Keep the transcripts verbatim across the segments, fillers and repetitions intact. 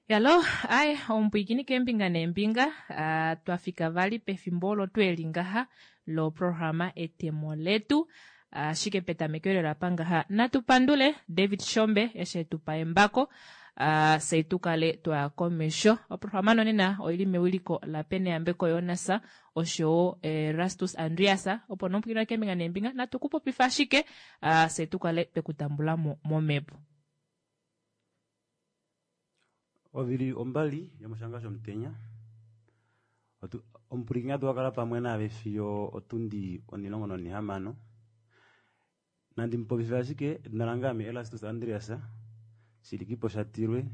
Yalo, aye omupwiikini keembinga neembinga, uh, twa fika vali pefimbo olo tweli ngaha loprograma Etemo Letu. Ashike petameko lela apa ngaha natu pandule David Shombe eshi etu pa embako, uh, fye tu kale twaya komesho. Oprograma nonena oili mewiliko la Peneyambeko Jonas oshowo Erastus Andreas, opo nomupwiikini keembinga neembinga natu ku popifa ashike, uh, fye tu kale twe ku tambula mo momhepo. Ovili ombali yomoshanga shomutenya. Omupwilikini atu wakala pamwe naave fiyo otundi onilongo nonihamano. Nandi mupopife ashike edina lange ame Erastus Andreas, Shilikipo Shatilwe,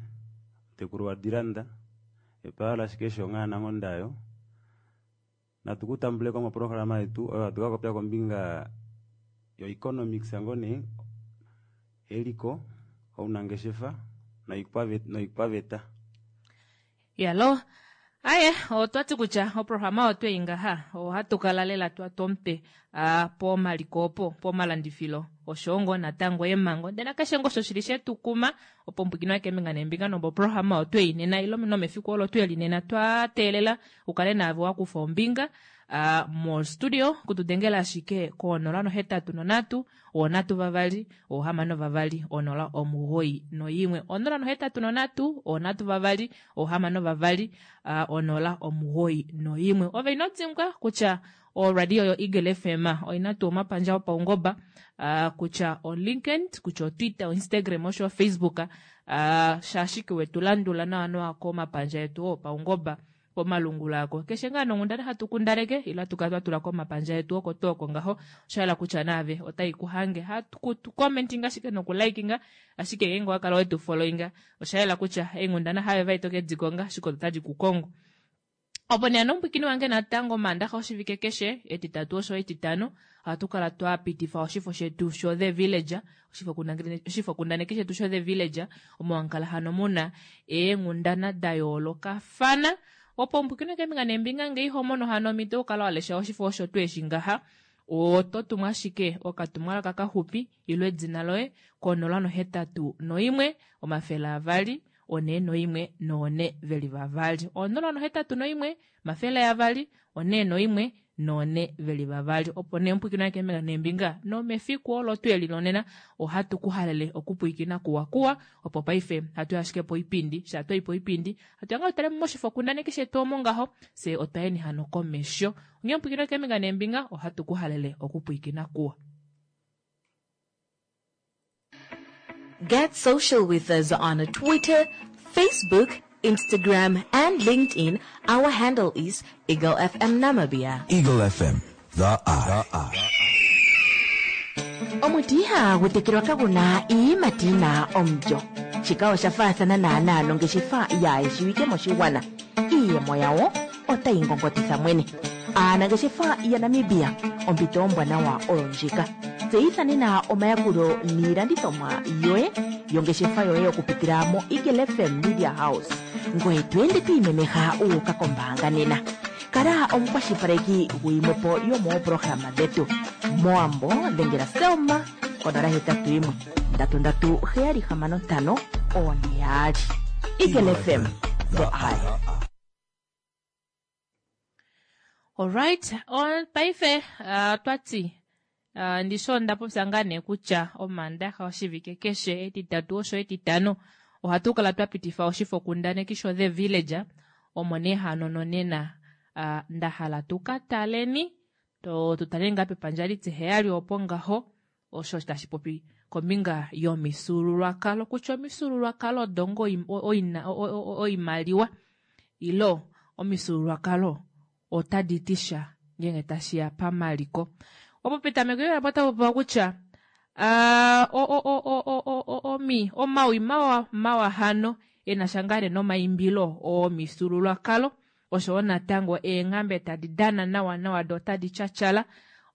mutekulu waDilanda, epaala ashike shonga nangondayo. Natu kutambule ko moprograma yetu oyo hatu ka popya kombinga yo economics ngone eliko ounangeshefa noikwaveta. Yalo, aye otwati kutya oprograma otwe ingaha ohatu kala lela twa tompe a pomaliko opo pomalandifilo oshoongo natango emango ndena keshe ngosho shili shetu kuma opo mpwikino yake mbinga nembinga nombo programa otwe inena ilo nomefiku olo twe linena twa teelela ukale naave wakufa ombinga a mo studio kutudengela ashike ko nola nohetatu nonatu onatu vavali ohamano vavali onola omugoi noyimwe onola nohetatu nonatu onatu vavali ohamano vavali onola omugoi noyimwe. Ove ino dimbwa kutya o radio yo Eagle F M oina tuu omapandja opaungoba, kutya o LinkedIn, kutya o Twitter, o Instagram osho Facebook, shashike wetu landula nawa nawa komapandja etu opaungoba komalungula ako. Keshe ngaa nonghundana hatu kundaneke ila tukala twa tula komapandja etu oko tuu oko ngaho, osha kutya naave otai ku hange. Hatu ku commentinga ashike nokulikinga, ashike ngeenge owa kala wetu followinga, osha yela kutya eenghundana have vai toke dikonga, ashike otadi ku kongo. Opo nee nomupwikini wange natango Maandaxa oshivike keshe, etitatu osho etitano, ohatu kala twa pitifa oshifo shetu sho The Villager, oshifo kundaneki shetu sho The Villager, omo hamu hano muna eenghundana da yoolokafana. Opo omupwikini keembinga neembinga ngee iho mono hano omhito okukala wa lesha oshifo osho tuu eshi ngaha, oto tumwa ashike okatumwalaka kaxupi ilo edina loye konola nohetatu noimwe omafele avali one noimwe noone veli vavali. Onola nohetatu noimwe omafele avali one noimwe noone veli vavali. Opo nee omupwikini keembinga neembinga nomefiku olo tweli lonena ohatu ku halele okupwikina kuwa kuwa. Opo paife hatu ashike poipindi, sha twai poipindi hatu yanga tutale moshifo kundaneki shetu omo ngaho, se otwayeni hano komesho. Onghee omupwikini keembinga neembinga ohatu ku halele okupwikina kuwa. Get social with us on Twitter, Facebook, Instagram, and LinkedIn. Our handle is Eagle F M Namibia. Eagle F M, the eye. Omuti ihagu tekelwa kaguna iiyimati yina omulyo. Shika osha faathana naanaa nongeshefa yaayeshiwike moshigwana. Iiyemo yawo otayi ngongotitha mwene. Aanangeshefa yaNamibia, ompito ombwanawa oyo ndjika. Tseyitha nena omayakulo niilandithomwa yoye yongeshefa yoye okupitila mo Eagle F M Media House. Ngoye to ende to imemeha u uka kombaanga nena. Kala omukwashilipaleki guyimwepo yomooprograma dhetu. Moambo dhengela Selma konola hetatu yimwe ndatu ndatu heyali hamano ntano one yaali. Eagle F M, the eye. Alright, on paife uh, twati uh, ndisho ndapopya ngaa nee kutya Omaandaxa oshivike keshe etitatu osho etitano ohatu kala twa pitifa oshifo kundaneki sho The Villager, omo nee hano nonena uh, nda hala tuka taleni to tutale ngaa pepandja litiheyali opo ngaho osho tashi popi kombinga yomifyuululwakalo, kutya omifyuululwakalo odongo oina oimaliwa ilo omifyuululwakalo otadi ti sha ngenge tashi ya pamaliko. Opo petameko yo lapota popiwa kutya, ah, o, o, o, o, o, o, o, o, mi, omawi mawa, mawa hano e na sha ngaa nee nomaimbilo omifyuululwakalo, oshowo natango eenghambe tadi dana nawa nawa do tadi tyatyala,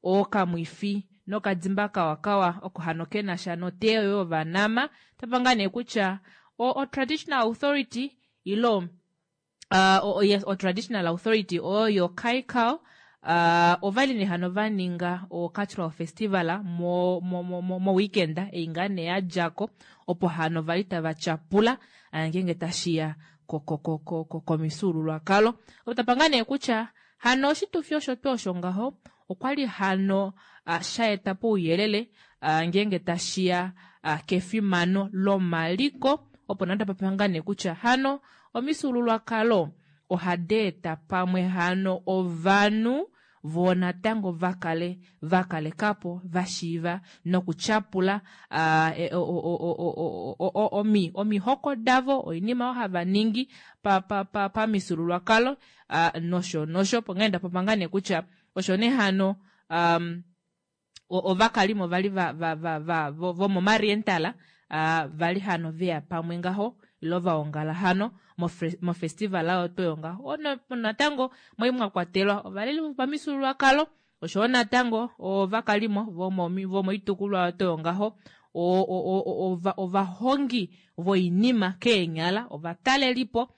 okamwifi nokadimba kawakawa oko hano ke na sha noteyo yovanama. Tapa ngaa nee kutya o, o traditional authority ilo, uh, o, o, yes, o traditional authority oyo Kaikao, uh, ovali nee hano va ninga o cultural festival mo, mo, mo, mo, mo weekend ei ngaa nee ya djako, opo hano vali tava tyapula, ah, ngeenge tashiya komifyuululwakalo. Otapa ngaa nee kutya hano oshitufi osho tuu osho ngaho okwali hano shaeta pouyelele ngeenge tashiya kefimano lomaliko opo nee tapapa ngaa nee kutya hano omifyuululwakalo ohadeeta pamwe hano ovanhu voo natango vakale vakalekapo vashiiva nokutyapula omihoko davo, oinima oyo hava ningi pamifyuululwakalo nosho nosho. Opo nee ndapopya ngaa nee kutya osho nee hano ovakalimo vali vomo Mariental vali hano veya pamwe ngaho ile vaongala hano mofestival oyo tuu oyo ngaho. Natango mwali mwakwatelwa ovaleli vopamifyuululwakalo oshoyo natango ovakalimo vomoitukulwa oyo tuu oyo ngaho, ovahongi voinima keenyala, ovatalelipo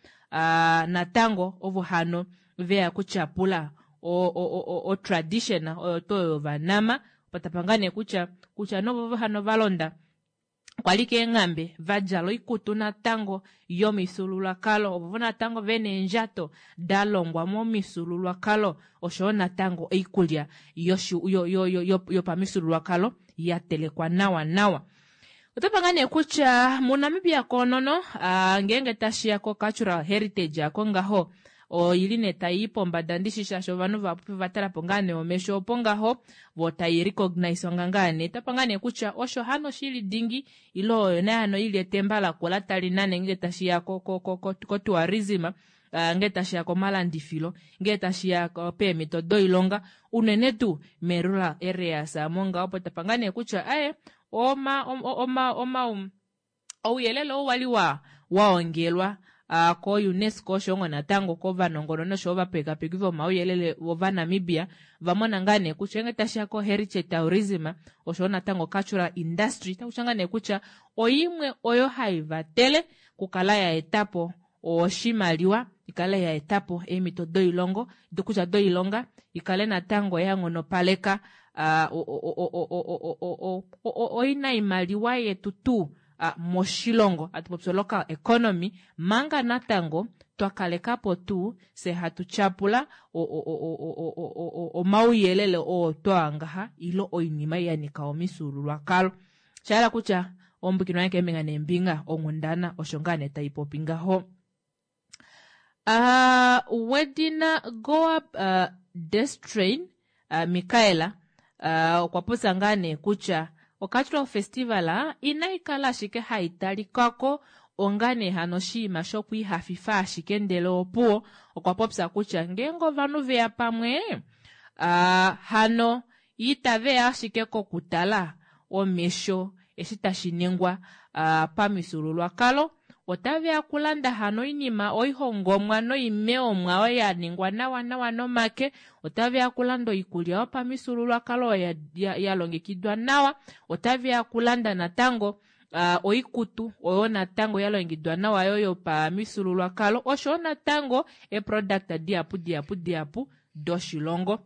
natango ovo hano veya okutyapula o tradition oyo tuu oyo yovanama. Patapa ngaa nee kutya kutya nee ovovo hano valonda kwali keenghambe vadjala oikutu natango yomifyuululwakalo, ovovo natango vena eendjato dalongwa momifyuululwakalo oshoyo natango oikulya yopamifyuululwakalo yatelekwa nawa nawa. Otapa ngaa nee kutya muNamibia koonono ngeenge tashiya ko cultural heritage ako ngaho oili nee tayi pombada ndishi shaashi ovanhu vahapu vatalapo ngaa nee omesho opo ngaho voo tai recognize ngaa nee. Otapa ngaa nee kutya osho hano shili dingi ile oyo nee hano ili etemba lakula tali nane ngenge tashiya ko tourism, ngee tashiya komalandifilo, ngee tashiya peemhito doilonga unene tuu me-rural areas amo ngaho. Opo tapa ngaa nee kutya aye oma oma oma ouyelele ou wali waongelwa ko UNESCO oshoyo natango kovanongononi oshoyo ovapekapeki vomauyelele vovanamibia vamona ngaa nee kutya ngenge tashiya ko heritage tourism oshoyo natango cultural industry otakutya ngaa nee kutya oimwe oyo haivatele okukala yaetapo oshimaliwa, ikale yaetapo eemhito doilongo kutya doilonga, ikale natango yanghonopaleka oinaimaliwa yetu tuu moshilongo, hatu local economy, manga natango twakalekapo tuu fye hatu tyapula omauyelele oo twaangaha ile oinima yanika omifyuululwakalo. Shahala kutya ombukino wange keembinga neembinga onghundana osho ngaa nee taipopi ngaho. Wedina Goab Destrain Michaela okwa popya ngaa nee kutya ocultural festival inaikala ashike haitalikako onga nee hano oshinima shokwiihafifa ashike ndele opuwo okwa popya kutya ngeenge ovanhu veya pamwe hano itaveya ashike kokutala omesho eshi tashi ningwa pamifyuululwakalo, otaveya okulanda hano oinima oihongomwa noimeomwa oyo yaningwa nawa nawa nomake, otaveya okulanda oikulya yopamifyuululwakalo oyo yalongekidwa nawa, otaveya okulanda natango oikutu oyo natango yalongekidwa nawa yo yopamifyuululwakalo oshoyo natango eproduct dihapu dihapu dihapu doshilongo.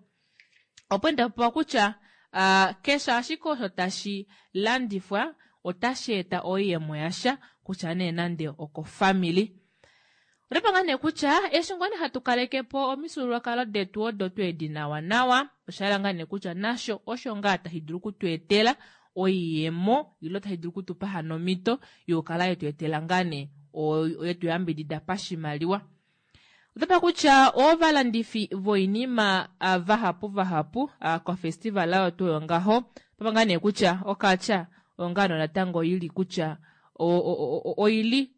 Opo ndapopiwa kutya keshe ashike osho tashi landifwa otashi eta oiyemo yasha kutya nee nande okofamili. Otapa ngaa nee kutya eshi ngoo nee hatu kalekepo omifyuululwakalo detu odo tweedi nawa nawa, oshahala ngaa nee kutya nasho osho ngaa tashi dulu okutweetela oiyemo ile tashi dulu okutupa hano omhito yokukala yetweetela ngaa nee yetu yambidida pashimaliwa. Otapa kutya ovalandifi voinima vahapu vahapu kofestival oyo tuu oyo ngaho, otapa ngaa nee kutya okatya onga natango ili kutya oili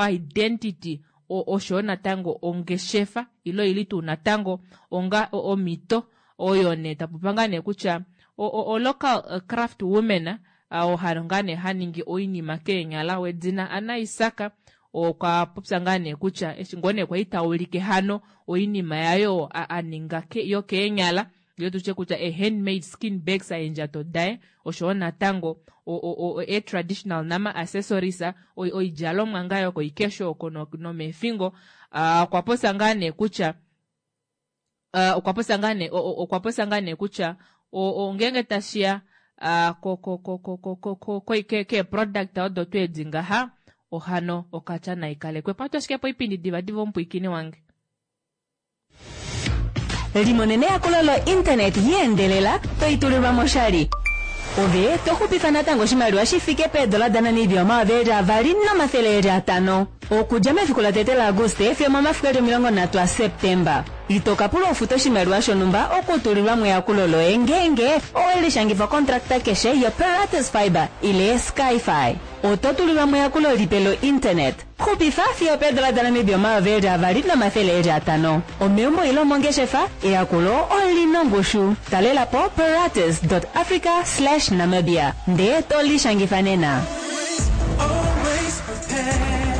identity oshoyo natango ongeshefa ile oili tuu natango onga omhito oyo nee tapopa ngaa nee kutya o local craft women oo ngaa nee haningi oinima keenyala wedina Anna Isaka okwa popya ngaa nee kutya eshi ngoo nee kwali taulike hano oinima yayo aninga yokeenyala ile tutye kutya e handmade skin bags eendjato daye oshoyo natango e traditional nama accessories oidjalomwa ngaa yokoikesho oko nomeefingo. Okwa popya ngaa nee kutya okwa popya ngaa nee okwa popya ngaa nee kutya ngeenge tashiya keeproduct odo tweedi ngaha ohano okatya naikalekwepo. Ohatu ashike poipindi divadiva omupwiikini wange. Limonene eyakulo lo-internet yeendelela toitulilwa moshali. Ove toxupifa natango oshimaliwa shi fike peedola daNamibia omayovi eli avali nomathele eli atano. Okudja mefiku latete laAguste fiyo omomafiku eli omilongo nhatu aSeptemba. Ito ka pulwa ufute oshimaliwa shonhumba okutulilwa mo eyakulo loye ngeenge owe lishangifa okontrakta keshe yoPeratus Fibre ile Skyfi. Oto tulilwa mo eyakulo lipe lo-internet. Xupifa fiyo opeedola daNamibia omayovi eli avali nomathele eli atano. Omeumbo ile omongeshefa, eyakulo olina ongushu. Talela po peratus.africa slash Namibia ndee to lishangifa nena. Always prepared.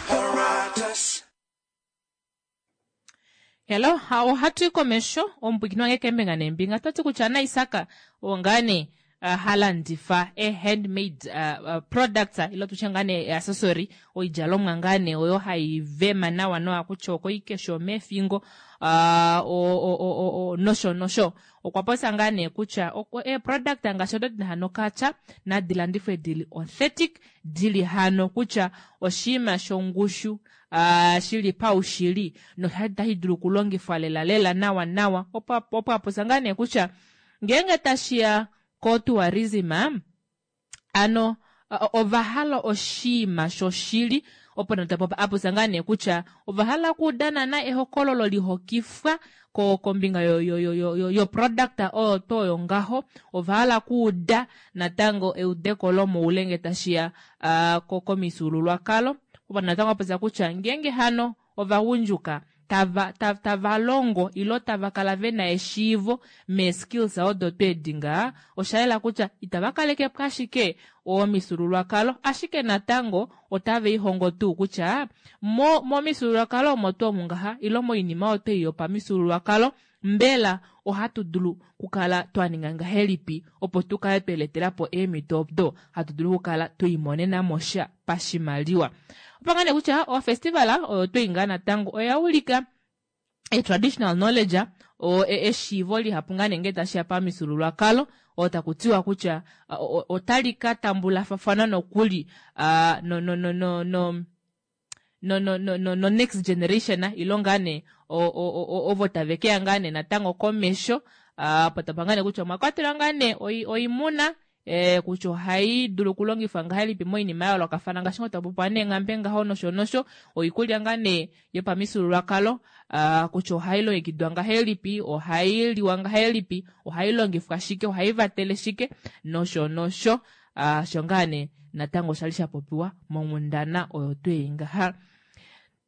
Paratus. Hello, ohatu i komesho omupwiikini wange keembinga neembinga toti kutya naIsaka oo ngaa nee uh, ha landifa e-handmade uh, uh, products ilo tutye ngaa nee accessory oidjalomwa ngaa nee oyo hai vema nawa nawa kutya okoikesho omeefingo uh, o, o, o, o, nosho nosho. Okwa popya ngaa nee kutya e-product ngaashi odo dina hano okatya nadi landifwe dili authentic, dili hano kutya oshinima shongushu uh, shili paushili notashi dulu okulongifwa lela lela nawa nawa. Opo apopya ngaa nee kutya ngeenge tashiya ko-tourism ano ova hala oshinima shoshili opo apopya ngaa nee kutya ova hala okuuda naana ehokololo lihokifwa kombinga yo product oyo tuu oyo ngaho. Ova hala okuuda natango eudeko lomoule ngee tashiya uh, komifyuululwakalo. Opo natango apopya kutya ngeenge hano ovagundjuka tava, tava, tava longo ilo tava kala vena eshiivo mee-skills odo tweedi ngaa, osha yela kutya itava kalekepo ashike omifyuululwakalo, ashike natango otave lihongo tuu kutya mo momifyuululwakalo omo tuu omu ngaha ilo moinima oyo twei yopamifyuululwakalo mbela ohatu dulu kukala twa ninga ngahelipi opo tu kale tweletelapo eemhito odo hatu dulu okukala twiimonena mo sha pashimaliwa. Opo ngaa nee kutya ofestival oyo twei ngaa natango oya ulika e-traditional knowledge o eshiivo lihapu ngaa nee ngee tashiya pamifyuululwakalo oo taku tiwa kutya otali ka tambulafafana nokuli uh, no, no, no, no, no no no no no, no next generation ilo ngaa nee ovo tave keya ngaa nee natango komesho uh, po tapa ngaa nee kutya omwa kwatelwa ngaa nee oimuna eh, kutya ohai dulu okulongifwa ngahelipi moinima ya yoolokafana ngaashi ngo tapopiwa neenghambe ngaho nosho nosho, oikulya ngaa nee yopamifyuululwakalo uh, kutya ohai longekidwa ngahelipi, ohai liwa ngahelipi, ohai longifwa shike, ohai vatele shike nosho nosho. Uh, sho ngaa nee natango oshali sha popiwa monghundana oyo twei ngaha.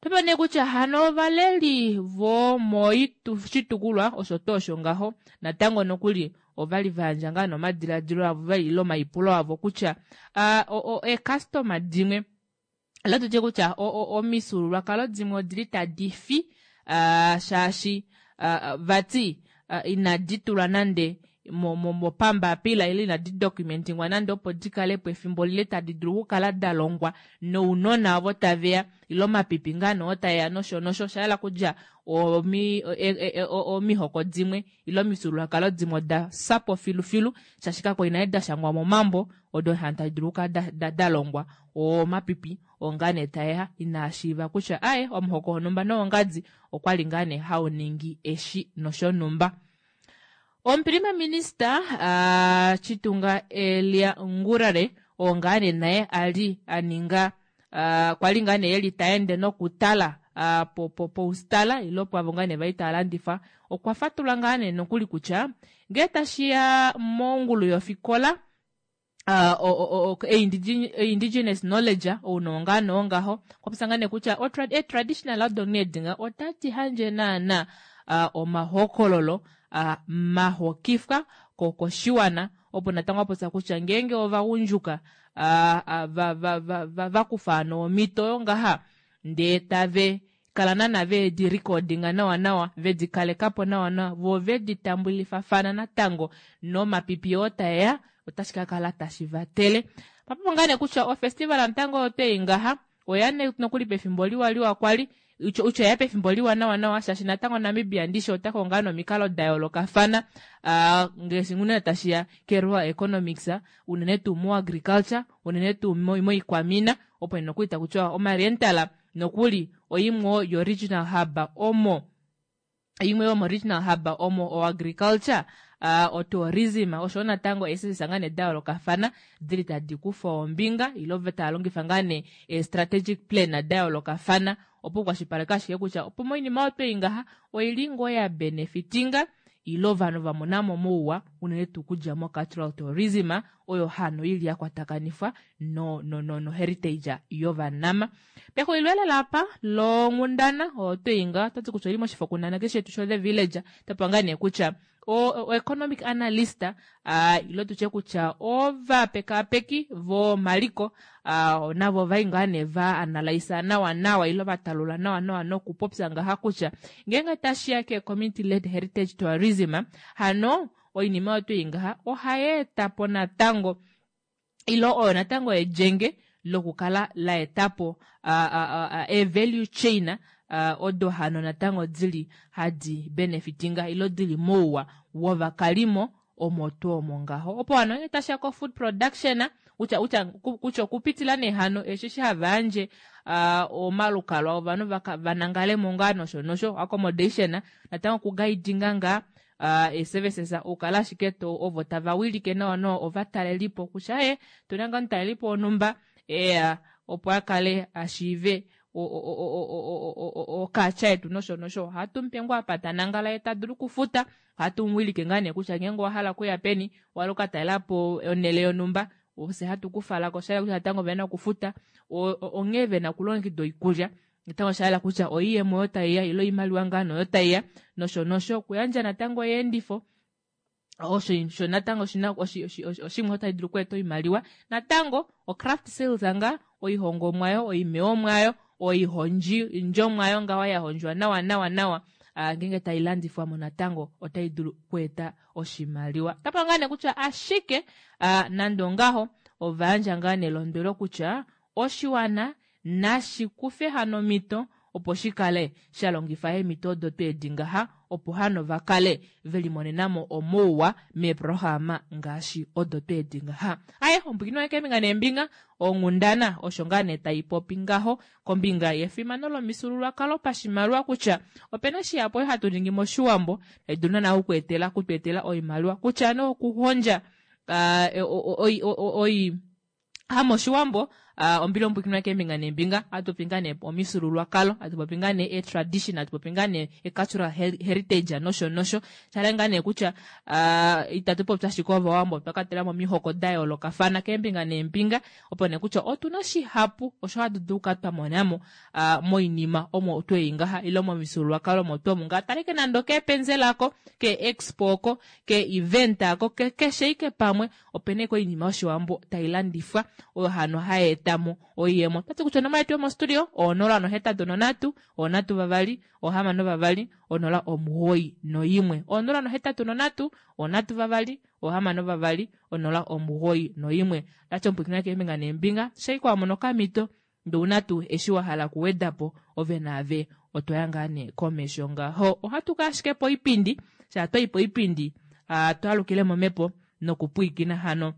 Topa nee kutya hano ovaleli vomoshitukulwa osho tuu osho ngaho natango nokuli ovali vayandja ngaa nomadiladilo avo ile omaipulo avo kutya uh, eecustoma dimwe ile tutye kutya omifyuululwakalo dimwe odili tadi fi uh, shaashi uh, vati uh, inadi tulwa nande mopambapila ile inadi documentingwa nande opo di kalepo efimbo lile tadi dulu okukala da longwa nounona ovo taveya ile omapipi ngaa nee taeya nosho nosho. Osha yela kutya omihoko dimwe ile omifyuululwakalo dimwe oda fyapo filufilu shaashi kakwali nale da shangwa momambo odo hano tadi dulu okukala da longwa omapipi oo ngaa nee taeya inaa shiiva kutya aye omuhoko wonhumba nowongadi okwali ngaa nee hau ningi eshi noshonhumba. Omuprima minista uh, Chitunga Elia Ngurare oo ngaa nee naye ali aninga uh, kwali ngaa nee eli taende nokutala uh, po, po, poustala ilo pwavo ngaa nee vali tava landifa, okwa fatula ngaa nee nokuli kutya ngee tashiya mongulu yofikola uh, indigenous knowledge ounongo ngaa nee ongaho, okwa popya ngaa nee kutya e-traditional odo nee dinga otadi handje naana uh, omahokololo uh, mahokifwa koshiwana. Opo natango apopya kutya ngeenge ovagundjuka uh, uh, va, va, va, va, vakufa hano omhito oyo ngaha ndee tave kala naana vedi recordinga nawa nawa, vedi kalekapo nawa nawa, vo vedi tambulifafana natango nomapipi oo taeya, otashi ka kala tashi vatele. Papopo ngaa nee kutya ofestival natango oyo twei ngaha oya nokuli pefimbo liwa liwa kwali Utya ya pefimbo liwa nawa nawa shaashi natango Namibia ndishi ota konga nomikalo da yoolokafana ngaashi unene tashiya ke-rural economics, unene tuu mo-agriculture, unene tuu moikwamina, opo nokuli takutiwa omarental nokuli oimwe yo-regional hub omo imwe yomo-regional hub omo o-agriculture, uh, o-tourism oshowo natango eesesesa ngaa nee da yoolokafana dili tadi kufa ombinga ile tava longifa ngaa nee ee-strategic plan da yoolokafana opo kukwashilipaleka ashike kutya opo moinima oyo twei ngaha oili ngoo ya benefitinga ile ovanhu vamonamo mouwa unene tuu okudja mo-cultural tourism oyo hano ili ya kwatakanifwa no, no, no, no heritage yovanama. Pexulilo elela apa longhundana oyo tweinga otati kutya oili moshifokundaneki shetu sho The Village, tapa ngaa nee kutya o, o economic analyst uh, ile tutye kutya ovapekapeki vomaliko uh, navo ovai ngaa nee va analysa nawa nawa ile vatalula nawa nawa nokupopya ngaha kutya ngeenge tashiya ke community led heritage tourism hano oinima oyo twei ngaha ohayi etapo natango ile oyo natango elyenge lokukala la etapo uh, uh, value chain uh, odo hano natango dili hadi benefitinga ile dili mouwa wovakalimo omo tuu omo ngaho. Opo hano ngenge tashiya ko food production kutya kutya kutya okupitila nee hano eshi hava yandje uh, omalukalwa ovanhu vanangalemo ngaa nosho nosho accommodation natango okuguidinga ngaa uh, ee-services okukala ashike to ovo tava wilike nawa nawa ovatalelipo kutya e tuna ngaa omutalelipo wonhumba eya opo akale ashiive okaatya yetu nosho nosho ohatu mupe ngoo apa tanangala ye tadulu okufuta, ohatu muwilike ngaa nee kutya ngeenge owahala okuya peni owahala okukatalelapo onhele yonhumba ofye hatu kufalako. Oshayela kutya natango ovena okufuta onghee vena okulongekida oikulya natango oshayela kutya oiyemo oyo taiya ile oimaliwa ngaa oyo taiya nosho nosho. Okuyandja natango oyeendifo osho sho natango oshimwe tashi dulu okweeta oimaliwa. Natango o-craft sales nga oihongomwa yo oimeyomwa yo oihondjomwa yo ngaho ya hondjwa nawa nawa nawa ngeenge tai landifwamo natango otai dulu okweeta oshimaliwa. Tapa ngaa nee kutya ashike nande ongaho ovayandja ngaa nelondwelo kutya oshiwana nashi kufe hano omhito opo shikale sha longifa eemhito odo tweedi ngaha opo hano vakale velimonenamo omouwa meeprograma ngaashi odo tweedi ngaha. Aye ombwikini wange keembinga neembinga onghundana osho ngaa nee taipopi ngaho kombinga yefimano lomifyuululwakalo pashimaliwa kutya opena shihapu oyo hatu ningi moshiwambo tai dulu naana okweetela okutweetela oimaliwa kutya nee okuhondja uh, oi hamoshiwambo uh, ombili ombwikini wange keembinga neembinga ohatu popi ngaa nee omifyuululwakalo, hatu popi ngaa nee e-tradition, hatu popi ngaa nee e-cultural heritage nosho nosho. Shala ngaa nee kutya uh, itatu popi ashike ovawambo, otwa kwatelamo omihoko da yoolokafana keembinga neembinga opo nee kutya otuna shihapu osho hatu dulu okukala twa monamo uh, moinima omo twei ngaha ile momifyuululwakalo omo tuu omu ngaa. Taleke nande okeepenzela ako, ke-expo oko, ke-event ako, keshe ike pamwe opena ike oinima yoshiwambo tailandifwa oyo hano hai etamo oiyemo. Otati kutya onomola yetu yomostudio onola nohetatu nonhatu, onhatu vavali, ohamano vavali, onola omugoyi noimwe. Onola nohetatu nonhatu, onhatu vavali, ohamano vavali, onola omugoyi noimwe. Otati omupwiikini keembinga neembinga shaike wamono okamhito ndee ouna tuu eshi wahala okuwedapo ove naave otwaya ngaa nee komesho ngaho. Ohatu ka ashike poipindi, shaa twayi poipindi uh, twalukile momhepo nokupwiikina hano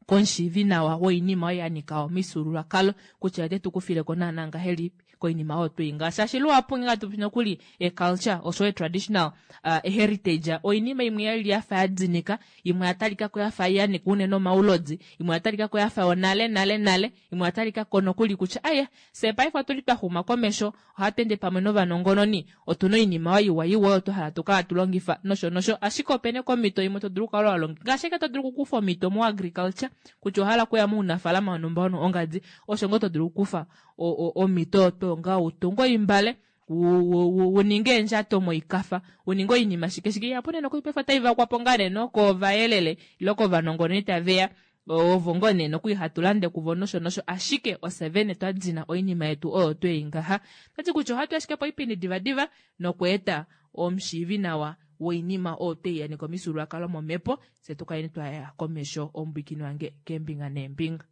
komushiivi nawa woinima oyo yanika omifyuululwakalo kutya ote tukufileko naana ngahelipi koinima oyo twei ngaha. Shaashi luhapu ngenge hatu popi nokuli e-culture oshowo e-traditional uh, heritage oinima imwe yali yafa yadinika, imwe oya talikako yafa yanika unene omaulodi, imwe oya talikako yafa yonale nale nale, imwe oya talikako nokuli kutya aye fye paife otuli twa xuma komesho, ohatu ende pamwe novanongononi, otuna oinima oyo iwa iwa oyo twahala tukala hatu longifa nosho nosho. Ashike opena komhito imwe to dulu okukala walongifa ngaashi ashike to dulu okukufa omhito mo-agriculture kutya owahala okuya mounafalama wonhumba ongadi, osho ngoo to dulu okukufa omhito oyo tuu ngaho utunge oimbale, uninge eendjato moikafa, uninge oinima shike shike ihapu nee nokuli paife otai vakwapo ngaa nee nokovayelele ile kovanongononi taveya ovo ngoo nee nokuli hatu lande kuvo nosho nosho. Ashike ofye vene twa dina oinima yetu oyo twei ngaha. Otati kutya ohatu ashike poipindi divadiva nokweeta omushiivi nawa woinima oyo twei yanika omifyuululwakalo momhepo fye tukaleni twaya komesho omupwiikini wange keembinga neembinga.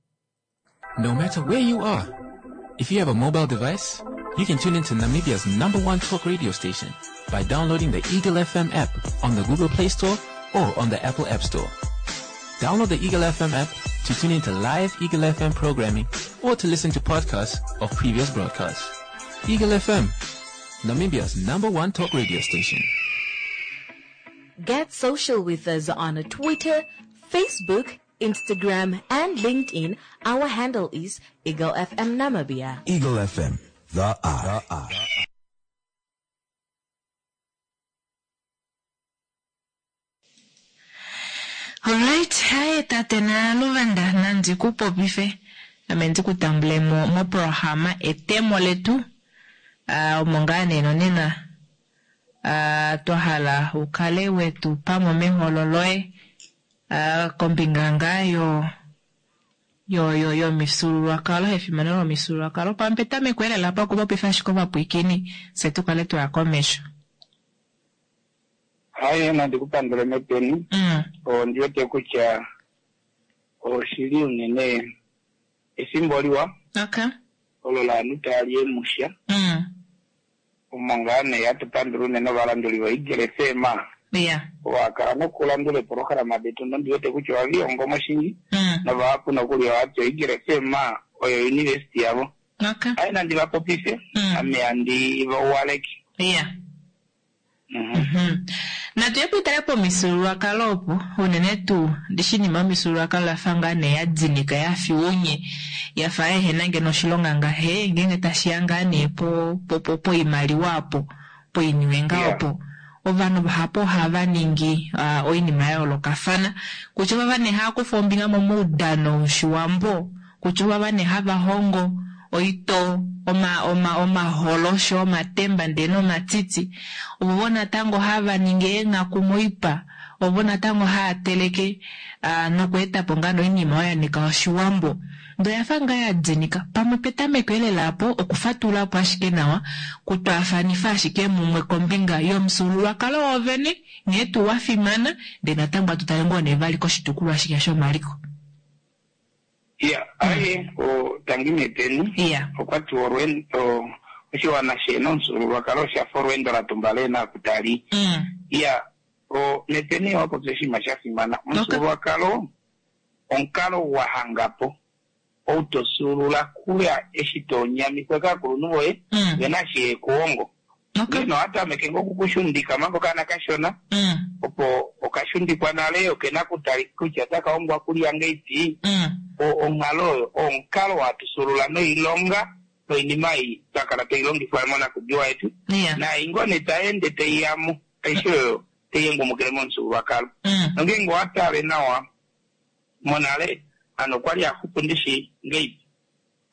No matter where you are, if you have a mobile device, You can tune into Namibia's number one talk radio station by downloading the Eagle F M app on the Google Play Store or on the Apple App Store. Download the Eagle F M app to tune into live Eagle F M programming or to listen to podcasts of previous broadcasts. Eagle F M, Namibia's number one talk radio station. Get social with us on Twitter, Facebook, Instagram, and LinkedIn. Our handle is Eagle F M Namibia. Eagle F M, the eye. The eye. Alright, haye tate Naluvanda, nandi ku popife ame ndi ku tambule mo moprograma etemo letu uh, omo ngaa nee nonena uh, twa hala ukale wetu pamwe meholo loye uh, kombinga ngaa yo yo yo yomifyuululwakalo, efimano lomifyuululwakalo. Pamwe petameko elela pakupopifa ashike ovapwiikini fye tukale twaya komesho. Haye, nandi kupandule mepeni. Mm. Ondi wete kutya oshili unene efimbo liwa okay olo laanhu tali emusha mm. omo ngaa nee hatupandula unene ovalanduli voEagle F M yeah wakala nokulandula eprogram detu nondi wete kutya ohavilongo shingi mm. novahapu nokuli ohati oEagle F M oyo university yavo. Okay aye nandi vapopife Mm. ame handi vauwaleke. yeah Mhm. Mhm. Natu yepo itale pomifyuululwakalo opo unene tuu ndishinima omifyuululwakalo yafa ngaa nee ya dinika yafi unye yafa ehena ngeno oshilonga ngahe ngenge tashiya ngaa nee po po po poimaliwa apo poiniwe nga Yeah. opo ovanhu vahapu ohava ningi uh, oinima ya yoolokafana kutya ovava nee hava kufa ombinga momaudano woshiwambo kutya ovava nee hava hongo oito oma oma omaholosho omatemba ndee nomatiti ovo natango hava ningi eenghaku moipa ovo natango haya teleke uh, nokweetapo ngaa noinima oyo ya nika oshiwambo ndo yafa ngaa ya dinika. Pamwe petameko elela apo okufatulapo ashike nawa kutwaafanifa ashike mumwe kombinga yomufyuululwakalo wovene nghee tuu wa fimana ndee natango atu tale ngoo nee vali koshitukulwa shike shomaliko. Ya, aye o tangi mepeni. Iya. Okwati olwendo oshiwana shena omufyuululwakalo oshafa olweendo la tumbala ena kutali. Mm. Ya, o mepeni owapopya oshinima sha fimana. Omufyuululwakalo omukalo wa hangapo ou tofyuulula kuya eshi tonyamikwa kaakulunhu voye Mm. vena shi yekuhongo. Okay. Ngeno ohatameke ngoo okukushundika manga okaana kashona Mm. opo okashundikwa nale okena kutali kutya otaka hongwa kulya ngeipi. Mm. O- onghalo oyo omukalo watusulula noilonga noinima ei twakala toilongifwa monakudiwa yetu Iya. naai ngoo nee taende taiyamo aishe oyo taiyengumukile momufyuululwakalo. Mm. Nongeenge owatale nawa monale ano okwali axupu ndishi ngeipi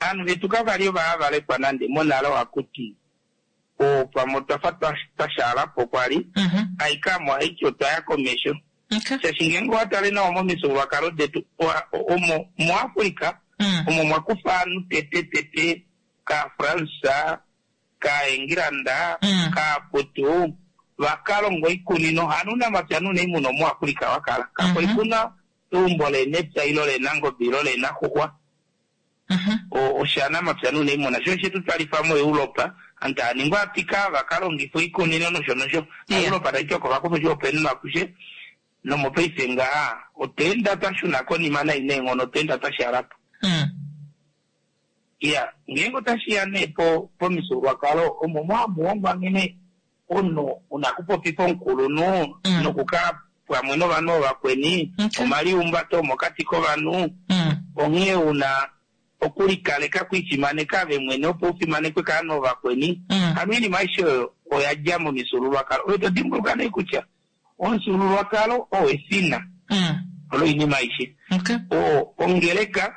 aanhu vetu kavali ovaavalekwa nande monale ohakuti pamwe otwafa twa- twashaalapo kwali Mhm. aikamo haiti otwaya komesho. Okay. Shaashi ngeenge owatale nawa momifyuululwakalo detu owa- omo muAfrica Mm. omo mwakufa aanhu tete tete kaFransa kaEngilanda Mm. kaaputu vakalonga oikunino hanu unamapya nuunaimuna omuAfrica wakala kako Mhm. ikuna eumbo leenepya ilo leenangobe ilo leenaxuxwa. Mhm. O- oshanamapya nuunaimuna sho shetu twalifa moEuropa antu aaningwa apika vakalongifa oikunino nosho nosho. Yeah. Europa taiti oko vakufa oshihopaenenwa akushe nomopaife ngaha otweenda twashuna konima nai neenghono otweenda twashaalapo. Mm. Iya, ngeenge otashiya nee po pomifyuululwakalo omo mwamuhongwa nghene omunhu una kupopifa omukulunhu Mm. nokukala pamwe novanhu ovakweni Okay. omaliumbato omokati kovanhu Mm. onghee una okulikaleka kwifimaneka ave mwene opo ufimanekwe kaanhu ovakweni. Mm. Hano oinima aishe oyo oya dja momifyuululwakalo oyo todimbuluka nee kutya omufyuululwakalo oo efina Mm. loinima aishe. Okay. O ongeleka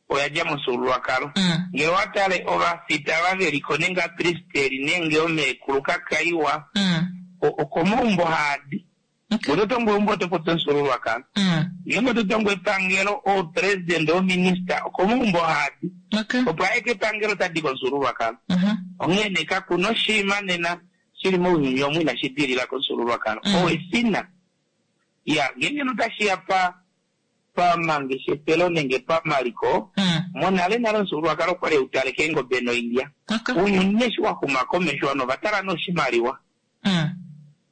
oya dja momufyuululwakalo. Mm. Ngele owatale ovafita ava veliko nenge apristeri nenge omeekulu kakaiwa Mm. o- okomaumbo haadi. Okay. Oto tongo eumbo oto popi omufyuululwakalo. Mm. Ngeenge oto tongo epangelo oupresident ominista okomaumbo haadi. Okay. Opo aye kepangelo tadi komufyuululwakalo. Mhm. Onghee nee kakuna oshinima nena shili mounyuni omu inashi dilila komufyuululwakalo. Mm. Oo efina. Ya, ngeenge notashiya pa pamangeshefelo nenge pamaliko Mm. monale nale omufyuululwakalo okwali hautale keengobe noilya Okay. ounyuni eshi waxuma komesho ovanhu ovatala noshimaliwa Mm.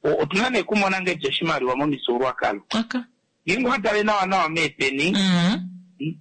O- otuna nee kumona ngeti oshimaliwa momifyuululwakalo Okay. ngeenge owatale nawa nawa meepeni Mm.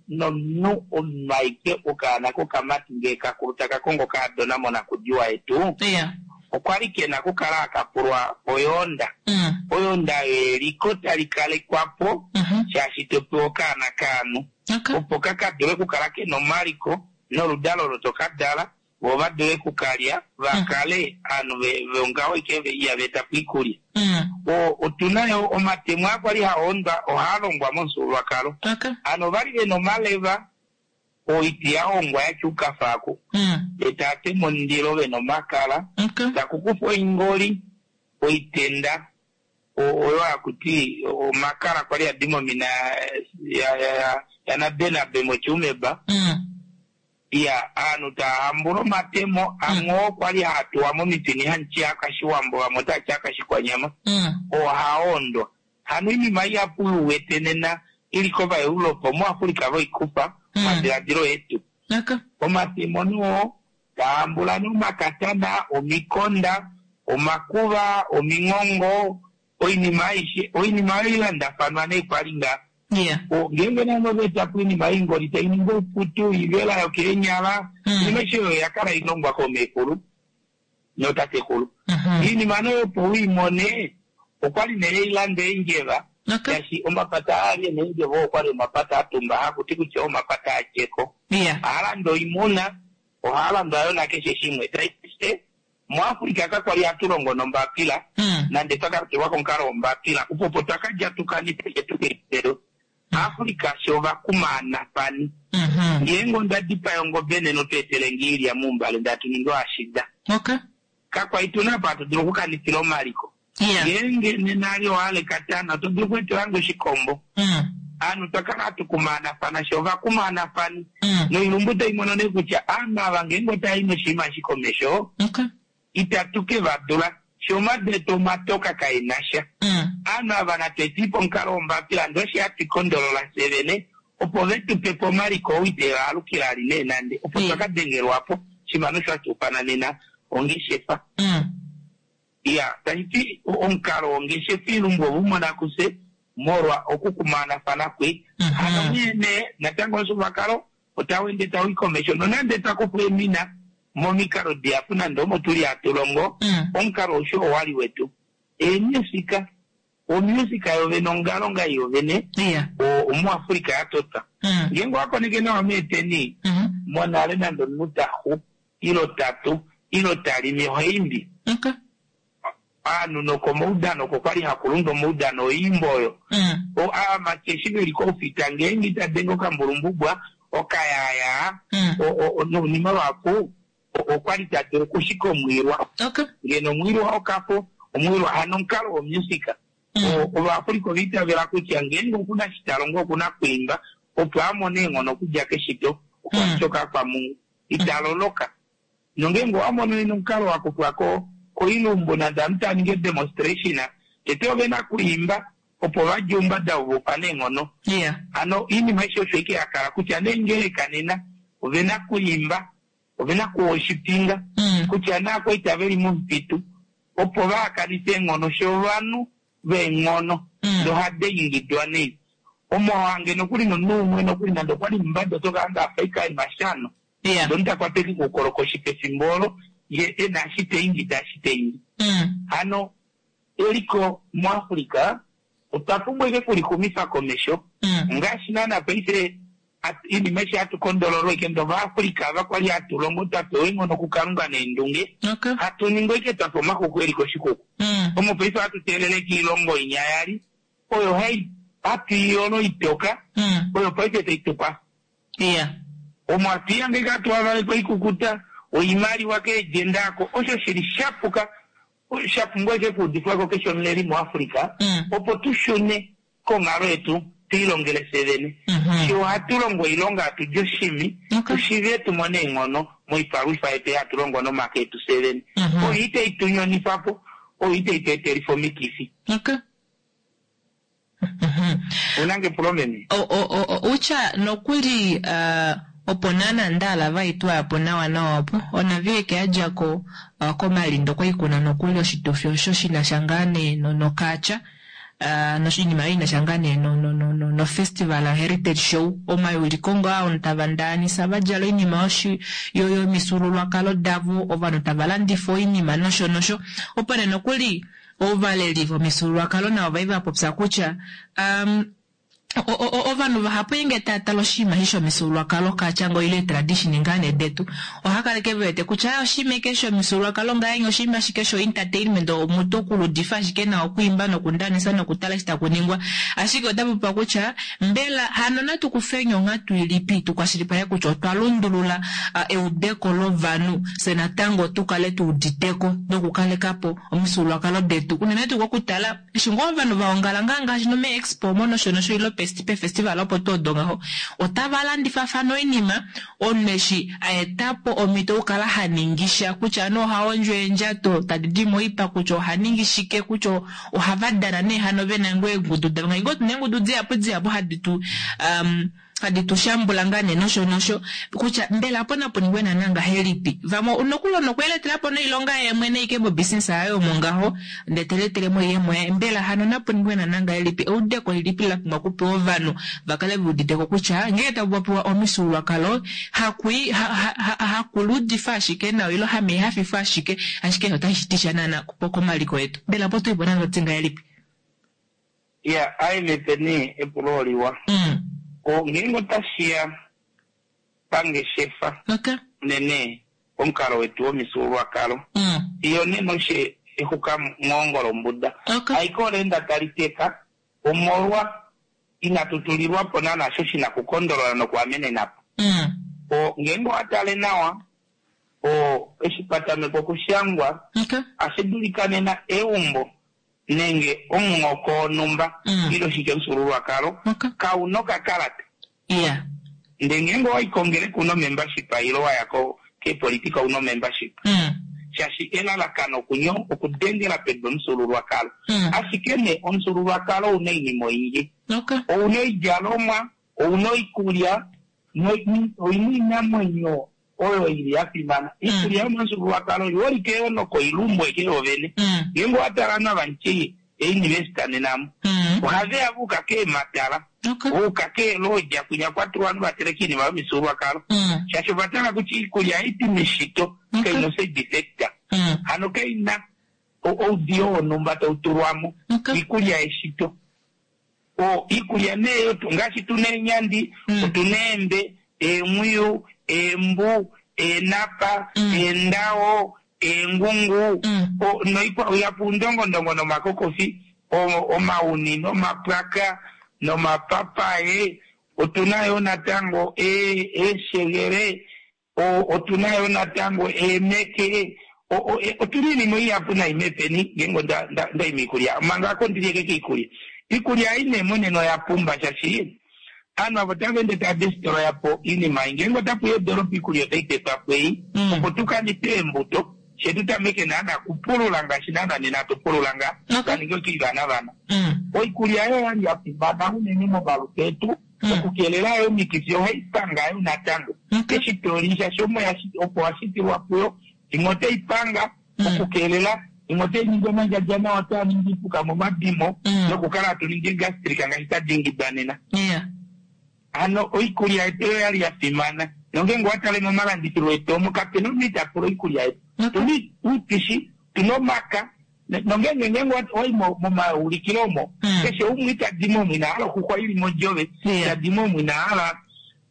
nomunhu omumaike okaana kokamati ngee kakulu taka kongo kaadona monakudiwa yetu Yeah. okwali kena okukala akapulwa oyoonda Mm. oyoonda yeliko tali kalekwapo Mhm. shaashi topewa okaana kaanhu Okay. opo kaka dule okukala kena omaliko noludalo olo tokadala vo va dule okukalya vakale aanhu ve- vongaho ike ve- ihava eta po iikulya Mm. O- otuna yo omatemo aa kwali haondwa ohaa longwa momufyuululwakalo Okay. ano ovali vena omaleva oiti ya hongwa yatya ukafaku Mm. etaa tema omundilo vena omakala Okay. taku kufwa oingoli oitenda o- oyo hakuti omakala kwali adima omina ya- ya- ya- yanabenabe mochiumeba Mm. iya aanhu taahambula omatemo amwe oo kwali haatuwa momipini hamuti akashiwambo vamwe otati akashikwanyama Mm. ohaondwa hano iinima ihapu uwete nena ili kovaeuropa muafrika voikufa Mm. madiladilo etu Okay. omatemo noo taambula nomakatana omikonda omakuva omingongo oinima aishe oinima oyo ilandafanwa nee kwali nga Yeah. O, ngeenge nano vetapo oinima ingoli tai ningi oiputu ivela yokeenyala Mm. oinima aishe oyo yakala ilongwa komeekulu notatekulu Mhm. iinima noyo opo uimone okwali nee ilanda eendjeva Okay. shaashi omapata aali ena eendjeva okwali omapata atumba hakuti kutya omapata atyeko Yeah. ohalanda oimuna ohalandwa yo nakeshe shimwe taise muafrika kakwali hatu longo nombapila Mm. nande twakatulwa komukalo wombapila upopo twakadja tukanife tukeitelo afrika sho vakumaanafani Mhm. ngeenge onda dipaya ongobe nena otweetele ngiilya mumbale ndatuninga oashida Okay. kakwai tuna apa hatu dulu okukanifila omaliko Yeah. ngeenge nena ali oale katana oto dulu okweetelange oshikombo Mm. aanhu twakala hatu kumaanafana sho vakumaanafani Mm. noilumbu taimono nee kutya aanhu ava ngeenge otayi noshinima eshi komesho Okay. itatu ke va dula sho omadeto omatoka kaena sha Mm. aanhu ava natwetiipo omukalo wombapila ndoshi hatu kondolola fye vene opo vetupe po omaliko ou iteva alukila ali nee nande opo Mm. twakadengelwapo shimano sho hatuufana nena ongeshefa Mm. iya tashiti omukalo wongeshefa ilumbu ovumona kuse molwa okukumaanafana kwe Mhm. hano mwene natango omufyuululwakalo otawende tawuyi komesho nonande twakufwa emina momikalo dihapu nande omo tuli hatu longo Mm. omukalo osho owali wetu eemusika omusika yovene ongalonga yovene Yeah. o- omuafrika yatota Mm. ngeenge owakoneke nawa meeteni Mhm. monale nande omunhu taxu ilo tatu ilo talimi ohaimbi Okay. aanhu nokomaudano oko kwali hakulundwa omaudano oimbo oyo Mm. O- aamati eshi veli koufita ngeenge itadenge okambulumbubwa okayaya Mm. o- o- o- nounima lwapu o- okwali tadulu okushika omwiilwa Okay. ngeno omwiilwa okafo omwiilwa hano omukalo womusika Mm. O- ovaafrika ovaitavela kutya ngeenge okuna shitalongo okuna kwiimba opo amone eenghono okudja keshito okwashoka kwamungu italoloka nongeenge owamono ena omukalo wakufwa ko koilumbu nande amu taninge demonstration tete ovena kuimba opo vadje oumbada vovupa neenghono Yeah. ano iinima aishe osho ike yakala kutya neengeleka nena ovena kuimba ovena kuwoshipinga Mm. kutya naakwaita veli momupitu opo vaakanife eenghono shovanhu veenghono Mm. nohade ingidwa nei omo wange nokuli nomunhu umwe nokuli nande okwali mumbada otokaanga afa mashano Yeah. ndonitakwateki kuukolokoshi pefimbo olo ye ena ashite ingida ashite ingi Mm. hano eliko muafrika otwa pumbwa ike kulixumifa komesho Mm. ngaashi naana paife at- iinima eshi hatu kondololwa ike ndo vaafrika ava kwali hatu longo twa pewa eenghono kukalunga neendunge Okay. hatu ningi ike twafa omaxuku eli koshikuku Mm. omo paife hatu teelele kiilongo inya yali oyo hai hatu iyolo itoka Mm. oyo paife taitupa Yeah. omo hatuyange ike hatu avalekwa ikukuta oimaliwa keejenda ako osho shili shapuka sha pumbwa ike kuudifwako keshe omuleli muafrika Mm. opo tushune konghalo yetu tuilongele fye vene Mhm. shi ohatu longo oilonga hatu di oshimi Okay. tushive tumone eenghono moipalwifa yetu hatu longo nomake etu fye vene Mhm. oyo itai tunyonifapo oyo itai tu etelifa omikifi Okay. Unange epulo meme? Utya nokuli uh, opo naana ndaala vaitwapo nawa nawa opo onavieke yadjako uh, komalindo okwali kuna nokuli oshitufi osho shinasha ngaa nee nokaacha uh, noshinima yo inasha ngaa nee no, no, no, no, no festival heritage show omayuliko ngaa ovanhu tava ndaanisa vadjala oinima yoshi yo yomifyuululwakalo davo ovanhu tava landifa oinima nosho nosho opo nee nokuli ovaleli vomifyuululwakalo navo vai vapopya kutya um, ovanhu vahapu inge tava tala oshinima eshi shomifyuululwakalo kaatya ile tradition ngaa nee detu ohakaleke vewete kutya oshinima eke shomifyuululwakalo ngahenya oshinima ashike sho entertainment omutu okuludifa ashike nawa okwiimba nokundanisa nokutala eshi takuningwa ashike otapopiwa kutya mbela hano natu kufeni onghatu ilipi tukwashilipaleke kutya otwa lundulula uh, eudeko lovanhu fye natango tukale tuuditeko nokukalekapo omifyuululwakalo detu unene tuu kokutala eshi ngoo ovanhu vaongala ngaa ngaashi nome expo omo nosho nosho ile pefestival opo tuu odo ngaho otava landifafana oinima omunhu eshi aetapo omhito okukala haningisha kutya anu oha hondjo eendjato tadi di moipa kutya ohaningi shike kutya ohava dana nee hano vena ngoo eengudu davo ngoo tuna eengudu dihapu dihapu hadi tu um, hadi tu shambula ngaa nee nosho nosho kutya mbela apo napo ningwe naana ngahelipi vamwe nokuli nokweeletelapo noilonga yeemwene ike mobusiness yaye omo ngaho ndee teletelemo oiyemo yaye mbela hano napo ningwe naana ngahelipi eudeko lilipi la pumbwa okupewa ovanhu vakale veuditeko kutya ngenge taku popiwa omifyuululwakalo hakui hakuludifa ashike nawa ile hamehafifa ashike ashike otashi ti sha naana komaliko etu mbela opo tuipo naana toti ngahelipi ya aimepeni epulo oliwa mm. ngeenge otashiya pangeshefa okay. unene omukalo wetu womifyuululwakalo mm. iyo nena oshe exuka mwoongo lombuda okay. aike oleenda tali teka omolwa inatu tulilwapo naana sho shina kukondolola nokuamenenapo mm. o ngeenge owatale nawa o eshi patameka okushangwa okay. ashi dulika nena eumbo nenge omuhoko wonhumba Mm. ile oshike omufyuululwakalo okay. kauna okakalata yeah. ndee ngeenge owayi kongereka una membership ile waya ko keepolitika una membership mm. shaashi elalakano kunyo okudengela pedu omufyuululwakalo Mm. ashike nee omufyuululwakalo ouna oinima oyindji okay. ouna oidjalomwa ouna oikulya no- oina oinamwenyo oyo ili yafimana iikulya yomomufyuululwakalo oiholike yo nokoilumbu eke yovene mm. ngeenge owatala navanchi euniversity nenamo mm. ohaveya vuuka keematala okay. vuuka keelodja kwinya kwatulwa vanhu vateleka iinima yomifyuululwakalo mm. shaashi ovatala kutya iikulya haiti meshito Okay. kaina side effect mm. hano kaina o- oudiyo wonhumba tautulwamo okay. iikulya yeshito o iikulya neeyo tu- ngaashi tuna eenyandi Mm. otuna eembe eemwiyu eembu eenapa Mm. eendawo eengungu Mm. o- noikwa yapu undongondongo nomakokofi o- omauni nomapwaka nomapapaye otuna yo natango e- eeshegele o- otuna yo natango eemeke o- o- e- otuna iinima ihapu naimepeni ngeenge onda- nda- ndaima iikulya manga ako ndiliyeke kiikulya iikulya ei nee monena oya pumba shaashi aanhu avo tava ende tava destroya po iinima ei ngeenge otapuya edoolopa iikulya otai tetwa po ei Mm. opo tukanipe eembuto she tutameke naana kupulula ngaashi naana nena tupulula nga Okay. kaninge okiivana vana Mm. oikulya yo yali ya fimana unene momalutu etu Mm. okukelela yo omikifi ohai panga yo natango Okay. eshi toli shaashi omo yashi- opo washitilwa puyo imwe otai panga Mm. okukelela imwe otai ningi omandjadja nawa taa ningi ipuka momadimo Mm. nokukala hatu ningi gastrika ngaashi tadingidwa nena yeah. hano oikulya yetu oyo yali ya fimana nongeenge owatale momalandithilo etu omo kapena omunhu ita pula oikulya yetu Okay. tuna uutishi tuna omaka Ne- nongeenge ngeenge wa- wayi mo- momaulikilo omo Mm. keshe umwe itadimo omwe ina hala okuxwa ili modjove Yeah. itadimo omwe ina hala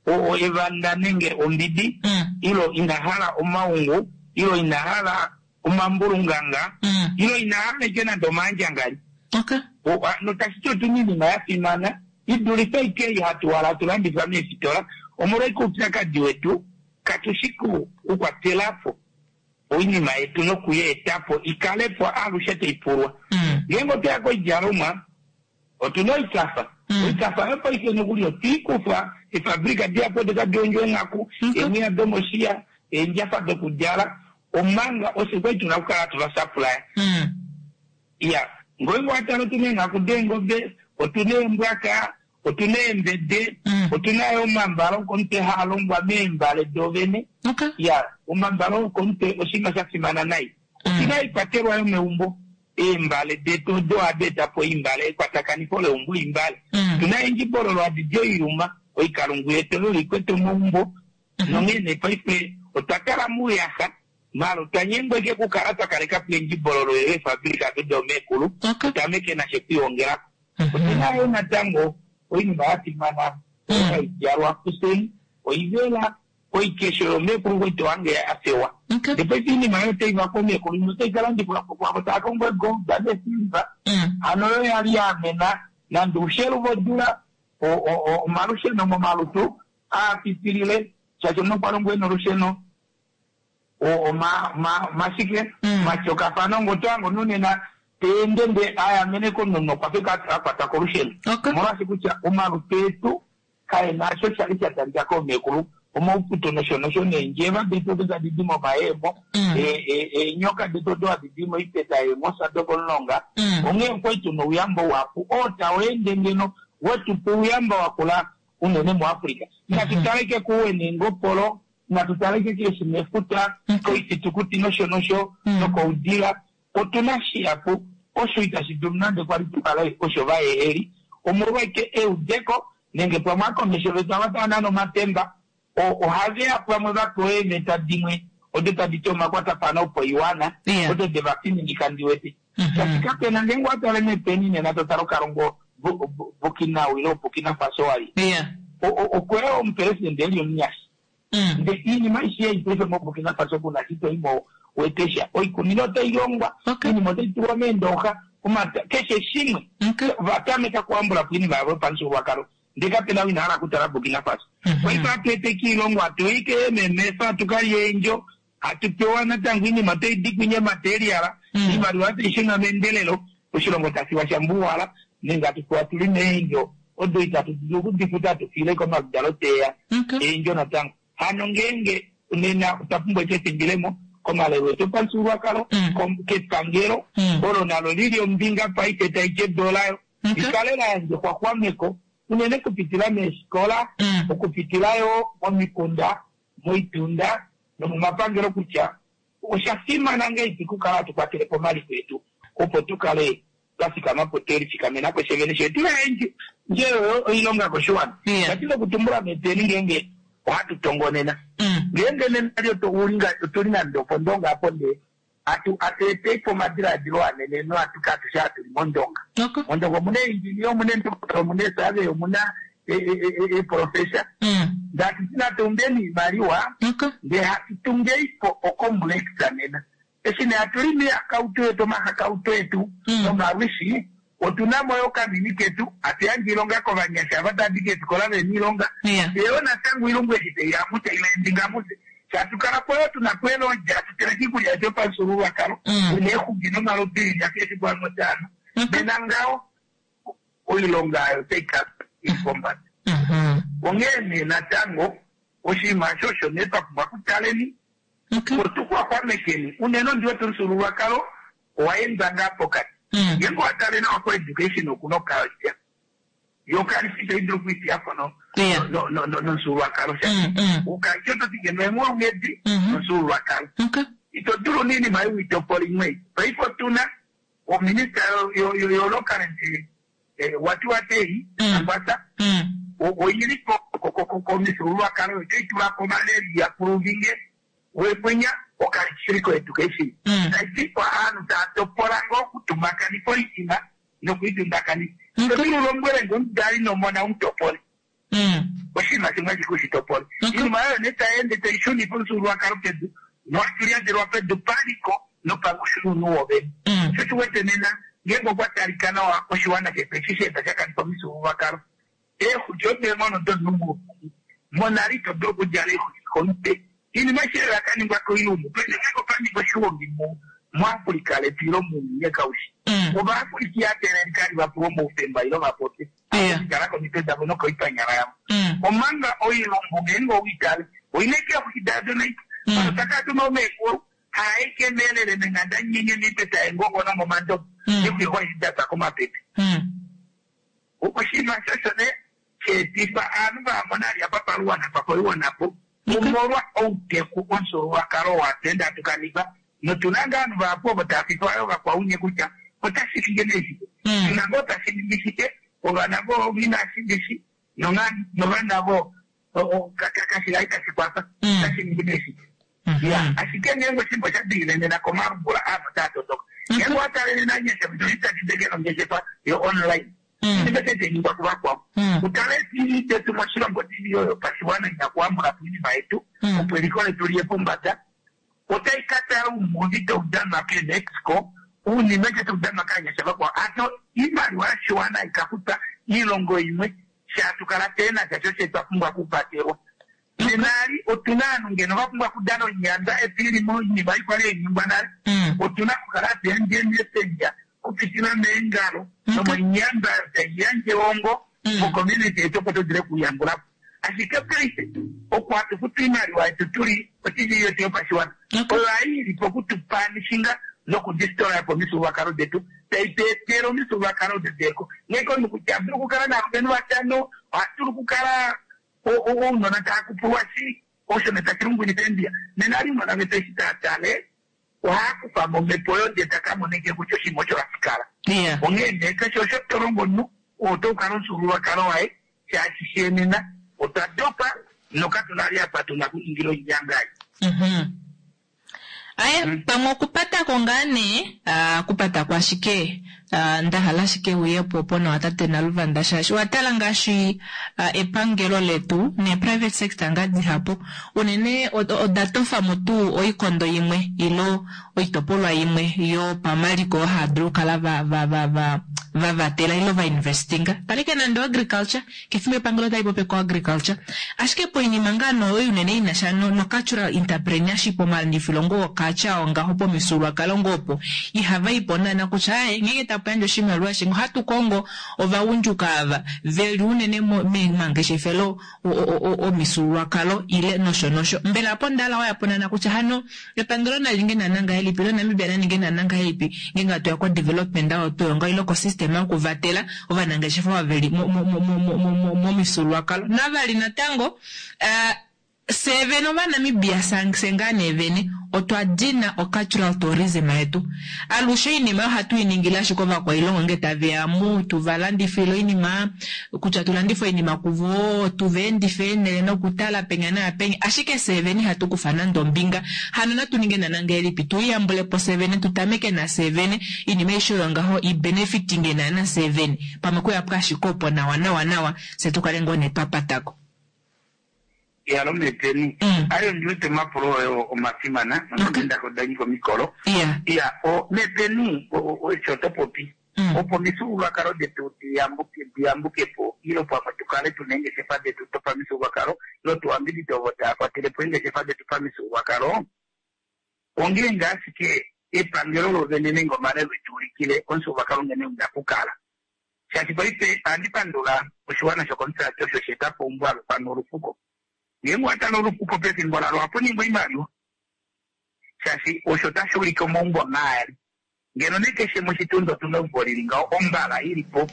o- o- evanda nenge ombidi Mm. ilo ina hala omaungu ilo ina hala omambulunganga Mm. ilo ina hala ike nande omaandjangali okay. O- a- notashiti otuna iinima ya fimana idulife ike ei hatu wala hatu landifa meefitola omolwaike oupyakadi wetu katushi ku- kukwatelapo oinima yetu nokuyeetapo ikalepo alushe taipulwa Mm. ngeenge otoya koidjalomwa otuna oikafa Mm. oikafa yopaife nokuli otwiikufa efabrika dihapu odo tadi hondjo eenghaku Okay. eemwiya domoshiya eendjafa dokudjala omanga ofye kwali tuna okukala hatu vasapulaya Mm. iya ngoinge watala otuna eenghaku deengobe Otuna eembwaka, otuna eembede, Mm. otuna yo omambale okomutwe haa longwa meembale dovene. Okay. Ya, omambale okomutwe oshinima sha fimana nai. Otuna ikwatelwa yomeumbo, eembale detu odo ohadi eta po oimbale, ekwatakanifo leumbo oimbale. Mm. Otuna eendjibololo hadi di oiyuma, oikalungu yetu oyo ikwete omaumbo. Nonghee nee paife otwa kala muuyaxa, maala otwa nyengwa ashike okukala twa kaleka po eendjibololo oyo eefabilika do domeekulu, Okay. tutameke nasho okwiihongelako. Mhm. Otuna yo natango oinima ya fimana oyo hai djalwa kuseni, oivela, oikesho yomeekulu kwetu wange ya fewa. Okay. Ndee paife oinima oyo otai vakwa meekulu, imwe otai ka landifwa po kwaavo tava kongo egold nesilver. Mm. Hano oyo yali ya amena nande oushelu vodula, o- o- o- omalusheno momalutu aa pitilile, shaashi omunhu okwa longwa ena olusheno, o- oma- ma- mashike Mm. matyokafano ngoto ango nonena teende nde ayamene komunhu nokwa fika a kwatwa kolusheno. Okay. Omolwaashi kutya omalutu etu kaena osho shali sha talika koomeekulu, omauputo nosho nosho neendjeva detu odo tadi di momayemo, Mm. e- e- eenyoka detu odo hadi di moipeta yeemosa dokomulonga. Mm. Onghee okwali tuna ouyamba uhapu oo tau ende ngeno wetupa ouyamba wakula unene muAfrica. Natu taleke kuwe neengopolo, natu taleke keeshi mefuta, koifitukuti nosho nosho, Mm. nokoudila. Otuna shihapu osho itashi dulu nande kwali tukale osho vayeheli, omolwaike eudeko nenge pamwe akomesho vetu ava tava nana omatemba o- ohave ya pamwe vapewa eemeta dimwe odo tadi ti omakwatafano opoiwana Yeah. odo de vafininika ndi wete. Mhm. Shaashi kapena ngeenge owa tale mepeni nena to tale okalongo Bu- Bu- Burkina ile Burkina Faso wali Yeah. O- o- okweya omupresidente eli omunyasha. Mm. Nde iinima aishe ei paife moBurkina Faso kuna shito imo wetesha oikunino otai longwa, Okay. oinima otai tulwa meendooxa, omata keshe shimwe Okay. vatameka kuhambula po oinima yavo yopamufyuululwakalo ndee kapena ou ina hala okutala Burkina Faso. Mhm. Paife hatu eteke oilongo, hatu ike eememefa, hatu kalya eendjo, hatu pewa natango oinima otai di kwinya materiala, Mm. oimaliwa tai shuna meendelelo, oshilongo tashi sha mbuwala nenge hatu pewa tuli meendjo odo itatu dulu okudifuta hatu fiile komaludalo teya Okay. eendjo natango. Hano ngeenge nena otwa pumbwa efimbilemo komalelo etu opamufyuululwakalo, Mm. kom- kepangelo Mm. olo nalo lili ombinga paife tai ti edu layo Okay. likale la yandja exwaxwameko unene okupitila meefikola, Mm. okupitila yo momikunda, moitunda nomomapangelo kutya osha fimana ngeipi okukala hatu kwatele po omaliko etu opo tu kale twa fikama po twe lifikamena po shevene shetu nje oyo oilonga koshiwana. Yeah. Tati okutumbula meteni ngeenge ohatu tongonena Mm. ngeenge nena lyo otuli nande opondonga apo ndee atu atu po omadiladilo anene nohatu katusha hatuli mondonga. Okay. Mondonga omuna engineer, omuna endokotola, omuna esurvey, omuna eprofessor. Mm. Ndati tinatumbeni iimaliwa Okay. ndee hatu tungeipo ocomplex nena. Eshi nee hatu limi iihakautu yetu, omahakautu etu Mm. nomalwishi, otuna mo yo okamini ketu, hatu yandje oilonga kovanyasha ava tava di keefikola vena oilonga. Yeah. Eyo natango oilongo eshi taiya mutse ilaendinga mutse. Shaashi tukala po yo tuna po elodja, hatu teleke iikulya yetu yopamufyuululwakalo, Mm. tuna eexuki nomalubili akeshe pamwe otaano. Okay. Nena ngaho oilonga oyo otai kala ili pombada. Mhm. Onghee nee natango oshinima osho osho nee twa pumbwa okutaleni Okay. opo tuxwaxwamekeni unene ondi wete omufyuululwakalo owa endwa ngaa pokati. Mm. Ngeenge owa tale nawa koeducation okuna okalya yo kalifi itayi dulu okwiifiya po no- Yeah. no- no- no- nomufyuululwakalo shaashi Mm. Mm. ukalya oto ti ngeno eenghulunghedi Mhm. nomufyuululwakalo. Okay. Ito dulu niinima ei uitopola imwe. Paife otuna ominista yo- yo- yo local eh, wati watei Mm. Angwasa Mm. oyili komifyuululwakalo otoyi tula po malaria puluvine wepwinya okalishiriko education. Mm. Taiti aanhu taya topola ngoo okutumakanifa oinima nokuitundakanisa. Okay. Todulu lombwele nge omudali nomona umutopole Mm. oshinima shimwe ashike ushitopole. Okay. Iinima oyo nee tayi ende tayi shunifa omufyuululwakalo pedu nohatu pedu paliko nopangushununu wovene. Mm. Sho tuwete nena ngeenge okwa talika nawa oshiwana shetu eshi sheeta sha kanifa omifyuululwakalo eexuki odeenghono domunhu monale ito dulu okudjala eexuki komutwe. Iinima aishe oyo yakaningwa koilumbu paife ngeenge opa ningwa oshigongi mu- muAfrica letu ile mounyuni kaushi Mm. Ovaafrika ihateelelika li vapewe omaufemba ile vapopye Yeah. kala komitwe davo nokoipanyala yavo. Mm. Omanga oilumbu ngeenge owiitale oina ike eexuki dado naito Mm. ano takatuma omeekulu aekemelele meng'anda nyenye miipeta yengongo nomomandobo Mm. ikuihoidata komapepe. Mm. Oshinima shosho ne sheetifa aanhu vaamona ali apa paluwana pakoiwanapo omolwa outeku omufyuululwakalo watwenda hatu kanifa notuna ngaa ovanhu vahapu ovo tava fifa yo vakwaunye kutya otashi ningi nee shike tuna ngoo tashi ningi shike ovana vo inashi novana vo kashila itashi kwafa otashi ningi nee shike ya ashike ngeenge oshinima osha dingile nena komalungula aanhu otaa tondoka ngeenge owatalele nanyasha itadi nongeshefa yo online inima ningwa kuvakwao utale TV detu moshilongo TV oyo pashiwana ina kuhambula po oinima yetu opo eliko letu liye pombada otai ka tala oumuvi taudanwa keMexico uunima eke taudanwa kaanyasha vakwao ato iimaliwa yoshiwana ikafuta iilongo imwe shaatu kala teenasha sho twa pumbwa okupatelwa nenali otuna aanhu ngeno va pumbwa okudana onyanda efilimo oinima ikwali hainingwa nale otuna okukala hatu yandje kupitila meengalo nomoinyanda tai yandje ongo mocommunity yetu opo tudule okuyambulapo ashike paife opo hatu futu iimaliwa yetu tuli otv yetu yopashiwana oyo hayi po okutupanishinga nokudistora po omifyuululwakalo detu tai tu etele omifyuululwakalo dedeko nghee omunhu kutya adulu okukala naalumenhu vatano ohadulu okukala ounona taa kupulwa shi osho ne tashi lungwinifa embiya nena ali ounona vetu eshi taa tale ohaya kufa momhepo oyo ndee taka moneke kutya oshinima osho hashi kala onghee nee keshe osho tolongo omunhu oto kala omufyuululwakalo waye shaashi shenena otwa dopa nokatuna li apa tuna kuningila oinyangai aye pamwe okupatako ngaa nee okupatako ashike ndahala ashike uyepo opo nawa tate Naluvanda shaashi owatala ngaashi epangelo letu ne private sector ngaa dihapu unene oda tofamo tuu oikondo imwe ilo oitopolwa imwe yopamaliko haadulu okukala va va va va vavatela ilo vainvestinga talike nande agriculture kefimbo epangelo tali popi ko agriculture ashike poinima ngaa noyo unene inasha no, no cultural entrepreneurship omalandifilo ngoo okacha ongaho pomifyuululwakalo ngoo opo ihava ipo naana kutya aye ngenge tapu yandje oshimaliwa shingo ohatu kongo ovagundjuka ava veli unene memangeshefelo omifyuululwakalo ile nosho nosho mbela apo ndala wayapo naana kutya hano epangelo nali ninge naana ngahelipi ilo Namibia naninge naana ngahelipi ngenge hatu ya ko development oyo tuyonga ilo ko system yokuvatela ovanangeshefa veli momifyuululwakalo navali natango fye vene ovanamibia fye ngaa nee vene otwa dina ocultural tourism yetu alushe oinima ohatu i ningile ashike ovakwailongo nge taveya mu tuvalandifile oinima kutya tulandife oinima kuvo tuva endife eenele nokutala penya naapenya ashike fye vene ihatu kufa nande ombinga hano natu ninge naana ngahelipi tuiyambulepo fye vene tutameke nafye vene oinima aishe oyo ngaho ibenefitinge naana fye vene pamwe kuyapo ashike opo nawa nawa nawa fye tukale ngoo nee twapatako yalo meteni ayo ndiwete omapulo oyo omafimana nonde danyika omikolo iya o meteni osho to popi opo omifyuululwakalo detu diyambuke diyambukepo ilo pamwe tukale tuna eengeshefa detu dopamifyuululwakalo ilo tuwambidide ovo taya kwatelepo eengeshefa detu pamifyuululwakalo ongeenge ashike epangelo lovene nenge omalelo etuulikile omufyuululwakalo nghene una kukala shaashi paife ohandi pandula oshiwana shokomusati osho sheetapo ombwalo pano olufuko ngeenge watala olufuko pefimbo lalo ohapu ningwa oimaliwa shaashi osho tashi ulike omaumbo maali ngeno ne keshe moshitundu otuna eumbo lili ngaho ombala ilipo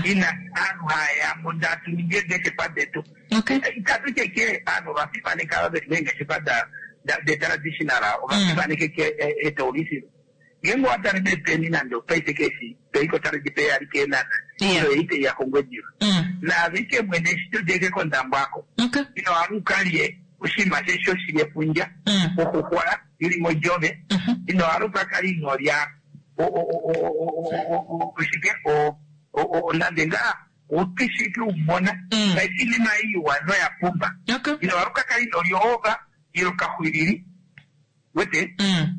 ina aanhu hayamo ndatu ningi eengeshefa detu itatu keke aanhu ovafimaneka ava veli meengeshefa detraditional ovafimaneke etoulisilo ngeenge owatale mepeni nande opaife keshi toiko tale peyali keenana ilo eite ya kongwediva naavike mwene eshi todeke kondambwako ino hala ukalye oshinima shesho shili efundja oxuxwa ili modjove ino hala ukakale inolya oshike nande ngaa utwishiki umona paife inima iwa noya pumba ino hala ukakale inolya ova ilo kaxwilili wete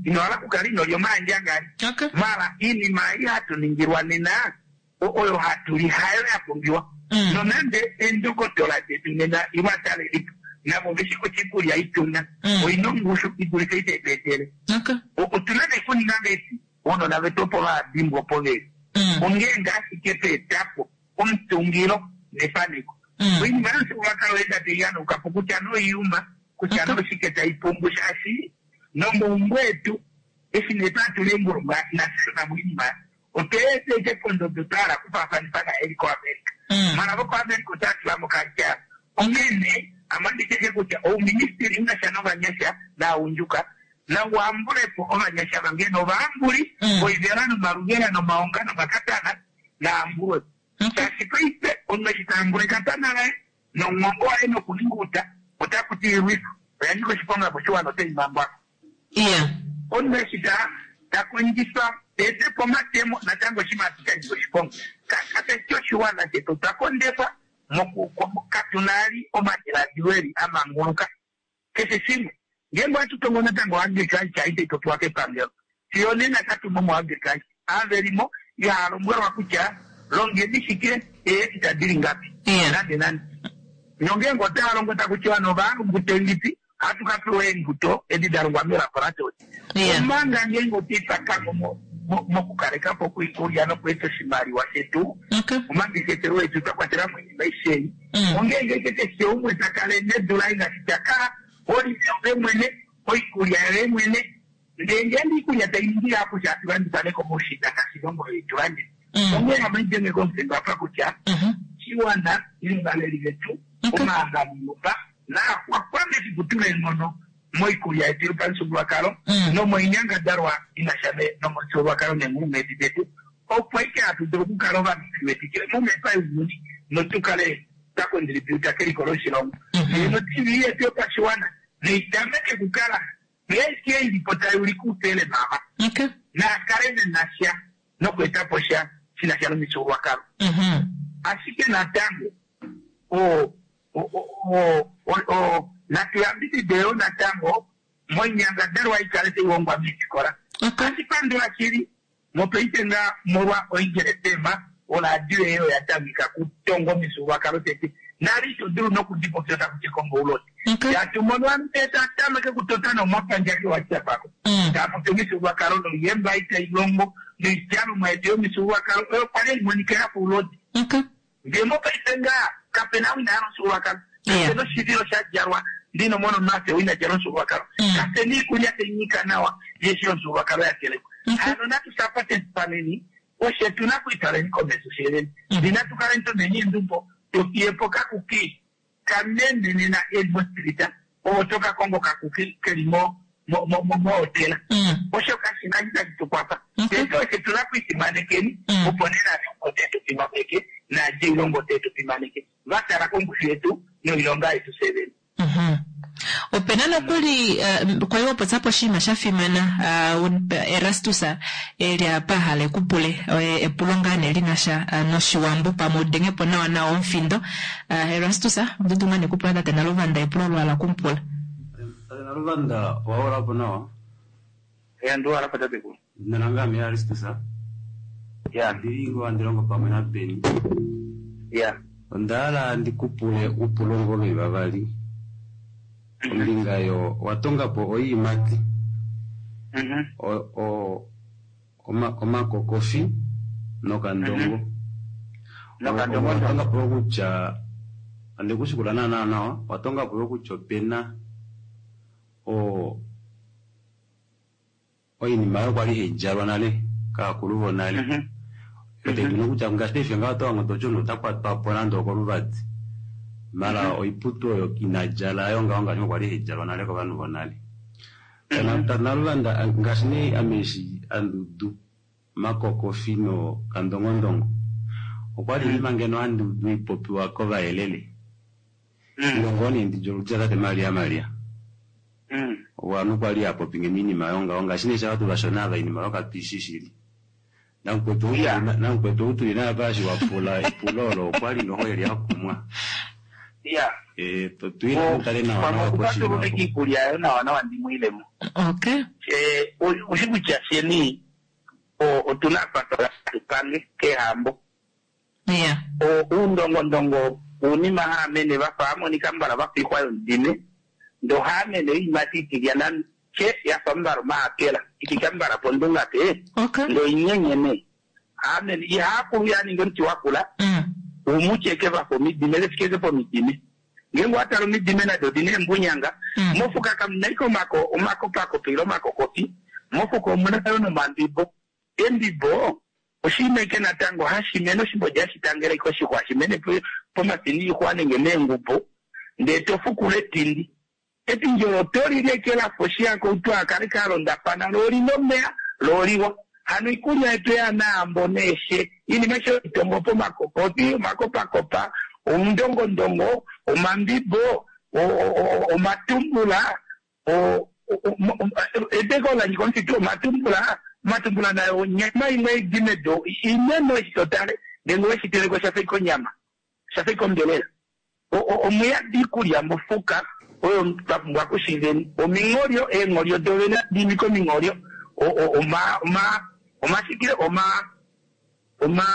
ino hala kukala inolya omaandjangari mala iinima ei hatu ningilwa nena oyo hatu li hayo ya pumbiwa nonande eendokotola detu nena ilo atalelipo navo veshi kutya iikulya ituna oina ongushu idulife ite tweetele otuna nekuninga ngesi ounona vetu opo vadimbwa opo veli ongeenge ashike tweetapo omutungilo nefaneko oinima yomufyuululwakalo enda taiyanukapo kutya noiyuma kutya noshike taipumbu shaashi nomaumbo etu eshi nee twatula eengulu ngaashi nafye moinima otweeteke pondodo twahala kufaafanifa naeli koAmerica Mara vokoAmerica otava tula mo okalcha. Onghene amanditeke kutya ouministili u na sha novanyasha naagundjuka nauambulepo ovanyasha vange novaambuli voivela nomaluvela nomaonga nomakatana naambulwepo. Shaashi paife omunhu eshi taambula ekatana laye nomwongo waye nokuninga outa otaku ti ilwifa oya nyika oshiponga koshiwana otai mangwako. Omunhu eshi ta ta kondjifa eetepo omatemo natango oshinima sha nyika oshiponga. Kapeshi oshiwana shetu otwa kondekwa katu na ali omadiladilo eli a manguluka. Keshe shimwe ngeenge ohatu tongo natango agriculture itai popiwa kepangelo fiyo nena katumo mo agriculture avelimo ihaa lombwelwa kutya longeni shike eehecta dili ngapi nande nande. Nongeenge otava longo taku tiwa novaalumbuto ilipi ohatu ka pewa eembuto edi da longwa melaboratory. Omanga ngeenge otwipakamo mokukalekapo oikulya nokweeta oshimaliwa shetu omangeshefelo etu twa kwatela mo oinima aishe ei. Ongeenge keshe umwe ta kale nedu laye ngaashi ta kala olime ove mwene oikulya yoye mwene ndee ngeenge iikulya tai ningi ihapu shaashi landifa nekomoushinda ngaashi ilongo ei tulandifa. Onghee hamaidenge komufingo apa kutya shiwana ile ovaleli vetu omahangano naaxwaxwame efiku tula eenghono moikulya yetu yopamufyuululwakalo nomoinyangadalwa ina sha nomufyuululwakalo neenghulunghedi detu opo aike hatu dulu okukala ovanhu tuliwetikile momepa younyuni notukale twa contributa keliko loshilongo. No-T V yetu yopashiwana neitameke kukala ngeenge ilipo tai ulike oufele mama naakale vena sha nokweetapo sha shina sha nomifyuululwakalo. Ashike natango o o natu yambidide yo natango moinyangadalwa ikale taihongwa meefikola. Ohandi pandula shili mopaife nga molwa oEagle F M oradio eyo oya tameka kutonga omifyuululwakalo tete nali ito dulu nokudipopya taku ti kongo oulodi. Shaashi mono ovanhu tete atameke kutota nomapandja keWhatsApp ako taa popi omifyuululwakalo noiyemba itai longo noidjalomwa yetu yomifyuululwakalo oyo kwali haimonika yafa oulodi. Ndee mopaife nga kapena ou ina hala omufyuululwakalo, kapena oshivilo sha djalwa ndino mono omafyo ou ina djala omufyuululwakalo, kapena iikulya tai nyika nawa yeshi yomufyuululwakalo ya telekwa. Hano natu sapatefaneni oshe tuna okwiitwaleni komesho sheeleni. Ndee natu kaleni tumeni eendumbo tofiyepo kakuki kameme nena eli mospirita ovo toka kongo kakuki keli mo mohotela. Osho kashina eshi tashi tukwafa. Tete oshe tuna okwiifimanekeni opo nena ote tu fimaneke naadje ilongo ote tu fimaneke va tala kongushu yetu noilonga yetu fyevene. Opena nokuli kwali wapopya oshinima sha fimana Erastus eli apa ahala ekupule epulo ngaa nee linasha noshiwambo pamwe udengepo nawa nawa omufindo. Erastus oto dulu ngaa nee okupula tate Naluvanda epulo olo ala okumupula. Tate Naluvanda owaulapo nawa? Ya ndiwalapo tatekulu. Edina lange ame Erastus. Ya. Ndili ngoo handi longo pamwe naBeni. Ya. Onda hala ndikupule upulo ngoo veli vavali. Ombinga yo watongapo oiimati omakokofi nokandongo. Watongapo kutya andikushikula naana nawa watongapo kutya opena o oinima oyo kwali haidjalwa nale kaakulu vonale. Otaidulu kutya ngaashi paife ngaho otowango toti omunhu ota kwatwapo nande okoluvadi mala oiputu oyo inadjala ayo ngaho ngaashi kwali haidjalwa nale kovanhu vonale. Naluvanda ngaashi nee ame eshi andudu makokofi no kandongondongo okwali oinima ngeno handiudu ipopiwa kovayelele ilongo nee ndidja oludja tate Maria Maria ovanhu kwali hapopi ngeno oinima oyo ngaho ngaashi nee sha vashona ava oinima oyo katuishi shili. Namukwetu ou tuli naye apa eshi wapula epulo olo okwali noho eli akumwa. Ya. Eh, tuile mutale nawa nawa poshinima. Okupatulula iikulya yayo nawa nawa ndimwiilemo. Okay. Eh, oshi kutya fyeni otuna apa tupange kehambo. Yeah. Uundongondongo uunima haamene vafa hamonika mbala vafa oixwa yomudime ndee ohaamene oiimati itilyana che yafa mbala omaapela ifika mbala pondunga pe ndee oinyenyene haamene ihaakulu yaninga omuti wakula umucheke vafa omidime vefikeze pomidime ngeenge watala omidime nado odina eembunyanga mofuka kamuna ike omako omakopakopa ile omakokofi mofuka omuna yo nomambibo embibo Oshinima eke natango hashi mene oshimbodi hashi tangele koshixwa hashi mene pomafini ixwa nenge meengubu ndee to fukula etindi. Etindi olo oto li lekela poshi yako akale ka londafana lo olina omeya lo oliwa. Hano ikulya yetu yanaambo neeshe iinima sho itongo pomakokoti omakopakopa oundongondongo omambibo omatumbula eteko lanyika omufitu omatumbula omatumbula nayo onyama imwe idi medu inene eshi totale ndenge weshiteleko shafa ike onyama shafa ike ombelela omuyadi ikulya mofuka oyo twa pumbwa kushiveni omingolyo eengolyo dovene dimika omingolyo oma oma omashikile oma oma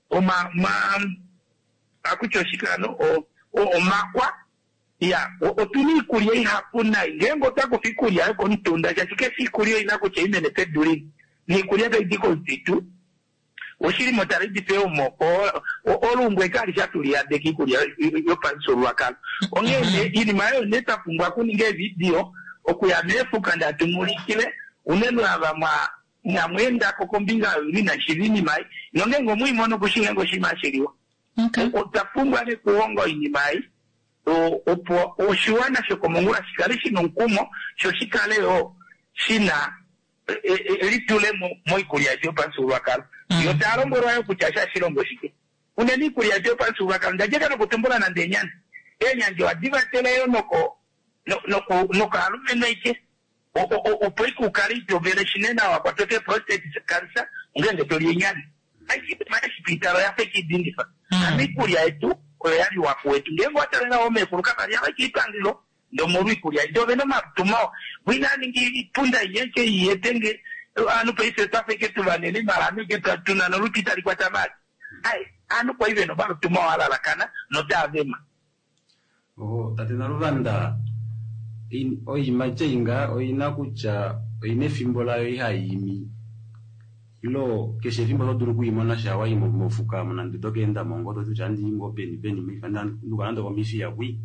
oma oma akutya oshikano omakwa ya otuna iikulya ihapu nayi ngeenge otwa kufa iikulya yokomutunda shaashi keshe iikulya oyina kutya imene pedu lini niikulya taidi komufitu oshilimo tali omoko olungu ekali shatuliyadeka iikulya yopamufyuululwakalo onghee iinima oyo nee twa pumbwa okuninga eevidio okuya meefuka ndatumulikile unene ava mwa namweendako kombinga yoyuni nashiva iinima ei nongeenge omwiimono okushinga oshinima hashiliwa otwa pumbwa nekuhonga oinima ei opo oshiwana shokomongula shikale shina omukumo sho shikale yo shina elitulemo moikulya yetu yopamufyuululwakalo yo taya lombwelwa yo kutya shashilongo shike unene iikulya yetu yopamufyuululwakalo ndadjeka nokutumbula nande eenyandi eenyandi ohadi vatele yo noko nokaalumenhu aike opo ike ukale itovele shinene awa kwatwa ke prostate cancer ngeenge toli eenyandi aishipitalo yafa ikidindifa ano iikulya yetu oyo yaliwa kuwetu ngeenge watalela omeekulu kavali yava kiipangelo ndomolwa iikulya yetu ovena omalutu mawa bwinaningi ipunda inyeke iyetenge anu paife twafa ike tuvanene mala ike tuna nolutu itali kwata mali ai anu kwai vena omalutu mawa alalakana notaavema oho tate Naluvanda oiima inga oina kutya oina efimbo layo ihayiimi ilo keshe efimbo oto dulu okuyimona sha wayi mofuka nande oto keenda mongo toti kutya andi ngo peni peni nduka nande okomifiya kwi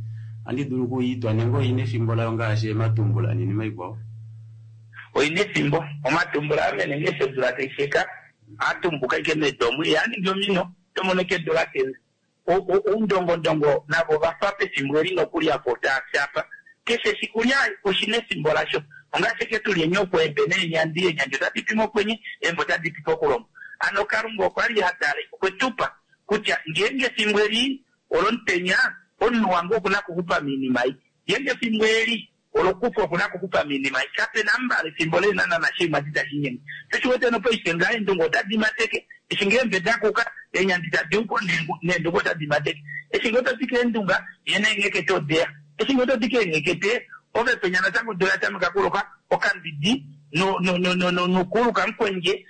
andi dulu okuyitwa nenge oina efimbo layo ngaashi ematumbula niinima ikwao oina efimbo omatumbula amene ngeshi odula taisheka atumbuka ike medomu yaningi omino tomono kedula kenza oundongondongo navo vafa pefimbo eli nokulyapo taashapa keshe shikulya oshina efimbo lasho ongaashi ke tuli enyokwa embe neenyandi eenyandi otadi pi mokwenye eembe otadi pi pokulombo ano kalunga okwali hatale okwetupa kutya ngeenge efimbo eli olomutenya omunhu wange okuna kuxupa miinima ei ngeenge efimbo eli olokufa okuna kuxupa miinima ei kapena mbala efimbo leenanana shiimati tashi shoshiwete nopaife ngaa eendungu otadi mateke eshi ngee embe dakuka eenyandi tadi upo neendungu otadi mateke eshi ngee otodike eendunga ye neenghekete odeya eshi ngee otodike eenghekete ove penya natango odula tameka kuloka okambidi nokuluka mukwenje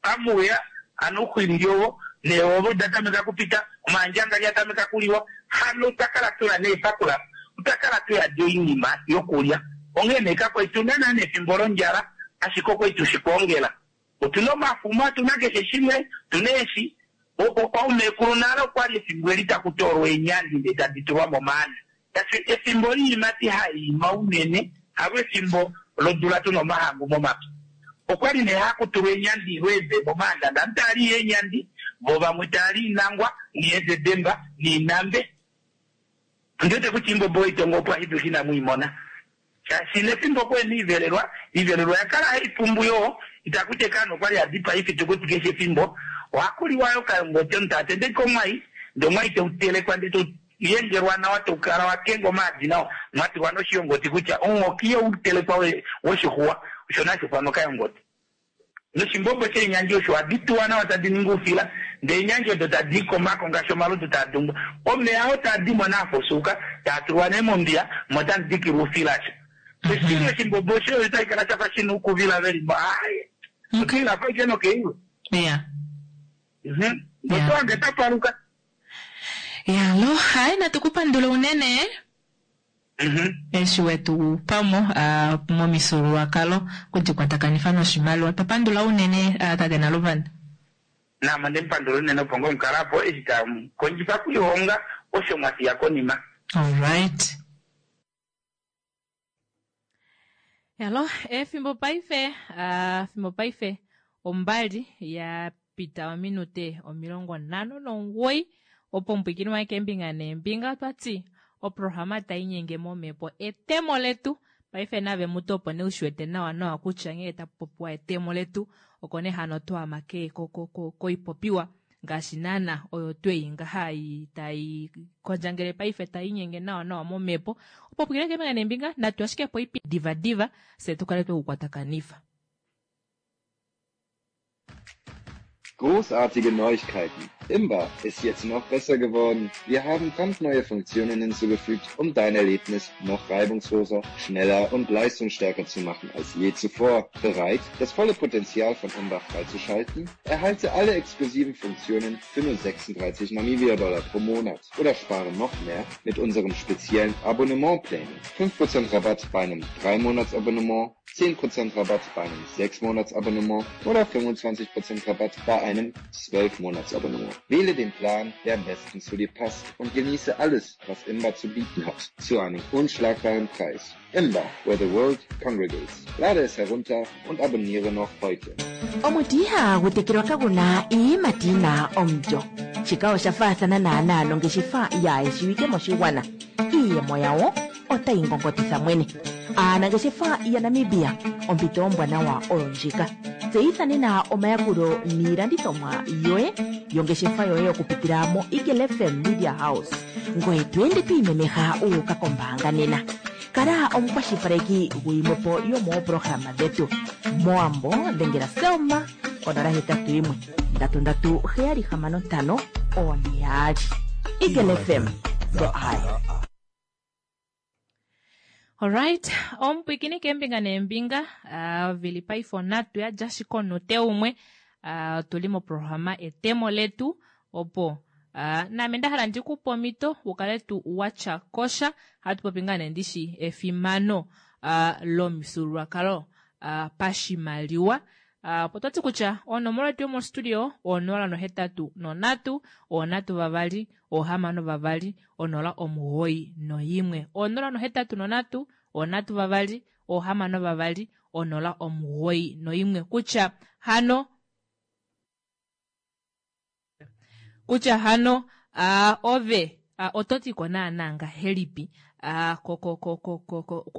amuya ano uxwilili ovo neewovo datameka kupita omandjanga lyatameka kuliwa hano otakala tuna neepakula otakala tuyadi oinima yokulya onghee nee kakwai tuna naa nefimbo londjala ashike okwai tushikwoongela otuna omafuma tuna keshe shimwe tuna eeshi oumekulu nale okwali efimbo eli taku toolwa eenyandi ndee tadi tulwa momaana tashi efimbo liimati haiima unene halo efimbo lodula tuna omahangu momapya okwali nee hakutulwa eenyandi ilweeze momaanda ndamu taali eenyandi vo vamwe taali inangwa niezedemba niinambe ndiwete kutya imbombo oitongo opo ahidushi inamuimona shaashi nefimbo kweni ivelelwa ivelelwa yakala haipumbu yoo itakutya kano okwali hadipa ifitukuti keshe efimbo ohakuliwa yo kayongote omuntu atendeke omwai ndee omwai teutelekwa ndee teuyengelwa nawa taukala wakenga omaadi nawa mwatulwa noshiyongoti kutya omunghoki yo utelekwa woshixuwa osho nashifano kayongoti noshimbombo sheenyandi osho ohadi tuwa nawa tadi ningi oufila ndee eenyandi odo tadi komako ngaashi omalutu taa dungwa omeya oo taa dimo naafosuka taa tulwa nee mombiya mo tamu dikilwa oufila asho oshili oshimbombo osho otashi kala shafa shina oukuvila velimo aye okila fa ike nokeiwe ya otowange tapaluka yalo hayi natukupandula unene eshi wetu pamo momifyuululwakalo kudikwatakanifwa noshimaliwa twapandula unene tate Naluvanda nama ndemupandula unene opo ngo mukalapo eshi tamukondjifa kulihonga osho mwafiya konima alright Hello, efimbo paife, ah, efimbo paife ombali ya pita ominute omilongo nhano nomugoyi opo omupwiikini waye keembinga neembinga otwati oprograma tainyenge momhepo etemo letu paife nave mutu opo nee ushiwete nawa nawa kutya nghee takupopiwa etemo letu oko nee hano twama koipopiwa ngaashi naana oyo tweyi ngaha tai kondjangele paife tainyenge nawa nawa momhepo opo pwiikine keembinga neembinga natu ashike po ipi diva diva fye tukale twekukwatakanifa. Großartige Neuigkeiten. Imba ist jetzt noch besser geworden. Wir haben brandneue Funktionen hinzugefügt, um dein Erlebnis noch reibungsloser, schneller und leistungsstärker zu machen als je zuvor. Bereit, das volle Potenzial von Imba freizuschalten? Erhalte alle exklusiven Funktionen für nur sechsunddreißig Namibia-Dollar pro Monat oder spare noch mehr mit unserem speziellen Abonnementplänen. fünf Prozent Rabatt bei einem drei Monats-Abonnement, zehn Prozent Rabatt bei einem sechs Monats-Abonnement oder fünfundzwanzig Prozent Rabatt bei einem zwölf Monats-Abonnement. Wähle den Plan, der am besten zu dir passt und genieße alles, was Imba zu bieten hat, zu einem unschlagbaren Preis. Imba, where the world congregates. Lade es herunter und abonniere noch heute. Omuti ihagu tekelwa kaguna iiyimati yina omulyo. Shika osha faathana naanaa nongeshefa yaayeshiwike moshigwana. Iiyemo yawo otayi ngongotitha mwene. Aanangeshefa yaNamibia, ompito ombwanawa oyo ndjika. Tseyitha nena omayakulo niilandithomwa yoye yongeshefa yoye okupitila mo Eagle F M Media House. Ngoye to ende to imemeha uuka kombaanga nena. Kala omukwashilipaleki gwiimwepo yomooprograma dhetu. Moambo dhengela Selma konola hetatu yimwe ndatu ndatu heyali hamano ntano one yaali. Eagle F M, the eye. Alright, omupwikini keembinga neembinga, uh, vili paife onhatu yadja ashike omunute umwe, uh, tuli moprograma etemo letu opo uh, naame ndahala ndikupe omhito ukale tu watya kosha hatu popi ngaa nee ndishi efimano uh, lomifyuululwakalo uh, pashimaliwa. Uh, opo twati kutya onomola yetu yomostudio onola nohetatu nonhatu onhatu vavali ohamano vavali onola omugoyi noyimwe onola nohetatu nonhatu onhatu vavali ohamano vavali onola omugoyi noyimwe kutya hano kutya hano uh, ove uh, ototiko naana ngahelipi uh,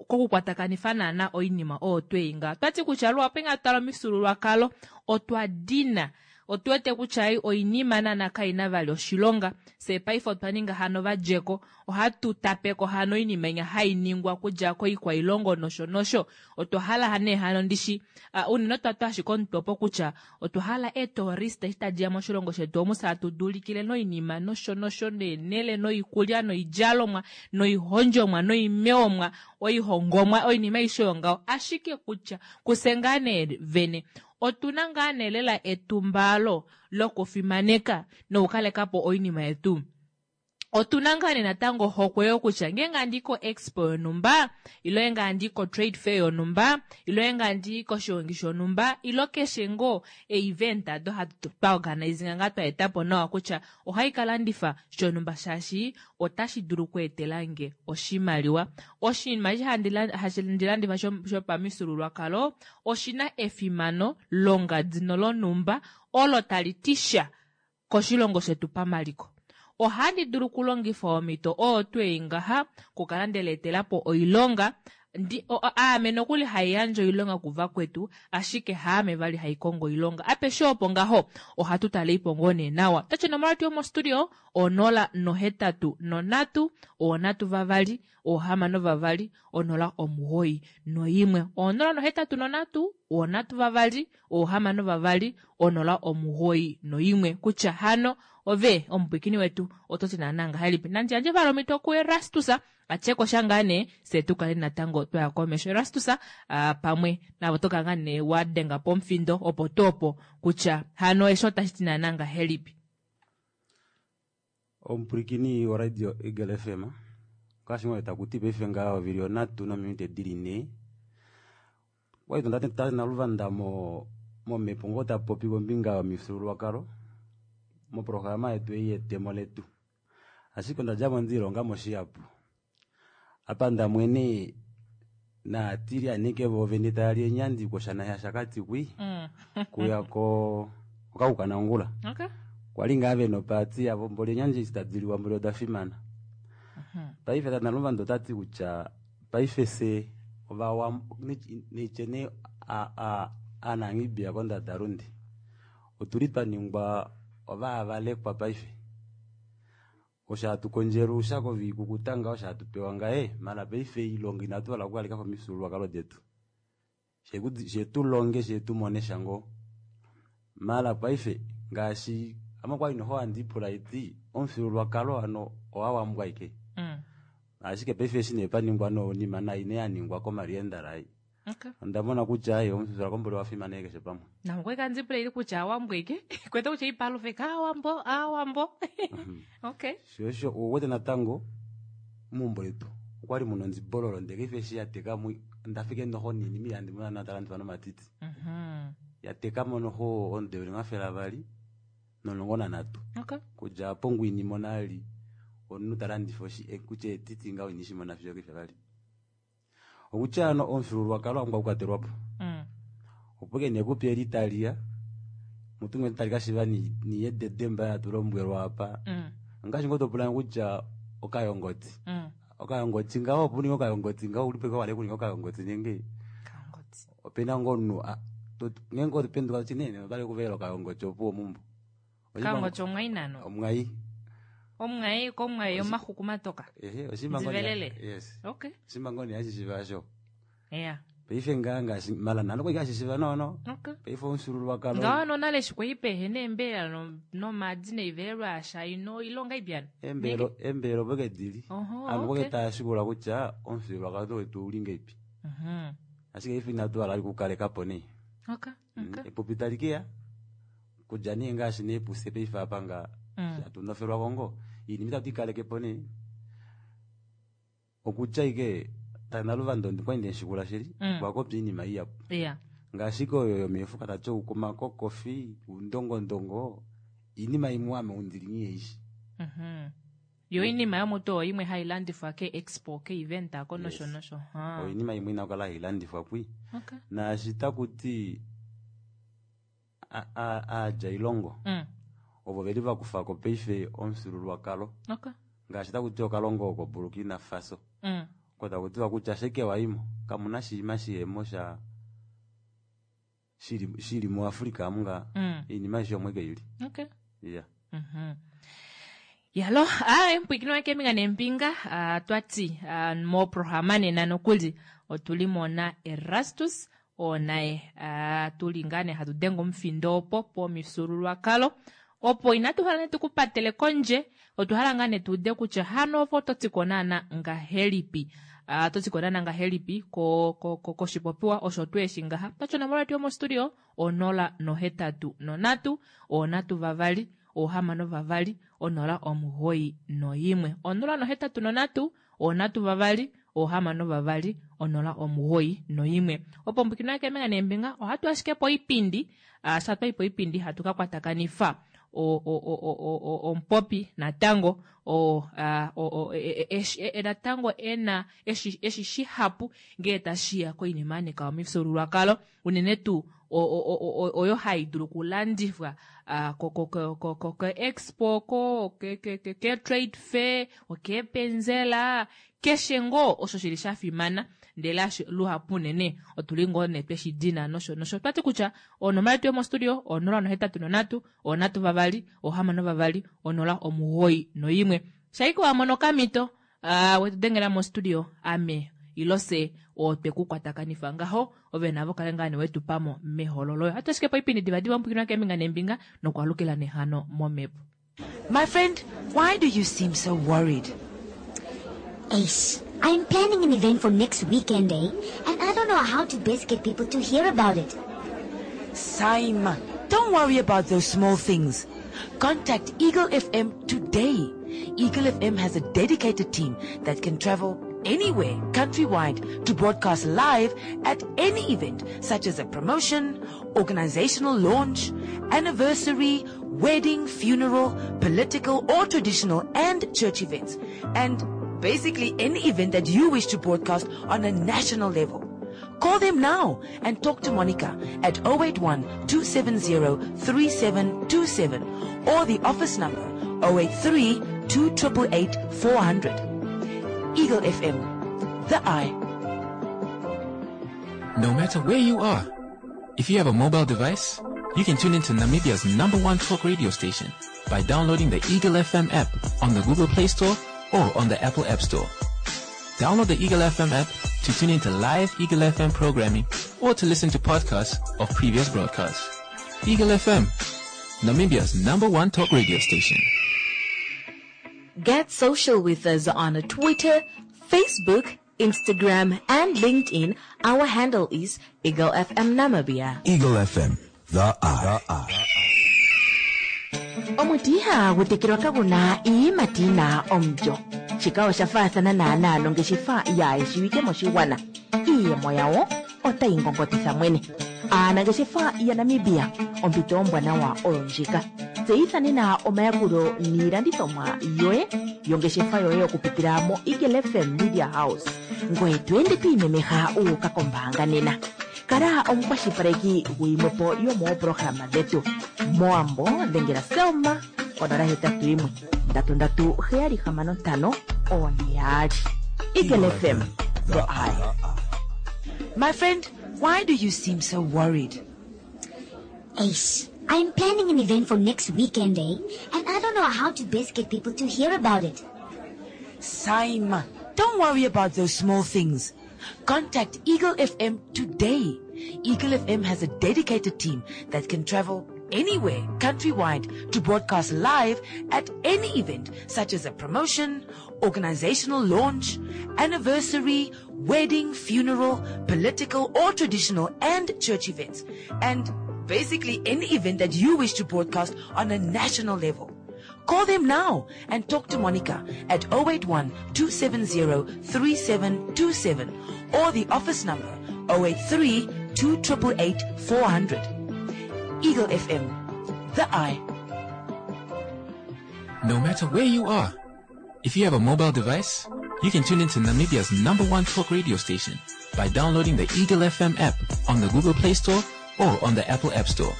kokukwatakanifa naana oinima oyo tweinga twati kutya luhapu inga twala omifyuululwakalo otwa dina otuwete kutya oinima naana kaina vali oshilonga fye paife otwa ninga hano vadjeko ohatu tapeko hano oinima inya hainingwa okudja koikwailongo nosho nosho otwa hala nee hano ndishi uh, unene otwatwa ashike omutwe opo kutya otwa hala eetourist eshi tadiya moshilongo shetu omu fye hatu dulikile noinima nosho nosho neenele noikulya noidjalomwa noihondjomwa noimewomwa oihongomwa oinima aishe oyo ngaho ashike kutya kufye ngaa nee vene otuna ngaa nee lela etumbalo lokufimaneka nokukalekapo oinima yetu otuna ngaa nee natango ohokwe yokutya ngeenge handi ko expo yonhumba ilo ngeenge handi ko trade fair yonhumba ilo ngeenge handi koshigongi shonhumba ilo keshe ngoo event ado hatu twa organizinga ngaa twa etapo nawa kutya ohai kalandifa shonhumba shaashi otashi dulu okweetelange oshimaliwa. Oshinima eshi handi landifa shopamifyuululwakalo oshina efimano longadi nolonhumba olo tali ti sha koshilongo shetu pamaliko. Ohandi dulu okulongifa omhito oyo twei ngaha okukala ndeleetelapo oilonga ndi aame nokuli haiyandje oilonga kuvakwetu ashike haame vali haikongo oilonga apeshe opo ngaho ohatu taleipo ngoo nee nawa. Otachi onomola yetu yomostudio onola nohetatu nonhatu onhatu vavali ohamano vavali onola omugoyi noyimwe onola nohetatu nonhatu onhatu vavali ohamano vavali onola omugoyi noyimwe kutya hano ove omupwikini wetu ototi naana ngahelipi nandi yandje vali omhito kuErastus atyeko sha ngaa nee fye tukale natango twaya komesho. Erastus uh, pamwe navo tokala ngaa nee wadenga pomufindo opo tuu opo kutya hano eshi otashi ti naana ngahelipi. Omupwilikini woradio Eagle F M ngaashi ngoo takuti paife ngaha ovili onhatu nominute dili nhee okwali naluvanda momhepo ngoo tapopi kombinga yomifyuululwakalo moprograma yetu ei yetemo letu ashike ondadjamo ndiilongamo shihapu apa ndamwene Naatilianeke voovene tayali eenyandi koshana shaShakati kwi Mm. kuya ko okakukanangula Okay. kwali ngaa vena opaati yavo mboli eenyandi eshi tadi liwa mboli oda fimana. Paife tata Naluvanda otati kutya paife se Ovawambo neitye nee Aanamibia kondadalunde otuli twa ningwa ovaavalekwa paife. Osho hatu kondjele oushako voikukuta ngaho osho hatu pewa ngaye maala paife oilonga inatu hala okukalekapo omifyuululwakalo detu. Shee tulonge shee tumone sha ngoo. Maala paife ngaashi ame okwali noho handi lipula haiti omufyuululwakalo hano owawambo aike. Mm. Ashike paife eshi nee paningwa noinima nai nee yaningwa komaliendala ei. Okay. Onda mona kutya ai omufyuululwakalo mboli owa fimana keshe pamwe. Namwe kandipula ili kutya awambo ike kwete kutya ipalufe kaawambo aawambo. Okay. Sho osho ouwete natango meumbo letu okwali muna ondibololo ndele paife eshi yatekamo ndafika noho noinima ihandi mono naana talandifa nomatiti. Mhm. Yatekamo noho omudo eli omafele avali nomulongo nanhatu. Okay. Kudja opo ngoo inimona vali omunhu talandifa kutya etiti ngaho inishimona fiyo paife vali. Okutya hano omufyuululwakalo wapumbwa okukwatelwapo. Mm. Opo ashike nee epupyu eli taliya mutu ngoo tali kashiiva niiyededemba hatu lombwelwa apa. Mm. Ongaashi ngoo topula kutya okayongoti. Mm. Okayongoti ngaho opo uninge okayongoti ngaho oulipo ashike wahala okuninga okayongoti nenge opena ngoo omunhu ngeenge otopenduka toti nee otwali okuvela okayongoti opuwo meumbo. Okayongoti omwai nano? Omwai. Omwai komwai omaxuku matoka. Ehe, oshinima ngoo nee- Ndivelele. Yes. Okay. Oshinima ngoo nee hashishiva asho. Yeah. Paife ngaa ngaashi mala nale okwali hashishiva noono. Okay. Paife omufyuululwakalo. Ngaho nonale eshi kwali pehena eembelela no- nomaadi noivelelwa yasha ino ilonga ibyana. Eembelo eembelo opo ke dili. Oho, Ovanhu opo okay. ke tashikula kutya omufyuululwakalo wetu ouli ngahelipi. Mhm. Ashike paife inatu hala okukalekapo nee. Okay. Okay. Epupi tali keya kudja nee ngaashi nee pufye paife apa nga Mm. hatu nofelwako ngoo oinima itatu ikalekepo nee. Okutya ashike tate Naluvanda okwali ndemushikula shili Mm. okwa popya oinima ihapu. Yeah. Ngaashi ike oyo yomeefuka tati omakokofi, oundongondongo oinima imwe ame undili nghiheishi. Mhm. Yo iinima yomutu oyo imwe hai landifwa ke expo ke event ako nosho Yes. nosho. Ah. Oinima imwe ina okukala hailandifwa kwi. Okay. Naashi takuti aadjailongo Mm. ovo veli vakufako paife omufyuululwakalo. Okay. Ngaashi takuti okalongo oko Burkina Faso. Mm. Oko takutiwa kutya ashike waimo kamuna shiima shihemo sha shili, shili muAfrica amu nga Mm. oinima aishe omwe keili. Okay. Yeah. Mhm. Yalo, aye mpwikino wake nembinga ah, twati ah, moprograma nena nokuli otuli mona Erastus oo naye ah, tuli ngaa nee hatu denge omufindo opo pomifyuululwakalo opo inatu hala nee tukupatele kondje otwa hala ngaa nee tuude kutya hano ovo oto tiko naana ngahelipi. Ah, oto tiko naana ngahelipi ko, ko, ko, koshipopiwa osho tweeshi ngaha twati onomola yetu yomostudio onola nohetatu nonhatu onhatu vavali ohamano vavali onola omugoyi noyimwe onola nohetatu nonhatu onhatu vavali ohamano vavali onola omugoyi noyimwe. Opo mbukino yake neembinga ohatu ashike po oipindi uh, sha twai po oipindi hatu ka kwatakanifa o- o- o- o- o- omupopi natango o, ah, o, o, e- e- e- e- natango ena eshi, eshi shihapu ngee tashiya koinima yanika omifyuululwakalo unene tuu oyo hai dulu okulandifwa ah, ko, ko, ko, ko, ko, ko expo ko ke, ke, ke, ke trade fair okeepenzela keshe ngoo osho shili sha fimana ndele ashi luhapu unene otuli ngoo nee tweshi dina nosho nosho. Twati kutya onomola yetu yomostudio onola nohetatu nonhatu onhatu vavali ohamano vavali onola omugoyi noyimwe. Shaike wamono okamhito uh, wetu dengela mostudio ame ilo se otwe ku kwatakanifa ngaho ove navo kale ngaa nee wetu pamo mehololo. Ohatu ashike po oipindi divadiva omupwikinwa keembinga neembinga nokwaalukila nehano momhepo. My friend, why do you seem so worried? Ace, I'm planning an event for next weekend, eh? And I don't know how to best get people to hear about it. Saima, don't worry about those small things. Contact Eagle F M today. Eagle F M has a dedicated team that can travel anywhere countrywide to broadcast live at any event, such as a promotion, organizational launch, anniversary, wedding, funeral, political or traditional and church events. And basically any event that you wish to broadcast on a national level. Call them now and talk to Monica at oh eight one, two seven zero, three seven two seven or the office number oh eight three, two triple eight, four hundred. Eagle F M, the eye. No matter where you are, if you have a mobile device, you can tune into Namibia's number one talk radio station by downloading the Eagle F M app on the Google Play Store or on the Apple App Store. Download the Eagle F M app to tune into live Eagle F M programming or to listen to podcasts of previous broadcasts. Eagle F M, Namibia's number one talk radio station. Get social with us on Twitter, Facebook, Instagram, and LinkedIn. Our handle is Eagle F M Namibia. Eagle F M, the eye. The eye. Omuti ihagu tekelwa kaguna iiyimati yina omulyo. Shika osha faathana naanaa nongeshefa yaayeshiwike moshigwana. Iiyemo yawo otayi ngongotitha mwene. Aanangeshefa yaNamibia, ompito ombwanawa oyo ndjika. Tseyitha nena omayakulo niilandithomwa yoye yongeshefa yoye okupitila mo Eagle F M Media House. Ngoye to ende to imemeha wu uka kombaanga nena. Kala omukwashilipaleki guyimwepo yomooprograma dhetu. Moambo dhengela Selma onola hetatu yimwe ndatu ndatu heyali hamano ntano one yaali. Eagle F M, the eye. My friend, why do you seem so worried? Ace, I'm planning an event for next weekend, eh? And I don't know how to best get people to hear about it. Saima, don't worry about those small things. Contact Eagle F M today. Eagle F M has a dedicated team that can travel anywhere countrywide to broadcast live at any event such as a promotion, organizational launch, anniversary, wedding, funeral, political or traditional and church events, and basically any event that you wish to broadcast on a national level. Call them now and talk to Monica at oh eight one, two seven zero, three seven two seven or the office number oh eight three, two triple eight, four hundred. Eagle F M, the eye. No matter where you are, if you have a mobile device, you can tune into Namibia's number one talk radio station by downloading the Eagle F M app on the Google Play Store or on the Apple App Store.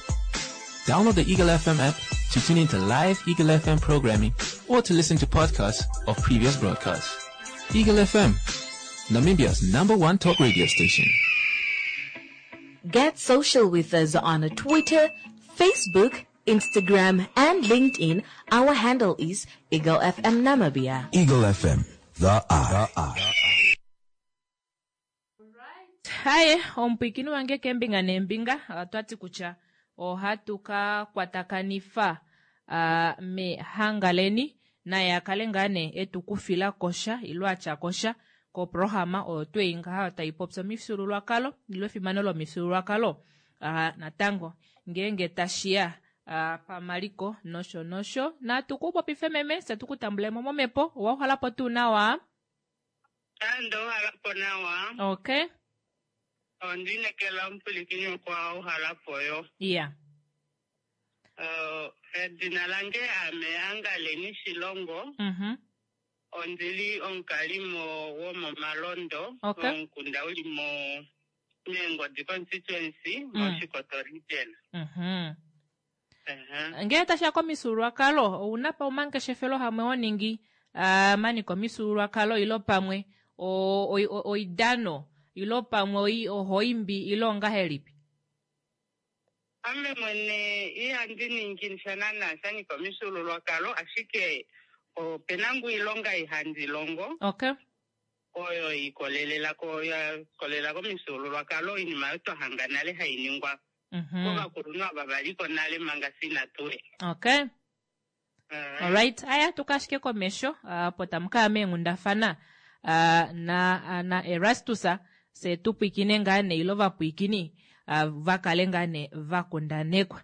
Download the Eagle F M app to tune into live Eagle F M programming or to listen to podcasts of previous broadcasts. Eagle F M, Namibia's number one talk radio station. Get social with us on Twitter, Facebook, Instagram, and LinkedIn. Our handle is Eagle F M Namibia. Eagle F M, the eye. The eye. Haye, omupwikini wange kembinga nembinga, otwati kutya ohatu ka kwatakanifa, ah, mehangaleni naye akale ngaa nee etu kufila kosha ilo atya kosha koprograma oyo tweyi ngaha tayi popi omifyuululwakalo ilo efimano lomifyuululwakalo, ah, natango ngeenge tashiya, ah, pamaliko nosho nosho. Natu ku popife meme, se tu ku tambulemo momhepo. Owa uhala po tuu nawa? Ando uhala po nawa. Okay. Ondinekela omupulikini okwa uhala po yo. Yeah. Uh, edina lange ame Angaleni Shilongo. Mhm. Ondili omukalimo womomalondo. Okay. Omukunda uli mo Meengodi constituency, Mm. mOshikoto region. Mhm. Uh-huh. Ngele tashiya komifyuululwakalo, ouna pa omangeshefelo hamwe ho ningi, ah, mani komifyuululwakalo ilo pamwe o-, o-, o-, oidano ilo pamwe oi-, ohoimbi ilo ongahelipi? Ame mwene ihandi ningi sha naana sha nyika omifyuululwakalo, ashike opena ngu iilonga ihandi longo. Okay. Oyo ikolelela ko, ya ikolelela komifyuululwakalo, iinima oyo twa hanga nale hayi ningwa Mhm. kovakulunhu ava valiko nale manga sina tule. Okay. Uh, Alright, aya tukashike komesho, ah, po tamu kaya meenghundafana, ah, na, ah, na Erastus, se tu pwikine ngaa nee ilo va pwikini, ah, va kale ngaa nee va kundanekwa.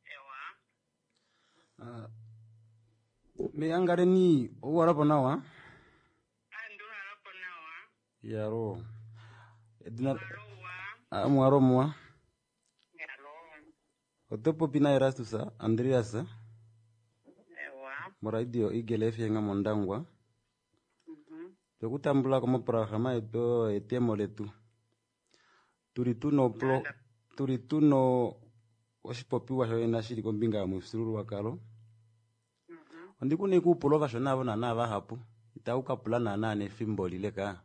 Ewa. Ah, me Angaleni, ouhala po nawa? Ando uhala po nawa. Yaro. Edina Alowa. Ah, mwaro mwa. Yaro. Oto popi na Erastus Andreas. Ewa. Mo radio Eagle F M Mondangwa. Twekutambula ko moprograma yetu oyo yetemo letu. Tuli tuno pro, tuli tuno oshipopiwa shoye shili kombinga yomufyuululwakalo. Ondikuna ikuupula ovashona avo naana vahapu itau kapula naana nefimbo lile ka.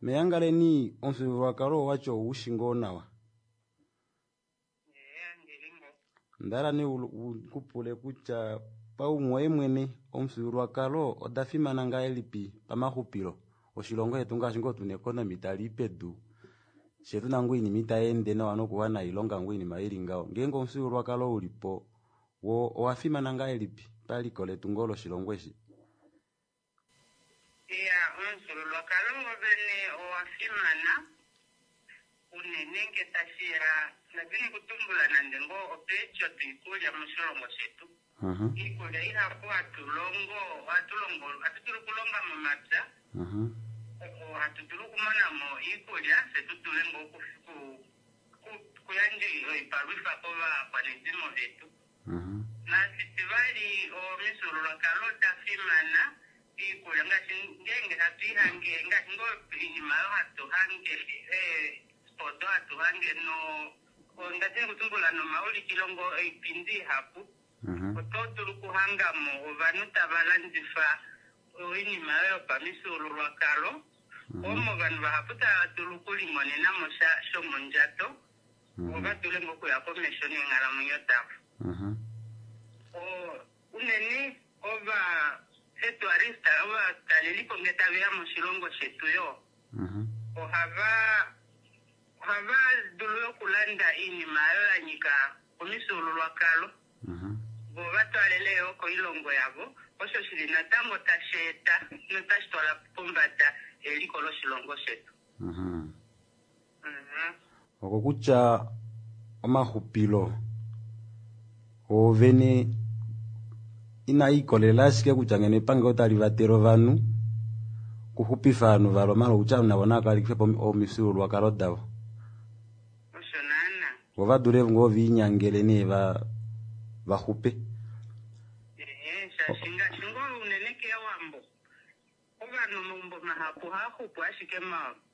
Meyangaleni omufyuululwakalo owatyo oushi ngoo nawa. Ndala nee kupule kutya paumwe mwene omufyuululwakalo oda fimana ngahelipi pamaxupilo oshilongo shetu ngaashi ngoo tuna economy tali pedu she tuna ngoo oinima itayeende nawa nokuwana oilonga ngoo oinima ili ngaho ngeenge omufyuululwakalo ulipo wo owa fimana ngahelipi paliko letu ngoo loshilongo eshi? Iya, omufyuululwakalo wovene owa fimana unene nge tashiya nadini kutumbula nande ngoo opeityo twiikulya moshilongo shetu. Iikulya ihapu hatu longo ohatu longo ohatu dulu okulonga momapya hatu dulu okumonamo iikulya fye tu dule ngoo okuyandja oipalwifa kovakwanezimo vetu. Nashitivali omifyuululwakalo oda fimana iikulya ngaashi ngeenge hatu ihange ngaashi ngoo oinima oyo hatu hange odo hatu hange no ndadini kutumbula nomaulikilo ngoo oipindi ihapu oto dulu okuhangamo ovanhu tava landifa oinima oyo yopamifyuululwakalo omo ovanhu vahapu tava dulu okulimonenamo sha shomondjato vo va dule ngoo okuya komesho neenghalamwenyo davo. Unene ova eetourist ovatalelipo nge taveya moshilongo shetu yo ohava ohava dulu okulanda oinima oyo ya nyika omifyuululwakalo vo va twalele yo koilongo yavo osho shili natango tashi eta notashi twala pombada eliko loshilongo shetu. Okokutya omaxupilo oovene ina ikolelela ashike kutya ngeno epangelo tali vatele ovanhu kuxupifa ovanhu valo mala okutya navo nava po omifyuululwakalo davo. Osho naana. Vo va dule ngoo viinyangele nee va vaxupe. Ehe, shaashi ngaashi ngoo unene kEwambo ovanhu omaumbo mahapu ohaaxupu ashike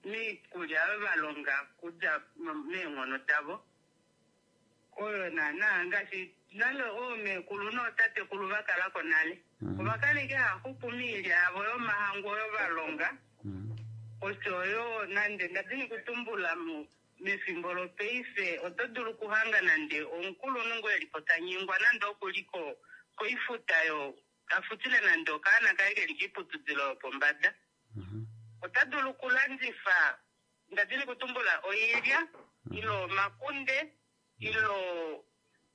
miikulya oyo va longa kudja meenghono davo. Oyo naana ngaashi nale oomekulu nootatekulu va kalako nale ova kala ike haaxupu miilya yavo yomahangu oyo va longa oshoyo nande ndadini kutumbula mefimbo lopaife oto dulu okuhanga nande omukulunhu ngoo elipo tanyengwa nande okuli koifuta yo tafutile nande okaana kaye keli kiiputudilo yopombada ota dulu okulandifa ndadini kutumbula oilya ilo omakunde ilo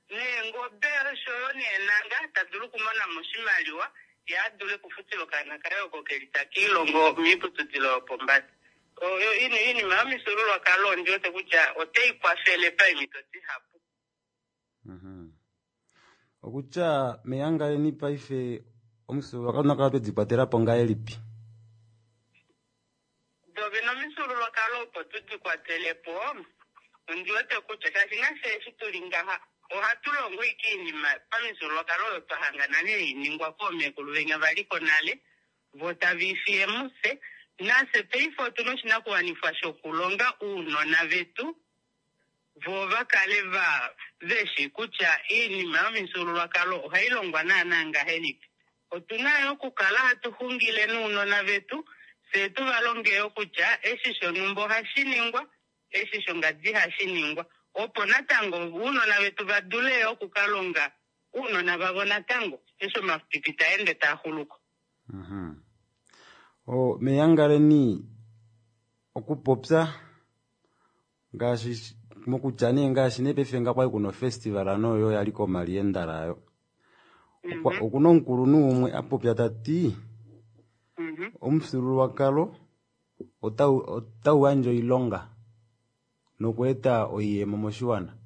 neengobe oshoyo neenanga ta dulu okumonamo oshimaliwa ye a dule okufutila okaana kaye oko keli takiilongo miiputudilo yopombada. Oyo iinima yomifyuululwakalo ondi wete kutya otai kwafele paemhito dihapu. Okutya meyangaleni paife omufyuululwakalo nakala twedi kwatela po ngahelipi? Dovene omifyuululwakalo opo tudi kwatele po ondi wete kutya shaashi nafye eshi tuli ngaha ohatu longo ike iinima pamifyuululwakalo oyo twa hangana neiningwa koomekulu venya valiko nale vo tava ifiye mufye nafye paife otuna oshinakuwanifwa shokulonga uunona vetu vo va kale va veshi kutya iinima yomifyuululwakalo ohai longwa naana ngahelipi. Otuna yo okukala hatu xungile nounona vetu fye tu va longe yo kutya eshi shonhumba ohashi ningwa eshi shongadi hashi ningwa opo natango uunona vetu va dule yo okukalonga uunona vavo natango eshi omapipi taende taa xuluko. O meyangaleni okupopya ngaashi mokutya nee ngaashi nee paife nga kwali kuna ofestival noyo yali komaliendala ayo okuna omukulunhu umwe a popya tati omufyuululwakalo otau yandje oilonga nokweeta oiyemo moshiwana.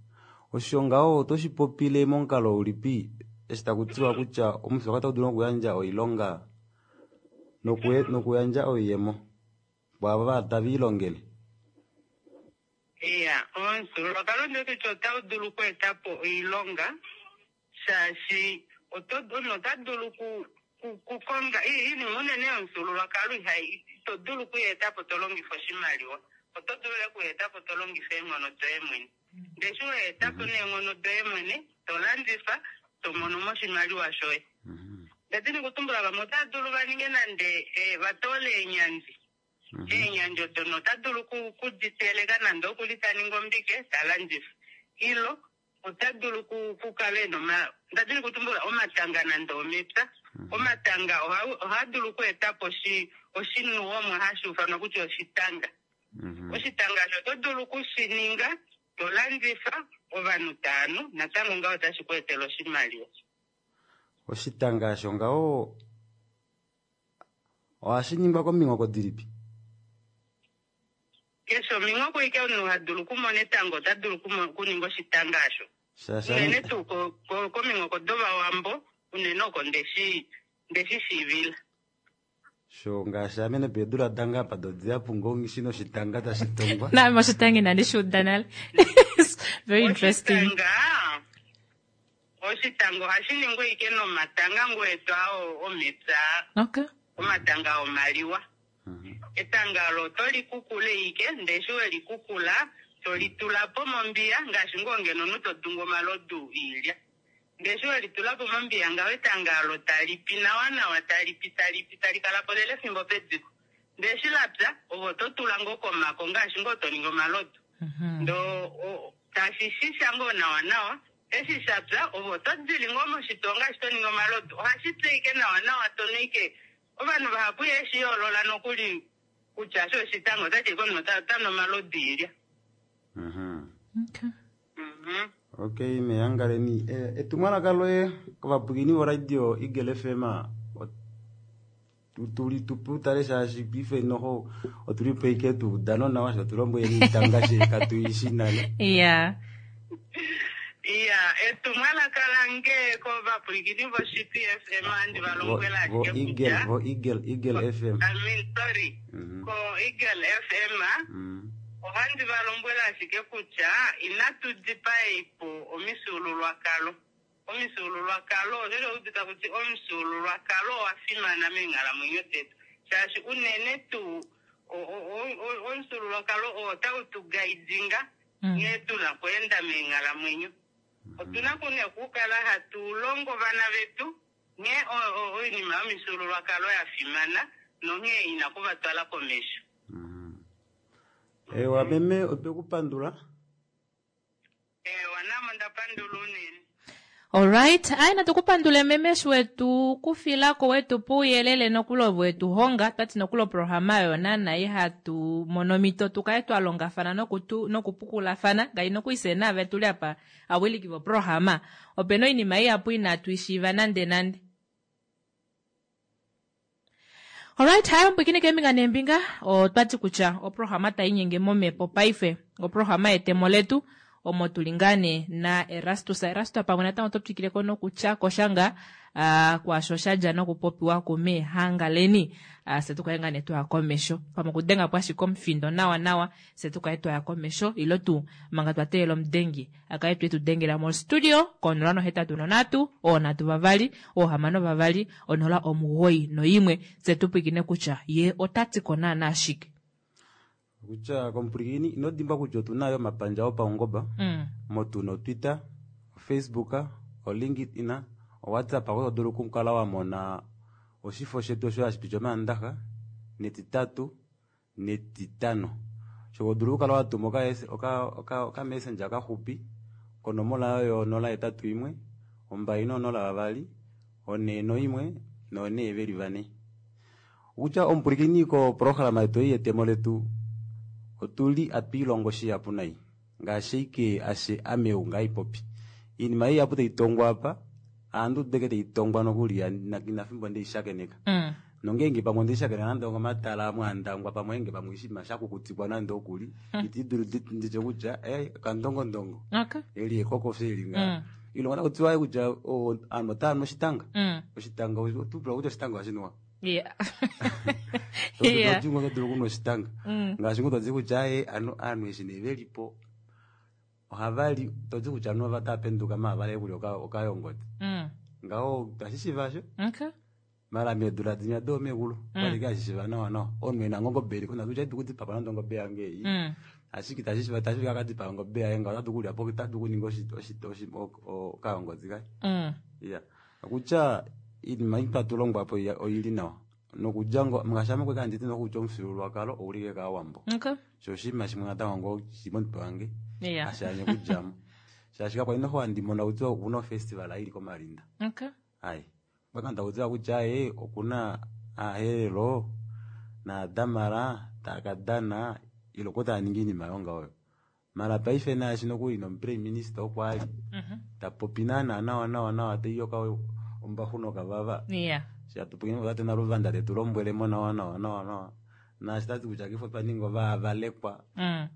Osho ngaho oto shi popile momukalo ulipi eshi taku tiwa kutya omufyuululwakalo otau dulu okuyandja oilonga nokuyandja oiyemo kwaavo tave ilongele? Iya, omufyuululwakalo ndi wete kutya otau dulu okweeta po oilonga shaashi omunhu ota dulu okukonga iinima unene yomufyuululwakalo ihai ito dulu okuyeeta po to longifa oshimaliwa oto dulu lela okuyeeta po to longifa eenghono doye mwene ndee eshi weeta po neenghono doye mwene to landifa to mono mo oshimaliwa shoye ndadini kutumbula vamwe otava dulu va ninge nande eh, va toole eenyandi eenyandi odo nota dulu kuditeleka nande okuli ta ningi ombike ta landifa ilo ota dulu kukala ena ndadini kutumbula omatanga nande omepya omatanga ohaa dulu okueta po oshinuwomwa hashi ufanwa kutya oshitanga oshitanga osho oto dulu okushininga to landifa ovanhu taanu natango ngaho otashi ku etele oshimaliwa. Oshitanga osho ngaho ohashi ningwa kominghoko dilipi? Keshe ominghoko ike omunhu ha dulu okumona etango ota dulu okuninga oshitanga osho. Unene tuu kominghoko dovawambo unene oko ndeshi ndeshi shiivila. Sho ngaashi ame nopeedula dange apa dodihapu ngoo nghi noshitanga tashi tongwa. Naame oshitanga inandi shi uda nale. Very interesting. Oshitanga oshitanga ohashi ningwa ike nomatanga ngoo etu aa omepya. Okay. Omatanga omaliwa. Etanga olo oto li kukula ike ndee eshi weli kukula to li tula po mombiya ngaashi ngoo ngeno omunhu to dungu omalodu oilya. Ndee eshi weli tula po mombiya ngaho etanga olo tali pi nawa nawa tali pi tali pi tali kala po lela efimbo pediko. Ndee eshi lapya ove oto tula ngoo komako ngaashi ngoo to ningi omalodu. Ndoo tashi shisha ngoo nawa nawa eshi shapya ove oto dili ngoo moshitoo ngaashi to ningi omalodu. Ohashi pi ashike nawa nawa tonu ashike ovanhu vahapu iheshi yoolola nokuli kutya osho oshitanga otati ashike omunhu otanu omalodu oilya. Okay. Mhm. Okay, mehangaleni eh, etumwalaka loye kovapwilikini voradio Eagle F M tuli tupe utale shaashi paife noho otuli po ike tuudano nawa sho tulombweleni itanga she katuishi nale. Yeah. Iya, etumwalaka lange kovapwilikini voShipi F M ohandi va lombwela vo ashike Eagle kutya vo Eagle Eagle F M I mean sorry Mhm. ko Eagle F M Mm. ohandi va lombwela ashike kutya inatu dipaei po omifyuululwakalo. Omifyuululwakalo osho udita kuti omufyuululwakalo owa fimana meenghalamwenyo detu shaashi unene tuu omufyuululwakalo oo otau tu gaidinga nghee tuna okweenda meenghalamwenyo. Otuna kune okukala hatu longo ovana vetu nghee oinima yomifyuululwakalo ya fimana nonghee ina kuvatwala komesho. Ewa meme otwe ku pandula. Ewa namo nda pandula unene. Alright, aye natu kupandule meme eshi wetu kufilako wetu puuyelele nokuli ove wetu honga twati nokuli oprograma oyo naana ihatu mono omhito tukale twa longafana nokutu nokupukulafana ngai nokuli naave tuli apa awiliki voprograma opena oinima ihapu inatu ishiiva nande nande. Alright, hayo mbwikini keembinga neembinga otwati kutya oprograma tainyenge momhepo paife oprograma yetemo letu omo tuli ngaa nee na Erastus. Erastus pamwe natango oto twikileko nokutya koshanga uh, kwaasho shadja nokupopiwa kumeehangaleni uh, fye tukale ngaa nee twaya komesho pamwe okudenga po ashike omufindo nawa nawa fye tukale twaya komesho ilo tuu manga twa teelela omudengi akale tu etudengela mostudio konola nohetatu nonhatu oonhatu vavali oohamano vavali onola omugoyi noimwe fye tupwiikine kutya ye otatiko naana shike. Kutya komupwilikini ino dimbwa kutya otuna yo omapandja opaungomba Mm. motu noTwitter, oFacebook, oLinkedIn, oWhatsApp oko to dulu okukala wa mona oshifo shetu osho hashi piti Omaandaxa netitatu netitano. Sho to dulu okukala wa tuma oka oka oka messenger kaxupi konomola oyo nola hetatu imwe ombali nonola vavali onhe noimwe nonhe veli vane. Okutya omupwilikini koprograma yetu ei yetemo letu otuli atwiilongo shihapu nai ngaashi ike ashe ame ou ngaipopi iinima ihapu taitongwa apa aantu deke taitongwa nokuli inafimbo ndeishakeneka Mm. nongenge pamwe ndeishakeneka nande ongomatala amwe andangwa pamwe enge pamwe oshinima shakukutikwa nande okuli iti dulu nditye kutya eh, kandongondongo Okay. eli ekokofye eli nga Mm. ilongo nakutiwa kutya aanhu otaanu oshitanga Mm. oshitanga otupula kutya oshitanga oshinuwa Yeah. Yeah. otingo oto dulu okunwa oshitanga Mm. ngaashi ngoo toti kutya aye anu aanhu eshi nee velipo ohavali toti kutya anu ova taapenduka maavale kulya okayongoti Mm. ngaho tashi shivasho Okay. Mara meedula dinya doomekulu Mm. kwali kashishiva nawa nawa omunhu ena ongobe iliko natu tya kudipapa nande ongobe yange ei Mm. ashike itashi tashi kakadipa ongobe yaye ngaho otatu kulya po otatu kuninga oshi- oshi- oshi- o- o- okayongozi kaye Mm. iya okutya iinima ei twatulongwa po iya- oili nawa nokudja ngo ngaashi ame kweka nditi nokutya omufyuululwakalo oulike kaawambo Okay. sho oshinima shimwe natango ngoo shili momutwe wange Yeah. hashanye kudjamo shaashi kakwali noho handimona kutya okuna ofestival ili komalinda Okay. ayi kwaka ndakutiwa kutya aye okuna aherero naadamara taakadana iloko taaningi iinima yonga oyo mara paife naashi nokuli nomuprime minister okwali Mhm. tapopi naana nawa nawa nawa teiyoka ombahu nokavava Yeah. shatupukini tate naluvanda tetu lombwelemo nawa nawa nawa nawa naashi tati kutya kifo twaninga ovaavalekwa Mm.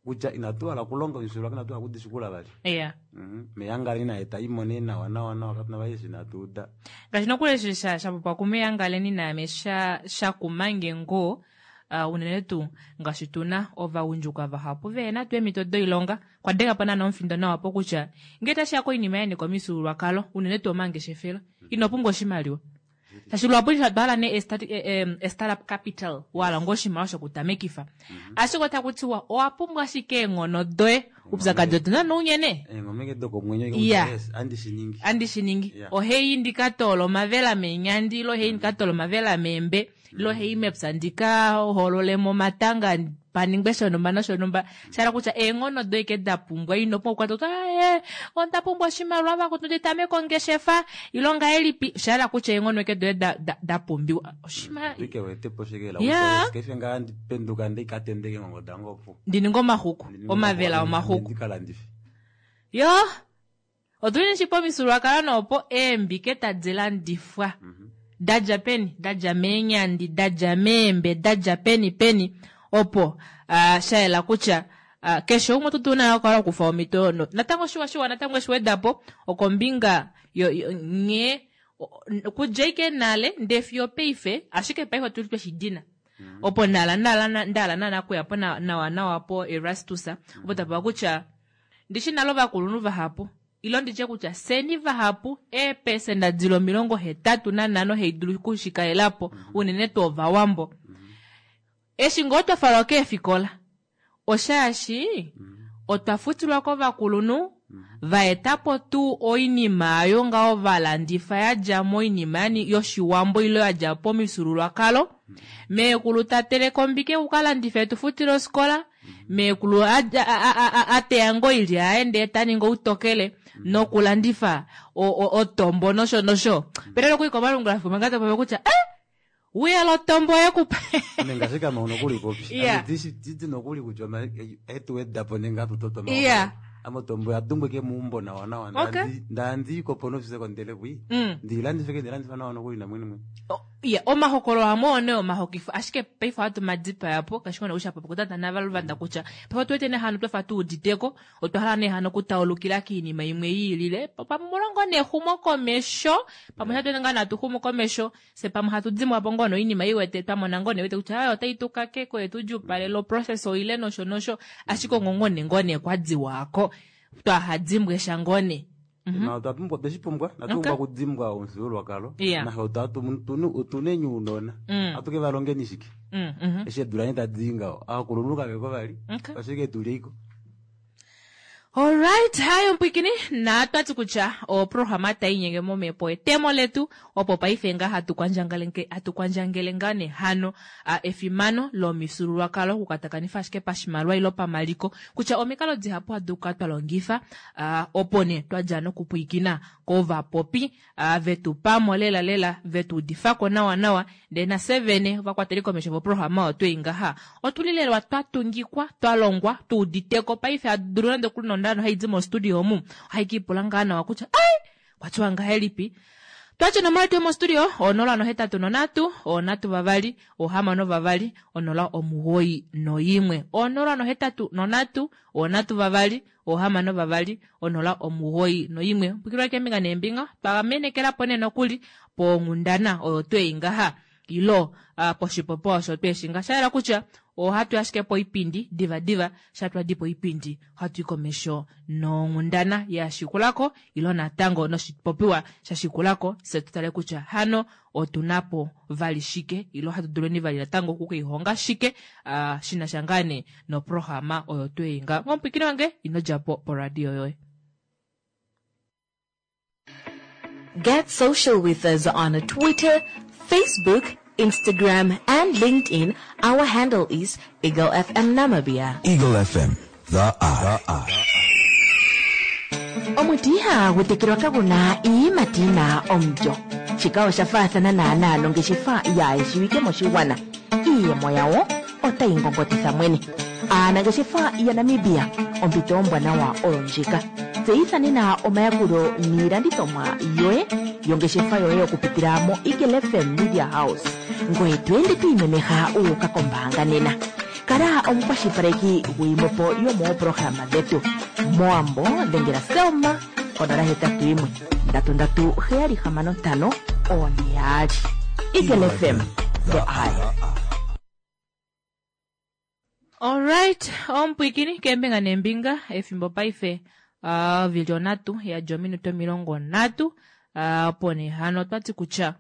kutya inatu hala okulonga omifyuululwakalo inatu hala okudishikula vali Yeah. Mhm. meyangaleni naye taimone nawa nawa nawa katuna vali eshi inatu uda ngaashi nokuli eshi sha sha popiwa kumeyangaleni naame sha shakumange ngoo uh, unene tuu ngaashi tuna ovagundjuka vahapu vehena tuu eemhito doilonga kwa denga po naana omufindo nawa po kutya ngee tashiya koinima ya nyika omifyuululwakalo unene tuu omangeshefelo ino pumbwa oshimaliwa shaashi luhapu twahala nee e start- e- e- e startup capital wahala ngoo oshimaliwa shokutamekifa ashike otaku tiwa owa pumbwa ashike eenghono doye upyakadi otuna nounyene eengomeke dokomwenyo Yeah. yes, andi shiningi andi shiningi Yeah. oheyi ndikatoola omavela meenyandi ilo heyi ndikatoola omavela meembe ilo heyi mepya ndika hololemo omatanga paningwe shonumba noshonumba shala kutya eenghono doye ke da pumbwa ino pumbwa okukwata kutya "Ah, onda pumbwa oshimaliwa vakutu nditameke ongeshefa ilo ngahelipi shala kutya eenghono eke doye da, da, da pumbiwa oshimaliwa ike wetepo shekela Yeah. kefe ngaa ndipenduka ndikatendeke ngongo dange opo ndininga omaxuku omavela omaxuku ndikalandife yo otuli nishi pomifyuululwakalo noopo eembike tadi landifwa dadja peni dadja meenyandi dadja meembe dadja peni peni opo uh, shayela kutya uh, keshe umwe oto dulu naye okukala okufa omhito no, natango shiwa shiwa natango eshiwedapo okombinga yo, yo, nghee o- o- kudja ike nale ndee fiyo paife ashike paife otuli tweshidina opo ndala ndala ndala naana kuya po na- nawa nawa po Erastus opo tapewa kutya ndishi nale ovakulunhu vahapu ilo nditye kutya seni vahapu eepesenda dili omilongo hetatu nanhano haidulu okushikalela unene tuu ovawambo eshi ngoo twafalwa keefikola oshaashi otwa futilwa kovakulunhu vaetapo tuu oinima ayo ngaho valandifa yadja moinima yani yoshiwambo ilo yadja pomifyuululwakalo meekulu tateleke ombike kukalandifa etufutile ofikola meekulu a- a- a- a- ateya ngoo oilya yaye ndee taningi outokele nokulandifa o- o- otombo nosho nosho pele nokuli komalungula fimwe nga topopi kutya eh wiya otombo yekupa nenge kama nokuli popi Yeah. titi nokuli kutya etuwedapo nenge atutotwa Yeah. amotombo yadumbwike muumbo nawa nawa Okay. ndaandiikopo nofisekondele kwi Mm. ndiilandifeke ndilandifa nawa nokuli namwene mwene ya omahokololo amwe one omahokifo ashike paife ohatu madipayapo kashikona ushapopi kutata navaluvanda kutya paife otu wete nehano twafa tuuditeko otwa hala nehano okutaulukila kiinima imwe yiilile pamwe mulongo nexumo komesho pamwe shatu ngaa natu xumu komesho se pamwe hatu dimwapo ngoo noinima iwete twamona ngoo newete kutya ayo otai tukakeko yetudjupalele oprocess oile nosho nosho ashike ongongo ne ngoo ne kwadiwako twahadimbwe sha ngoo ne na otwa pumbwa otweshipumbwa Mhm. Okay. natupumbwa okudimbwa omufyuululwakalo Yeah. nahe otuna uunona Mm. atuke valongeni shike Mm, mhm. eshi edula nye tadi ngaho aakulunhu kaveko vali Okay. ashike tulyeiko Alright, hayo mpwikini na twati kutya oprograma tayinyenge momhepo etemo letu opo paife nga hatu kwandjangele hatu kwandjangele nga nehano a, efimano lomifyuululwakalo okukatakanifa ashike pashimaliwa ilo pamaliko kutya omikalo dihapu hadu kukala twa longifa a, opo ne twadja nokupwiikina kovapopi a, vetu pamo lela lela vetu udifako nawa nawa ndee nafye vene ovakwateli komesho voprograma oyo twei ngaha otulilelwa twatungikwa twalongwa tuuditeko paife hadulu nande okuli nondano haidi mostudio omu ohaikipula ngaa nawa kutya ai kwatiwa ngahelipi twatya onomola yetu yomostudio onola nohetatu nonhatu onhatu vavali ohamano vavali onola omugoyi noyimwe onola nohetatu nonhatu onhatu vavali ohamano vavali onola omugoyi noyimwe pwikilwa keembinga neembinga twamenekelapo nee nokuli ponghundana oyo twei ngaha ilo uh, poshipopiwa osho tweshinga shayela kutya ohatu ashike poipindi divadiva shatwadi poipindi ohatu i komesho nonghundana ya shikulako ilo natango noshipopiwa sha shikulako se tutale kutya hano otunapo vali shike ilo ohatu duleni vali natango okukiihonga shike uh, shinasha ngaa nee noprograma oyo tweinga omupwikini wange ino djapo poradio yoye. Get social with us on Twitter, Facebook, Instagram, and LinkedIn. Our handle is Eagle F M Namibia. Eagle F M, the eye. The eye. Omuti ihagu tekelwa kagu na iiyimati yi na omulyo. Shika osha faathana naanaa nongeshefa yaayeshiwike moshigwana. Iiyemo yawo otayi ngongotitha mwene. Aanangeshefa yaNamibia, ompito ombwanawa oyo ndjika. Tseyitha nena omayakulo niilandithomwa yoye yongeshefa yoye okupitila mo Eagle F M Media House. Ngoye to ende to imemeha wu uka kombaanga nena. Kala omukwashilipaleki gwiimopo yomoopolohalama dhetu. Mowambo dhengela Selma konola hetatu yimwe ndatu ndatu heyali hamano ntano oone yaali. Eagle F M, the eye. Alright, omupwikini keembinga neembinga efimbo paife uh, vili onhatu yadja ominute omilongo nhatu uh, opo nee hano otwati kutya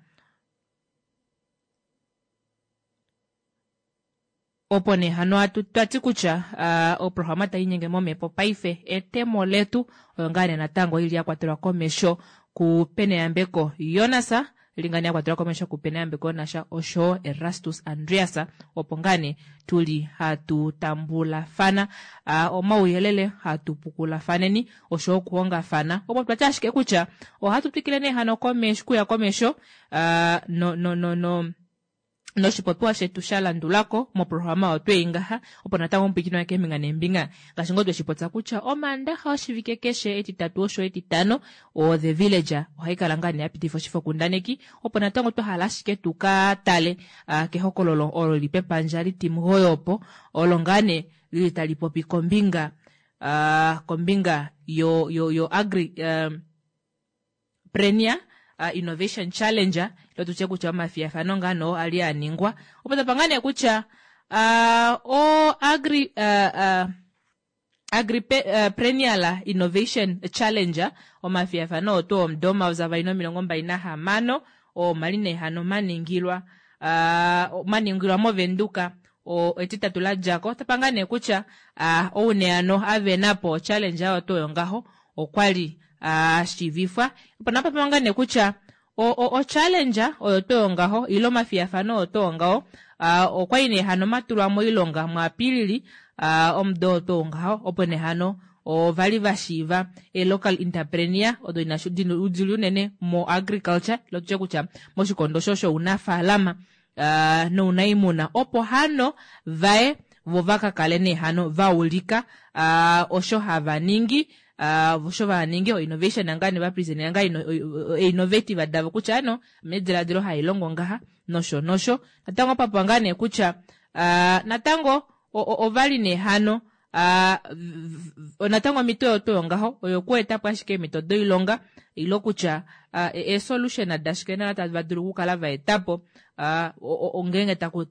opo nee hano twati kutya uh, oprograma tainyenge momhepo paife etemo letu oyo ngaa nee natango ili ya kwatelwa komesho kuPeneyambeko Jonas lingani ya kwatelwa komesho kuPeneyambeko Jonas osho Erastus Andreas opo ngaa nee tuli hatu tambulafana uh, omauyelele hatu pukulafaneni osho okuhongafana opo twati ashike kutya ohatu twikile nee hano komesho kuya komesho uh, no no no no noshipopiwa shetu sha landulako moprograma otweyi ngaha opo natango omupwikini wake keembinga neembinga ngaashi ngoo tweshipotsa kutya omaandaxa oshivike keshe etitatu osho etitano o The Villager ohaikala ngaa nee yapitifa oshifokundaneki opo natango twahala ashike tuka tale uh, kehokololo olo lili pepandja litimugoyi opo olo ngaa nee lili tali popi kombinga uh, kombinga yo yo yo agri um, Prenia uh, Innovation Challenger ilo tutye kutya omafiyafano ngaa noo ali aningwa opo tapa nee kutya uh, o agri uh, uh, Agripreneurial uh, Innovation Challenger omafiyafano oto omudo omayovi avali nomilongo mbali nahamano omali nee hano maningilwa uh, maningilwa movenduka etitatu ladjako tapa ngaa nee kutya uh, oune hano avenapo challenge oyo tuu oyo ngaho okwali ashivifwa opo napapa ngaa nee kutya o challenge oyo tuu oyo ngaho ile omafiyafano oyo tuu ngaho okwali nee hano matulwa moilonga muApilili omudo oyo tuu ngaho opo nee hano ovali vashiiva e-local entrepreneur odo dili unene mo agriculture ilo tutye kutya moshikondo sho shounafaalama uh, nounaimuna opo hano vaye vo vakakale nee hano vaulika uh, osho hava ningi uh, osho vaningi o innovation nga ne vapresent nga innovative davo kutya ano mediladilo hailongo ngaha nosho nosho natango papa ngaa nee kutya uh, natango ovali nee hano uh, natango omito oyo tuu ngaho oyo kuetapo ashike eemito doilonga ilo kutya uh, e-solution dashike nala tava dulu okukala vaetapo uh, ngeenge taku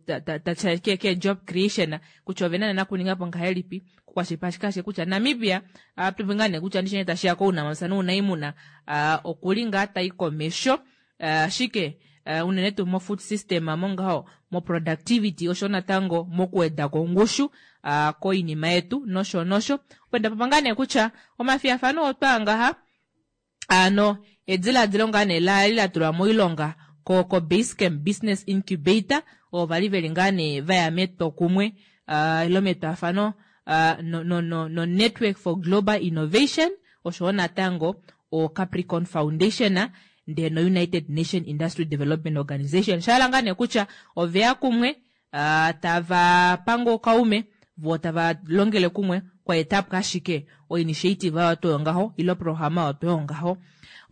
ke, ke job creation kutya ovena nena kuningapo ngahelipi kukwashilipaleka kutya Namibia uh, tupe ngaa nee kutya ndishene tashiya kounamapya nounaimuna uh, okuli ngaa tai komesho ashike uh, unene tuu mo food system mongaho mo productivity osho natango mokuweda kongushu uh, koinima yetu nosho nosho opo ndapapa ngaa nee kutya omafiyafano otwaa ngaha ano ediladilo ngaa nee lali latulwa moilonga ko, ko Basecamp Business Incubator ovo vali veli ngaa nee vaya metwokumwe uh, ilo metwafano uh, no, no, no, no Network for Global Innovation oshowo natango o Capricorn Foundation ndee no United Nation Industry Development Organization shahala ngaa nee kutya oveya kumwe uh, tava panga okaume vo tava longele kumwe kwaetapo ashike o initiative oyo tuu ngaho ilo programa oyo tuu ngaho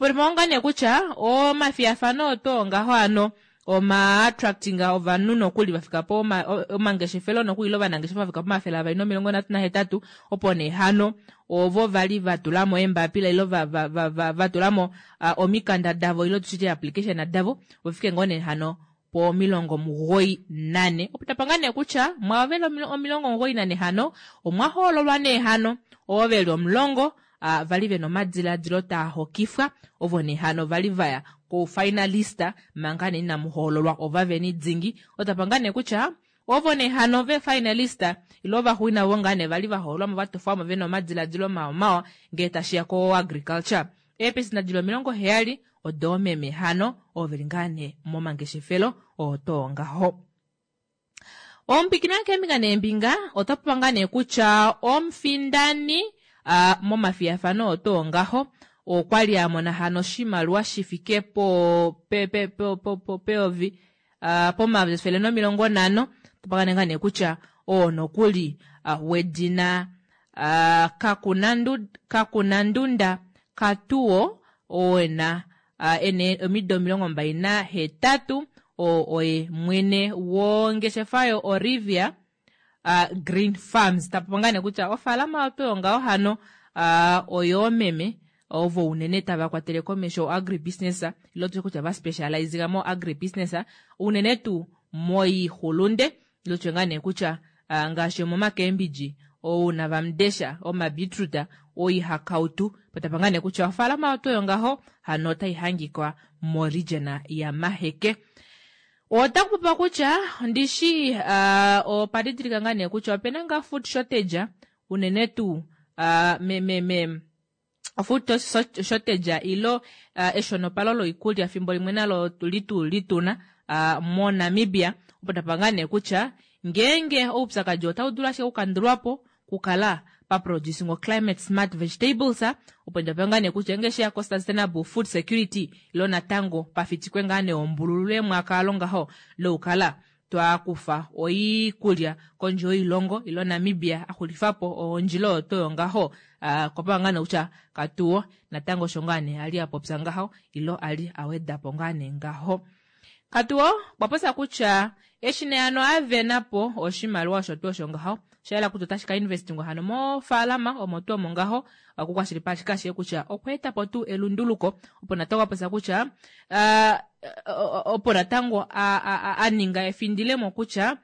opo ngaa nee kutya omafiyafano oyo tuu ngaho ano oma attracting ovanhu nokuli vafika po omangeshefelo nokuli ilo ovanangeshefa vafika pomafele avali nomilongo nhatu nahetatu opo nee hano ovo vali vatulamo eembapila ilo vatulamo uh, omikanda davo ilo tushite application davo vofike ngoo nee hano po omilongo mugoyi nane. Opo tapa nee kutya mwaavo veli omilongo omugoyi nane hano omwa hoololwa nee hano ovo veli omulongo uh, vali vena omadilaadilo taa hokifwa ovo nee hano vali vaya koufinalista manga nee inamu hoololwa ovaveni dingi. Otapa nee kutya ovo nee hano vefinalista ilo ovaxuuninwa ovo ngaa nee vali vahoololwamo vatofwamo vena omadilaadilo mawa ngee tashiya ko agriculture. Eepesenda dili omilongo heyali odoomeme hano ovo veli ngaa nee momangeshefelo oo too ngaho. Omupikina keembinga neembinga ota popa ngaa nee kutya omufindani uh, momafiyafano otoo ngaho okwali amona hano oshimaliwa shifike po pe, pe, pe, po, po, peyovi uh, pomayovi efele nomilongo nhano. Topaka ngaa nee kutya oo nokuli uh, wedina uh, Kakunandu, Kakunandunda Katuo oo ena uh, ene omido omilongo mbali nahetatu oo oye mwene wongeshefa yo Orivia uh, Green Farms. Tapopa ngaa nee kutya ofaalama oyo ngaho hano uh, oyoomeme ovo unene tava kwatele komesho agribusiness ilo tutye kutya va specializinga mo agribusiness unene tuu moixulunde ilo tutye ngaa nee kutya uh, ngaashi omomakembidji ounavamudesha omabeetroot oihakautu potapa ngaa nee kutya ofaalama oyo ngaho hano otai hangikwa moregion ya Maheke. Otakupopiwa kutya ndishi uh, opadidilika ngaa nee kutya opena ngaa food shortage unene tuu uh, me, me, me, food shortage ilo uh, eshonopalo loikulya fimbo limwe nalo litu lituna uh, moNamibia. Opo tapa ngaa nee kutya ngeenge oupyakadi otau dulu ashike okukandulwapo kukala pa producing climate smart vegetables opo ndapa ngaa nee kutya nge sheya ko sustainable food security ilo natango pafitikwe ngaa nee ombululu emwaka ngaho loukala twakufa oikulya kondje yoilongo ilo Namibia axulifapo ondjila oyo toyo ngaho uh, kwapa ngaa nee kutya katuwo natango osho ngaa nee ali apopya ngaho ilo ali awedapo ngaa nee ngaho. Katuwo kwapopya kutya eshi nee hano avenapo oshimaliwa osho tuu osho ngaho shayela kutya otashi ka investingwa hano mofaalama omo tuu omo ngaho okukwashilipaleka ashike kutya okweetapo tuu elunduluko opo natango apopya kutya uh, opo natango aninga efindilemo kutya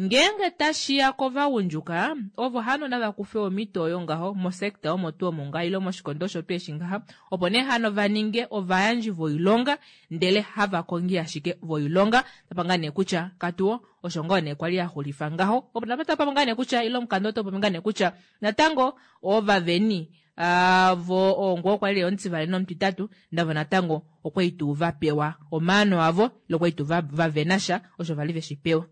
ngeenge tashiya kovagundjuka ovo hano nava kufe omito oyo ngaho mosekta omo tuu omo ngaho ilo moshikondo osho tuu eshi ngaha opo nee hano vaninge ovayandji voilonga ndele hava kongi ashike voilonga. Tapa ngaa nee kutya katuwo osho ngoo nee kwali axulifa ngaho opo tapa ngaa nee kutya ilo omukanda oto popi ngaa nee kutya natango ovaveni uh, vo ongo kwali omutivali nomutitatu ndavo natango okwali tuu vapewa omaano avo ilo kwali tuu vavenasha osho vali veshi pewa.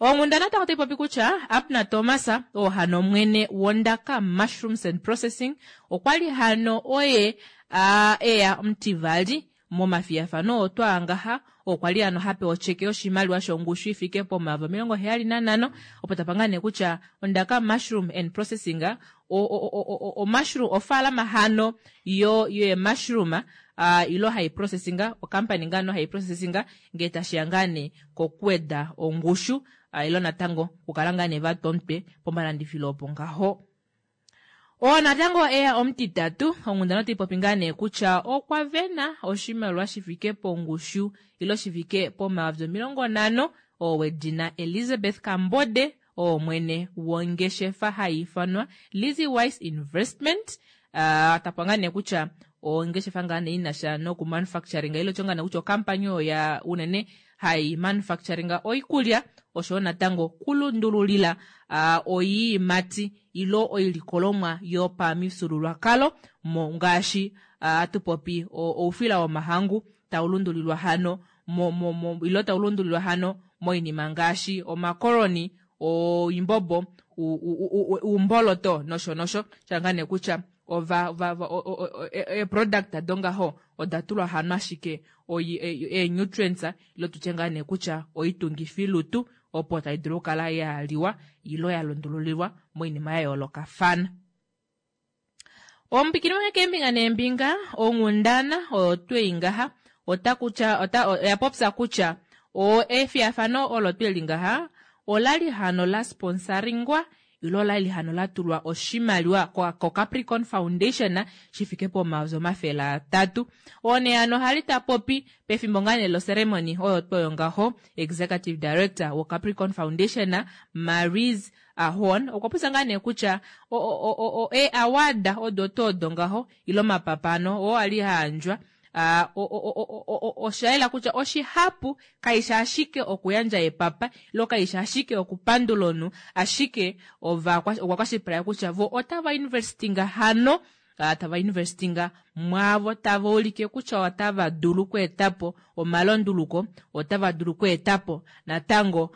Onghundana natango otai popi kutya Abner Thomas oo hano mwene wondaka Mushrooms and Processing okwali hano oye uh, eya omutivali momafiyafano oo twaangaha okwali hano hapewa ocheke yoshimaliwa shongushu ifike pomayovi omilongo heyali nanhano. Opo tapa ngaa nee kutya ondaka Mushroom and Processing o mushroom ofaalama hano yo ye mushroom uh, ilo hai processinga okampani ngano hai processinga ngee tashiya ngaa nee kokuweda ongushu uh, ilo natango kukala ngaa nee vatwa omutwe pomalandifilo opo ngaho. Oo natango eya omutitatu onghundana otai popi ngaa nee kutya okwa vena oshimaliwa shifike pongushu ilo shifike pomayovi omilongo nhano oo wedina Elizabeth Kambode oo mwene wongeshefa hai ifanwa Lizzy Wise Investment. Uh, tapa ngaa nee kutya ongeshefa ngaa nee inasha noku manufacturing ilo tyo ngaa nee kutya okampani oyo ya unene hai manufacturing oikulya oshowo natango kulundululila uh, oiimati ilo oilikolomwa yopamifyuululwakalo mo ngaashi uh, atupopi oufila womahangu tau lundulilwa hano mo, mo, mo, ilo tau lundulilwa hano moinima ngaashi omakoroni oimbombo umboloto nosho nosho shanga nee kutya ova va e product dongaho oda tulwa hano ashike ee-nutrients ilo tutye ngaa nee kutya oitungifilutu opo tai dulu okukala yaliwa ilo ya lundululilwa moinima ya yoolokafana. Omupikini wange keembinga neembinga onghundana oyo twei ngaha ota kutya ota oya popya kutya o efiyafano olo tweli ngaha olali hano la sponsoringwa ilo olali hano latulwa oshimaliwa ko Capricorn Foundation shifike pomayovi omafele atatu. Oo nee hano ohali tapopi pefimbo ngaa nee loceremony oyo tuu ngaho executive director wo Capricorn Foundation Marise Horn okwa popya ngaa nee kutya ee-award odo tuu odo ngaho ile omapapa ano oo ali ayandjwa oshayela kutya oshihapu kaishi ashike okuyandja epapa ilo kaishi ashike okupandula omunhu, ashike okwa kwashilipaleka kutya vo otava investinga hano tava investinga mwaavo tava ulike kutya otava dulu okweetapo omalunduluko, otava dulu okweetapo natango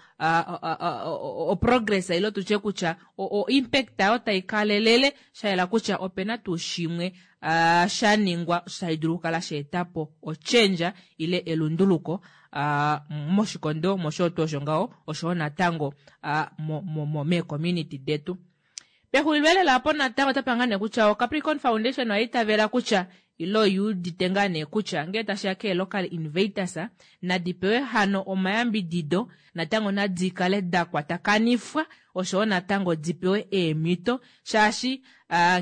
oprogress ile tutye kutya o-impact oyo tai kalelele, shayela kutya opena tuu shimwe shaningwa tashi dulu okukala shaetapo ochange ile elunduluko moshikondo mosho tuu osho ngaho oshowo natango mee-community detu. Pexulilo lela apo natango otapa ngaa nee kutya o-Capricorn Foundation oya itavela kutya ilo oyuudite ngaa nee kutya ngee tashiya kee-local innovators nadi pewe hano omayambidido, natango nadi kale da kwatakanifwa oshowo natango di pewe eemhito, shaashi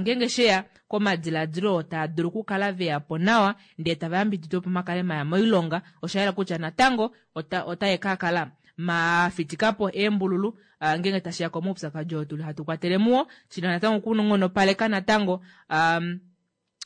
ngeenge sheya komadiladilo oo taa dulu okukala veyapo nawa ndee tava yambididwa opo makale maya moilonga, oshayela kutya natango otae kakala mafitikapo eembululu ngeenge tashiya komaupyakadi oo tuli hatu kwatele muwo, shina natango okunghonopaleka natango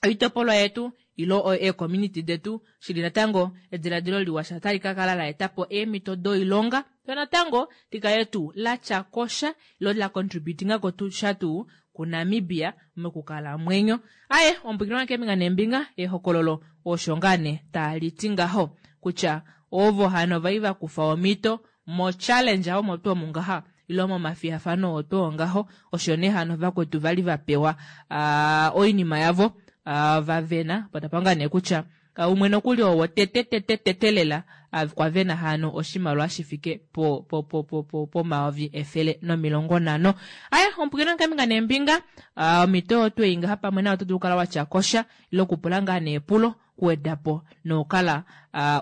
oitopolwa yetu ilo ee-community detu, shili natango ediladilo liwa sha otali kakala laetapo eemhito doilonga, lo natango likale tuu latya kosha ilo la contributingako sha tuu kuNamibia mokukalamwenyo. Aaye omupwilikini wange keembinga neembinga, ehokololo osho ngaa nee taliti ngaho kutya ovo hano vai vakufa omhito mo challenge omo tuu omu ngaha ilo momafiyafano oo tuu ngaho, osho nee hano vakwetu vali vapewa oinima yavo vavena, patapa ngaa nee kutya umwe nokuli oo wotete tete tete lela kwa vena hano oshimaliwa shifike po po po po po pomayovi efele nomilongo nhano. Aaye omupwilikini wange keembinga neembinga, omhito oyo twei ngaha pamwe nayo oto dulu okukala watya kosha ile okupula ngaa nee epulo kuwedapo nokukala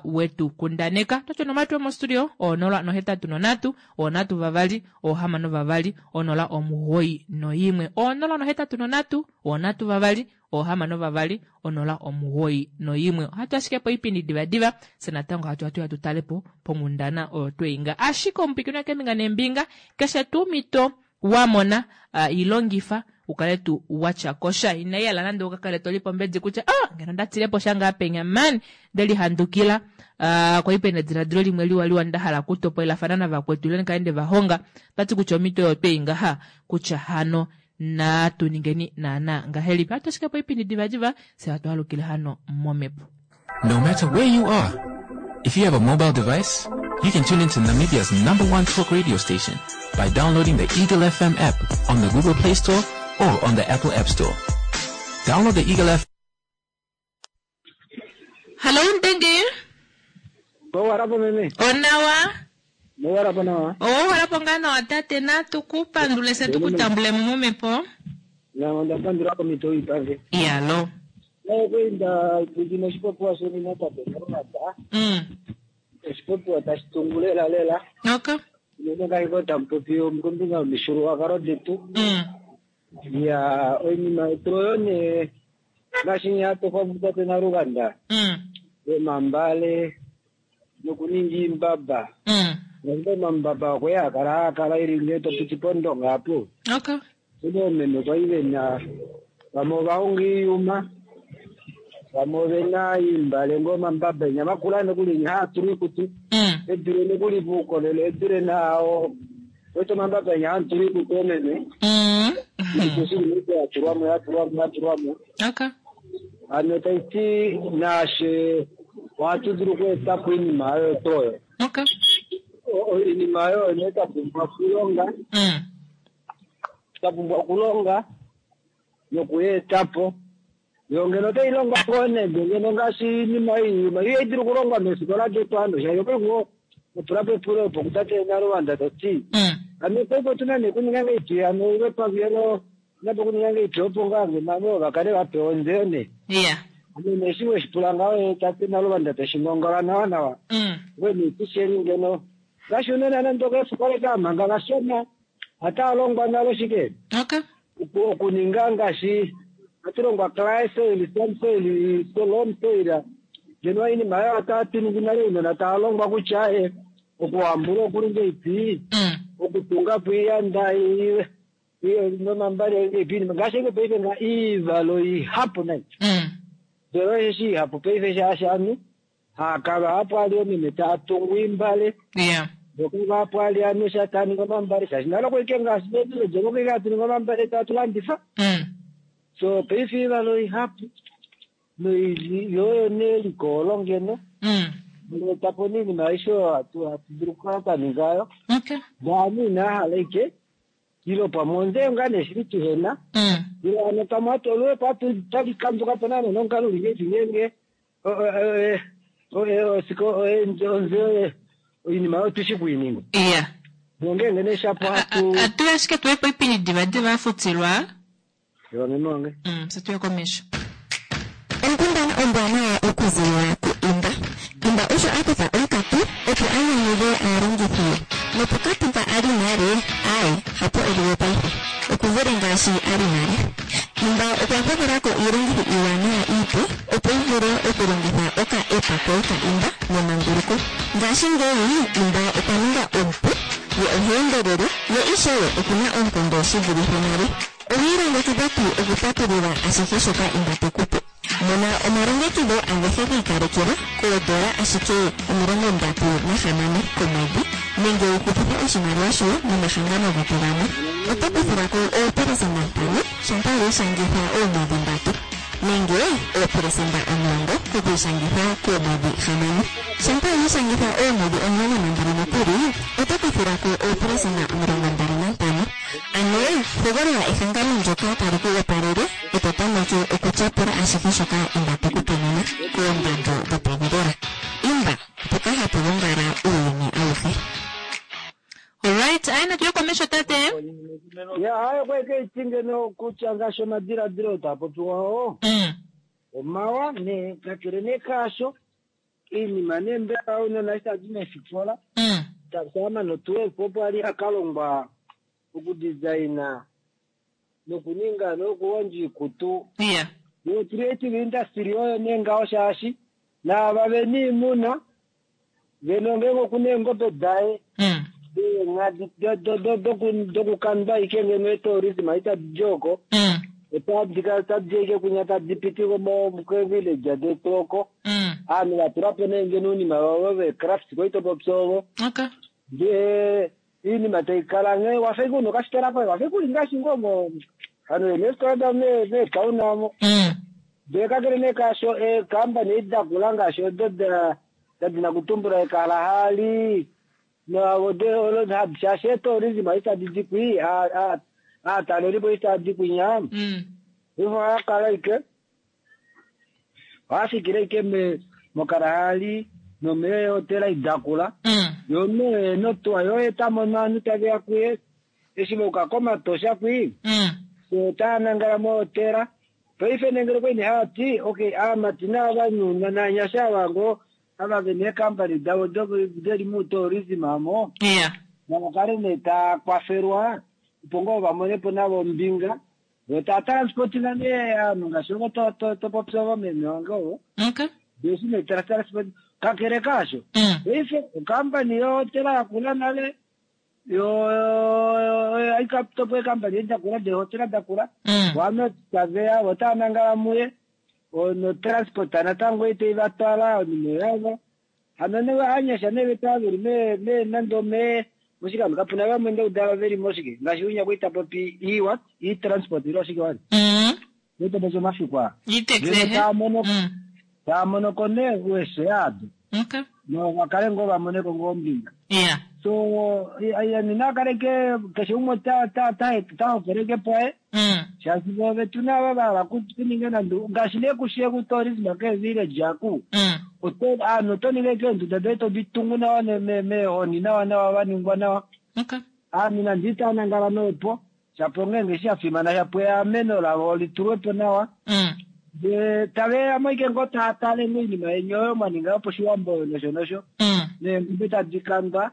wetu kundaneka. Toti onomola yomostudio onola nohetatu nonhatu onhatu vavali ohamano vavali onola omugoyi noimwe, onola nohetatu nonhatu onhatu vavali ohamano vavali onola omugoyi noimwe. Ohatu ashike po oipindi divadiva, fye natango hatu hatu tutalepo ponghundana oyo tweinga. Ashike omupwilikini wange keembinga neembinga, keshe tuu omhito wamona ilongifa ukale tuu watya kosha, inai hala nande ukakale tolipe ombedi kutya ah ngeno ndatilepo sha ngaa penya man ndelihandukila kwali pena ediladilo limwe liwa liwa ndahala okutopolelafana navakwetu ile ndikale ndevahonga. Otati kutya omhito oyo twei ngaha kutya hano natu ningeni naana ngahelipi. Ohatu ashike po oipindi divadiva, fye hatu alukile hano momhepo. No matter where you are, if you have a mobile device, you can tune into Namibia's number one talk radio station by downloading the Eagle F M app on the Google Play Store or on the Apple App Store. Download the Eagle F Hello, Ndenge. Owarapo meme. Onawa. Owarapo nawa. Owarapo ngaa nawa tate, natu kupandule se tukutambule mo momhepo. Na onda pandula komito ipange. Iyalo. Nakwenda pwikina oshipopiwa sheni natate Naluvanda. Mm. Oshipopiwa tashi tungu lela lela. Okay. Unene ngaashi tamu popi kombinga yomishuluwakalo detu. Mm. Ya oinima yetu oyo nee ngaashi hatu popi tate Naluvanda. Mm. Yomambale nokuninga iimbamba. Mm. Ngaashi omambamba okwe ya kala akala ili ngee to piti pOndonga apo. Okay. Kune oomeme kwali vena vamwe ovahonga iiyuma, vamwe ovena iimbale ngoo omambamba enya vakula nokuli enya haa tulwa iikutu. Mm. Edule nokuli puukolele, edule nao wete omambamba enya haa tulwa iikutu oomeme. Mm. Iikutu shili ya tulwamo, ya tulwamo, ya tulwamo. Okay. Ano taiti naashe ohatu dulu okweetapo iinima oyo toyo. Okay. Iinima oyo nee twa pumbwa okulonga. Mm. Twa pumbwa okulonga nokuyeetapo. Yo ngeno otayi longwa ngoo nande ngeno ngaashi iinima iiyuma ihayi dulu okulongwa meefikola detu ando shaashi opaife otulapo epulo opo kutate Naluvanda tati. Mm. Ano paife otuna nee okuninga ngahelipi ano ile pavelo napo okuninga ngahelipi opo ngaa ngeno vakale vapewa ontseyo nee. Yeah. Ano nee eshi weshipula ngaho tate Naluvanda teshi ngongola nawa nawa. Mm. Ngwe nee tisheni ngeno ngaashi unene nande okeefikola eka manga vashona Ataa longwa nalo shike? Okay. Okuninga ngaashi hatu longwa clay soil, sand soil, loam soil. Ngeno iinima oyo otatu ningi nale uunona taa longwa kutya eh, okuhambula okuli ngeipi, okutunga po iiyanda nomambale ngeipi ngaashi eke paife nga iivalo ihapu nayi. Ndele osheshi ihapu paife shaashi ovanhu haakala hapo ali omeme taa tungu iimbale. Yeah. Voka vapo ali ovanhu sha taa ningi omambale shaashi nale okwali ngaashi mevillage okwali hatu ningi omambale tatu landifa. So paife iivalo ihapu noili yoyo neliko olo ngeno. Etapo niinima aishe oyo hatu hatu dulu okukala twa ningayo. Okay. Naanhu inaa hala ike ilo pamwe onzeyo ngaa nee shili tuhena. Ilo hano pamwe hatu oluwepo hatu talikanduka po naana nomukalo uli ngeipi ngeenge osiko onzeyo oinima oyo tushi kuininga. Yeah. Nongeenge nee shapo hatu Atuye ashike tuye po ipindi divadiva afutilwa. Ewa meme wange. Mm, satuye komesho. Onkundana ombwanawa okuzilila ku Imba. Imba osho a kutha onkatu opo a nyanyudhe aalongithi ye. Nopokatu mpa a li nale, aaye, hapo e li we paife. Oku vule ngaashi a li nale. Imba okwa gwedhela ko iilongithi iiwanawa iipe opo yi vule okulongitha oka-app koye ka Imba memanguluko. Ngashingeyi Imba okwa ninga omupu, ye oha endelele, ye ishewe okuna oonkondo shi vulithe nale. Owi ilongekidha tuu okupatulula ashihe shoka Imba te ku pe? Mona omalongekidho agehe gi ikalekelwa koodola ashike omilongo ndatu nahamano komwedhi nenge wu hupithe oshimaliwa shoye nomahangano getu gamwe. Oto kuthilwa ko oopelesenda ntano shampa wi ishangitha oomwedhi ndatu nenge oopelesenda omulongo kokwiishangitha koomwedhi hamano. Shampa wi ishangitha oomwedhi omulongo nambali nokuli oto kuthilwa ko oopelesenda omilongo mbali nantano. Ano hogolola ehangano ndyoka tali ku opalele e to tameke okutyapula ashihe shoka Imba te ku pe nena koondando dhopevi lela. Imba, mpoka hapu gongala uuyuni awuhe. Alright, aye natuye komesho tate. Ya hayo kweke iti ngeno kutya ngaashi omadiladilo taa popiwa oo. Omawa ne kakele nee kaasho iinima nee mbela uunona eshi tadi meefikola tasama notuwepo opo ali akalongwa okudesigna nokuninga nokuhondja iikutu. Yeah. Yo creative industry oyo nee ngaho shaashi naava vena iimuna ngeno ngeenge okuna eengobe daye eenghadi dokukandwa ike ngeno etourism itadi oko otadi kala tadi ike kunya tadi piti kevillage detu oko aanhu vatulapo nee ngeno uunima vavo vecraft koitopopya ovo Okay. ndee iinima taikala nghee wafa ike una okafitola koye wafa ike uli ngaashi ngoo mo hano neefitola davo meetown amo ndee kakele nee kaasho eekambani edi dakula ngaashi odo dadina kutumbula ekalahari shaashi etourism itadi di kwi aatalelipo itadi kwinya ivo ohakala ike ohafikile ike mokalahari nomeehotela idakula yo nee notuwa yo etamono ovanhu taveya kuye eshi vauka komatosha kwi so nangala mohotela paife nengele kwene hati okay aamati navanhu nanyasha ava ngoo ava vena eekampani davo deli mutourism amo Yeah. navakale nee taa kwafelwa opo ngoo vamonepo navo ombinga vo taa transportinga nee aanhu ngaashi ovo topopya ovo meme wange ovo Okay. eshi nee transport kakele kaasho paife okampani yohotela yakula nale yo aikatopo eekampani edi dakula deehotela dakula wano taveya vo nangala muye notransport natango itei vatwala onima yavo hano ne anyasha ne vetaa veli me me nande me moshikando kapuna vamwe ndaudala veli moshike ngaashi unya kuita popi e what e transport ilo oshike wani ita popi omafiku aa Itex taamono taamonoko nee ueshe ado Okay. no vakale ngoo vamoneko ngoo ombinga Yeah. So nina kaleke keshe umwe ta ta ta tahokeleke poye shaashi vo vetu nava vahala kuninga nande ngaashi nee kushiye kutourism keevillage aku aanhu oto ninga ike eenduda doye todi tungu nawa meehoni nawa nawa vaningwa nawa Okay. aanhu nande itaa nangala noopo shapo ngeenge shafimana shapo eameno lavo litulwepo nawa ndee taveyamo ike ngoo taatale ngo oinima yeni oyo mwaninga yoposhiwambo nosho nosho neengobe tadi kandwa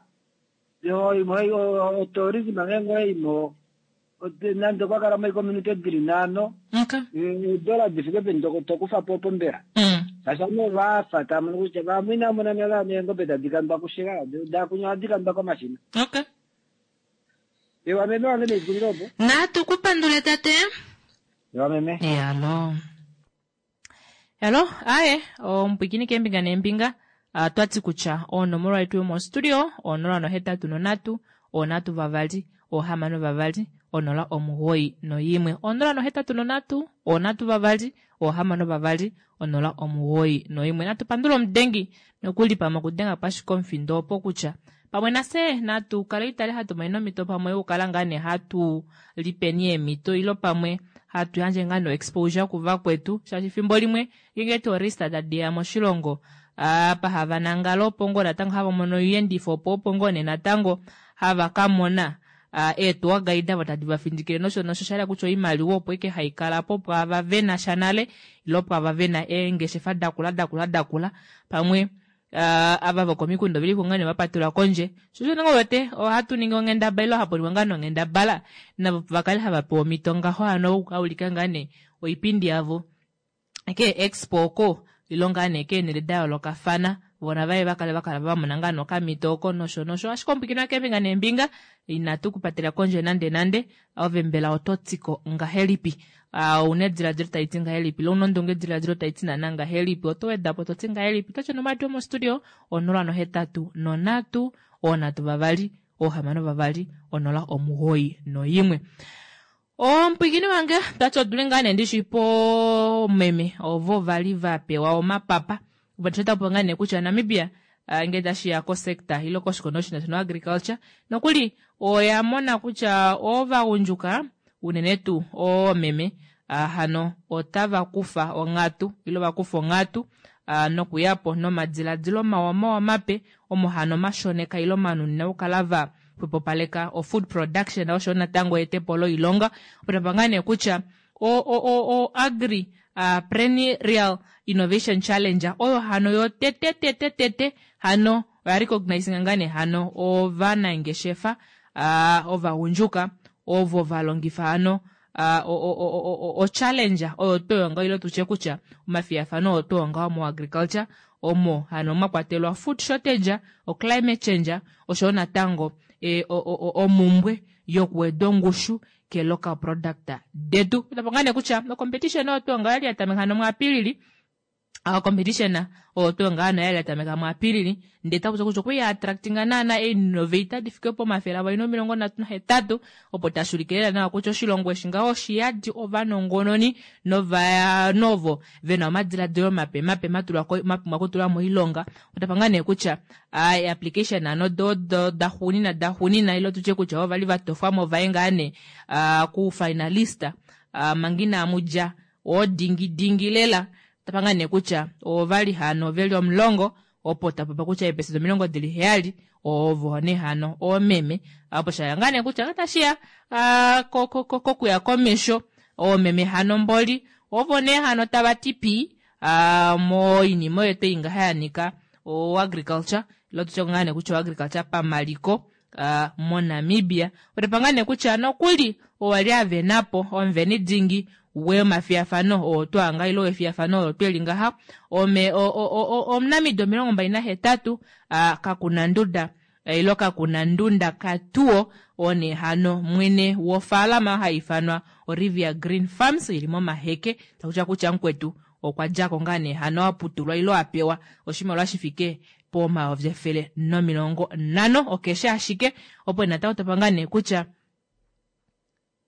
Otourism ngeenge oyaimo nande okwa kala moicommunity dili nhano, eedola difike peni tokufa po opo mbela? Shaashi ovanhu ovafa tava mono kutya vamwe inava mona nale hano eengobe tadi kandwa kushela, dakunya ohadi kandwa komashina. Okay. Ewa meme wange neikulilo opo. Natu ku pandule tate. Ewa meme. Yalo. Hello, aye, omupwikini keembinga neembinga. Uh, twati kutya onomola yetu yomostudio onola nohetatu nonhatu onhatu vavali ohamano vavali onola omugoyi noyimwe onola nohetatu nonhatu onhatu vavali ohamano vavali onola omugoyi noyimwe. Natu pandule omudengi nokuli pamwe okudenga pashike omufindo opo kutya pamwe nafye natu kale itale hatu monene omhito pamwe yokukala ngaa nee hatu lipeni eemhito ilo pamwe hatu yandje ngaa no exposure kuvakwetu shaashi efimbo limwe ngeenge tourista tadiya moshilongo apa hava nangala opo ngoo natango hava mono oiyendifo opo opo ngoo nee natango hava ka mona eetuwa guide avo tadi va findikile nosho nosho shahala kutya oimaliwa opo ike haikala po pwaava vena sha nale ilo pwaava vena eengeshefa dakula dakula dakula pamwe uh, ava vokomikunda oveli ko ngaa nee vapatelwa kondje sho osho nee wete ohatu ningi onghendabala ilo hapu ningwa ngaa nonghendabala navo vakale hava pewa omhito ngaho hano okukaulika ngaa nee oipindi yavo ke expo oko ilo ngaa nee keenhele da yoolokafana vona vaye vakale vakala vamona ngaa nokamhito oko nosho nosho ashike omupwikinwa keembinga neembinga inatu kupatela kondje nande nande ove mbela oto tiko ngahelipi uh, ouna ediladilo tali ti ngahelipi ile ouna ondunge ediladilo tai ti naana ngahelipi oto weda po to ti ngahelipi oto tya nomadi omostudio onola nohetatu nonhatu oonhatu vavali oohamano vavali onola omugoyi noyimwe. Omupwikini wange tati odule ngaa nee ndishi poomeme ovo vali va pewa omapapa opo ngaa nee kutya Namibia uh, ngee tashiya kosector ilo koshikondo shina shino agriculture nokuli oya mona kutya ovagundjuka unene tuu oomeme uh, hano otava kufa onghatu ilo vakufa onghatu uh, nokuyapo nomadiladilo mawa mawa mape omo hano mashoneka ilo manunina okukala va xwepopaleka o food production osho natango etepo loilonga opo tapa ngaa nee kutya o, o, o, o agri uh, perennial innovation challenge oyo hano yo tete tete tete hano oya recognizing ngaa nee hano ovanangeshefa uh, ovagundjuka ovo valongifa hano uh, o, o, o, o, o challenge oyo tweyonga ilo tutye kutya omafiyafano oyo tweyonga mo agriculture omo hano mwa kwatelwa food shortage, o climate change osho natango e, omumbwe yokuweda ongushu ke local product detu. Tapo ngaa nee kutya o competition oyo tweyonga oyali yatameka hano muApilili a competition oyo tweyonga hano oyali yatameka muApilili ndee takuti kutya okwiya attractinga naana innovator difike pomafele avali nomilongo nhatu nahetatu opo tashulike lela nawa kutya oshilongo eshi ngaho oshiyadi ovanongononi nova novo vena omadiladilo mape mape matulwa mapumbwa okutulwa moilonga. Otapa ngaa nee kutya ai application ano do do daxuunina daxuunina ilo tutye kutya ovali vatofwamo vaye ngaa nee ku finalista manga inamudja oodingi dingi lela tapa ngaa nee kutya ovali hano veli omulongo opo tapapa kutya eepesenda omilongo dili heyali ovo nee hano oomeme opo shaya ngaa nee kutya otashiya kokuya komesho oomeme hano mboli ovo nee hano tava ti pii moinima oyo twei ngaha yanika o agriculture ilo tutye ngaa nee kutya o agriculture pamaliko uh, moNamibia. Otapa ngaa nee kutya nokuli owali avenapo omuveni dingi wemafiyafano oo twanga ilo wefiyafano olo tweli ngaha ome omunamido omilongo mbali nahetatu uh, kakuna nduda ilo kakuna ndunda katuo one hano mwene wofaalama haifanwa Olivia Green Farms ili momaheke takutya kutya mukwetu okwa djako ngaa nee hano aputulwa ilo apewa oshimaliwa shifike pomayovi efele nomilongo nhano okeshe ashike opo natango tapa ngaa nee kutya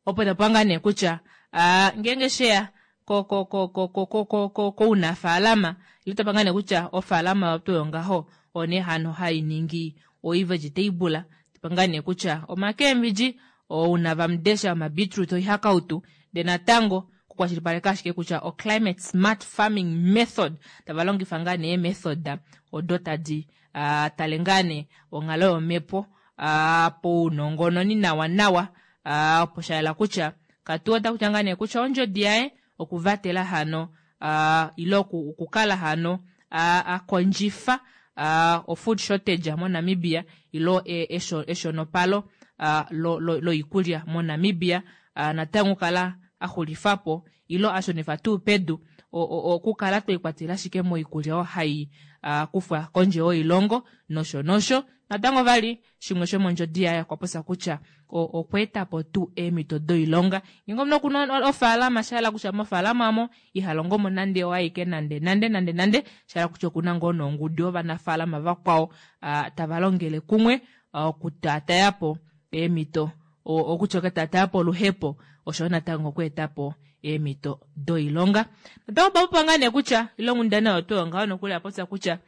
opo tapa ngaa nee kutya uh, ngeenge sheya ko ko ko ko ko ko ko ko kounafaalama ilo tapa ngaa nee kutya ofaalama yotu yongaho one hano hainingi oivegetable tapa ngaa nee kutya omakembidji ounavamudesha omabeetroot oihakautu ndee natango kukwashilipaleka ashike kutya o climate smart farming method tava longifa ngaa nee method odo tadi uh, tale ngaa nee onghalo yomhepo uh, pounongononi nawa nawa uh, opo shayela kutya katu ota kutya ngaa nee kutya ondjodi yaye okuvatela hano uh, ilo okukala hano uh, akondjifa uh, o-food shortage moNamibia ilo e, eshonopalo uh, loikulya lo, lo moNamibia uh, natango kala axulifapo ilo ashunifa tuu pedu okukala twiikwatela ashike moikulya oyo hai uh, kufwa kondje yoilongo nosho nosho. Natango vali shimwe shomondjodi yaye okwa popya kutya okweetapo tuu eemhito doilonga ngenge omunhu okuna ofaalama shahala kutya mofaalama omo ihalongo mo nande oaike nande nande nande nande shahala kutya okuna ngoo nongudu yovanafaalama vakwao uh, tava longele kumwe okutaatayapo eemhito okutya okutaatayapo oluhepo oshoyo natango okweetapo eemhito doilonga. Natango papopa ngaa nee kutya ile onghundana oyo tuu ngaho nokuli apopya kutya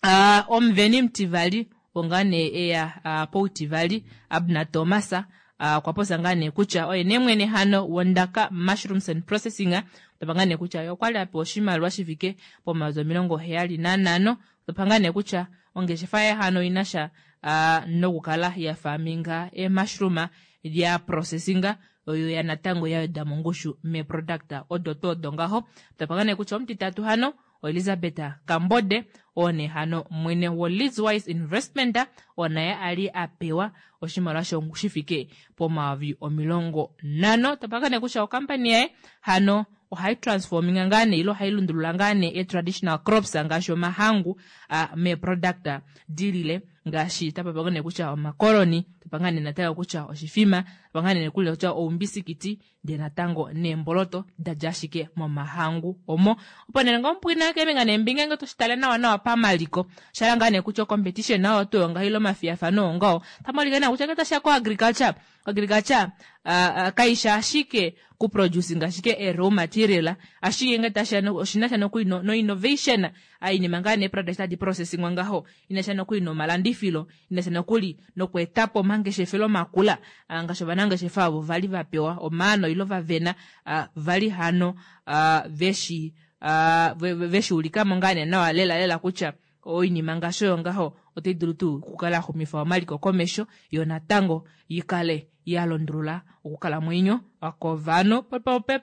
uh, omuveni mutivali onga nee eya uh, poutivali Abner Thomas okwa uh, popya ngaa nee kutya oye nee mwene hano wondaka Mushrooms and Processing topa ngaa nee kutya ye okwali apewa oshimaliwa shifike pomayovi omilongo heyali nanhano. Topa ngaa nee kutya ongeshefa yaye hano inasha uh, nokukala ya farminga emushroom lya processinga oyo ya natango ya weda mongushu meproduct odo tuu odo ngaho. Topa ngaa nee kutya omutitatu hano Elizabeth Kambode one hano mwene wo Leadswise Investment onaye ali apewa oshimaliwa shifike pomayovi omilongo nhano. Topa nee kutya okampani yaye hano ohai transforminga ngaa nee ilo ohai lundulula ngaa nee e-traditional crops ngaashi omahangu uh, meproduct dilile ngaashi tapapa nee kutya omakoloni, tapa ngaa nee natango kutya oshifima, tapa ngaa nee kutya oumbisikiti ndee natango neemboloto dadja ashike momahangu omo. Opo nee ngoo mpwina keembinga neembinga ngee toshitale nawa nawa pamaliko shala ngaa nee kutya competition nayo tuu ngaho ile omafiyafano ongaho tamalike naa kutya ngee tashiya ko agriculture agriculture uh, uh, kaisha ashike ku producing ashike e raw material ashike ngee tashiya oshinasha nokuli no, no innovation ainima ngaa nee product tadi processingwa ngaho inasha nokuli nomalandifilo inasha nokuli nokweetapo omangeshefelo makula uh, ngaashi ovanangeshefa avo vali vapewa omaano ilo vavena uh, vali hano uh, veshi uh, veshuulikamo ngaa nee nawa lela lela kutya oinima ngaashi oyo ngaho otai dulu tuu okukala yaxumifa omaliko komesho yo natango yikale yalondulula okukalamwenyo kovanhu.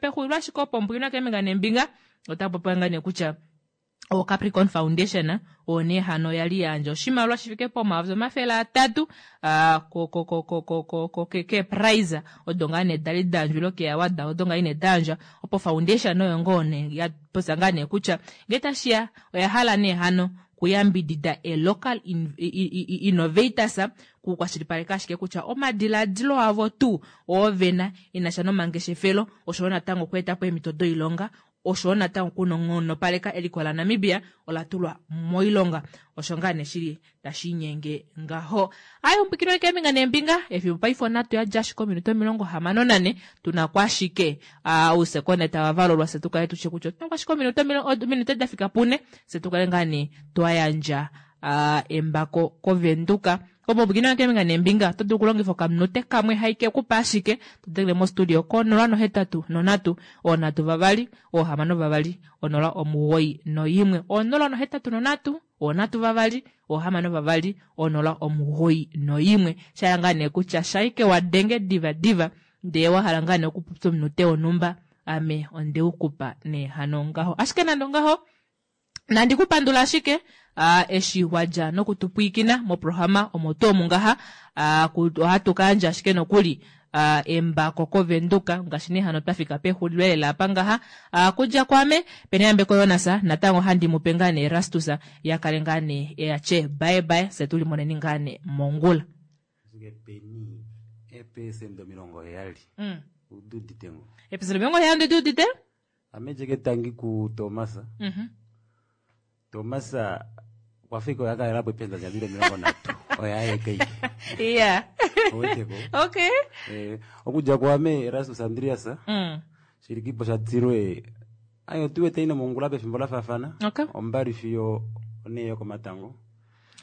Pexulilo ashike opo mbwina keembinga neembinga otapopiwa ngaa nee kutya o Capricorn Foundation oyo nee hano yali yandja oshimaliwa shifike pomayovi omafele atatu keeprize odo ngaa nee dali dayandjwa ilo keeaward odo ngaa nee dayandjwa opo foundation oyo ngoo nee yapopya ngaa nee kutya ngee tashiya oya hala nee hano kuyambidida e local in, innovators kukwashilipaleka ashike kutya omadiladilo avo tuu oovena inasha nomangeshefelo oshoyo natango okweetapo eemhito doilonga oshoyo natango kunongonopaleka eliko la Namibia ola tulwa moilonga. Osho ngaa nee shili tashinyenge ngaho. Ayo mpikiro keembinga neembinga efimbo paife onhatu yadja ashike ominute omilongo hamano nane tuna ko ashike ousekonde tava valulwa fye tukale tushe kutya otuna ko ashike ominute dafika pune fye tukale ngaa nee twayandja embako kovenduka. Opo bukina keembinga neembinga oto dulu okulongifa okaminute kamwe haike kupa ashike todengele mostudio ko nola nohetatu nonhatu oonhatu vavali oohamano vavali onola omugoyi noimwe onola nohetatu nonhatu oonhatu vavali oohamano vavali onola omugoyi noimwe. Shaya ngaa nee kutya shaike wadenge diva diva ndee wahala ngaa nee okupopya omunute wonhumba ame ondeukupa nee hano ngaho. Ashike nande ongaho nandi kupandula ashike uh, eshi wadja nokutupwiikina moprograma omo tuu omu ngaha uh, ohatu kayandja ashike nokuli uh, embako kovenduka ngaashi nee hano twafika pexulilo lela apa ngaha uh, kudja kwame peneyambeko Jonas natango handi mupe ngaa nee Erastus yakale ngaa nee eyatye bye bye fye tulimoneni ngaa nee mongula. Ashike peni eepesenda omilongo heyali mm. ududite ngo eepesenda omilongo heyali ndidudite ame jeke tangi ku Thomas mm -hmm. Thomas kwafika oya kalela po ependa djadile omilongo nhatu oya yekeike yeah oweteko okay eh, okudja kwame Erastus Andreas mm. shilikipo shatilwe ayo tuwete ino mongula pefimbo lafaafana okay. ombali fiyo onee yokomatango.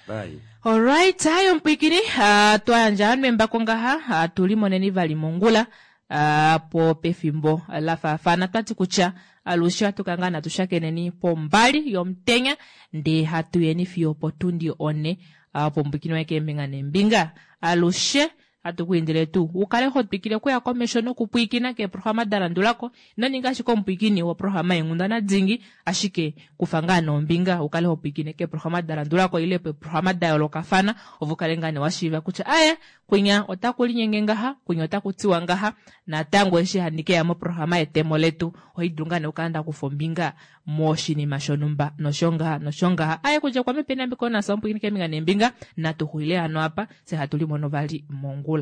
Bye. Alright, ayo mpwikini uh, twayandja hano embako ngaha uh, tulimoneni vali mongula uh, po pefimbo lafaafana twati kutya alushe hatukanga natushakeneni pombali yomutenya ndee hatuyeni fiyo potundi one uh, pombwikini waye keembinga neembinga alushe Hatu ku indile tuu u kale ho twikile okuya komesho nokupwiikina keeprograma da landulako. Ino ninga ashike omupwiikini woprograma yenghundana dingi, ashike kufa ngaa nombinga u kale ho pwiikine keeprograma da landulako ile peeprograma da yoolokafana ove u kale ngaa nee wa shiiva kutya aye kwinya otaku linyenge ngaha, kwinya otaku tiwa ngaha. Natango eshi handi keya moprograma yetemo letu ohaidulu ngaa nee okukala ndakufa ombinga moshinima shonhumba nosho ngaha nosho ngaha. Aye kudja kwame Penny Ambikonas omupwiikini keembinga neembinga, natu xulile hano apa, fye hatu limono vali mongula.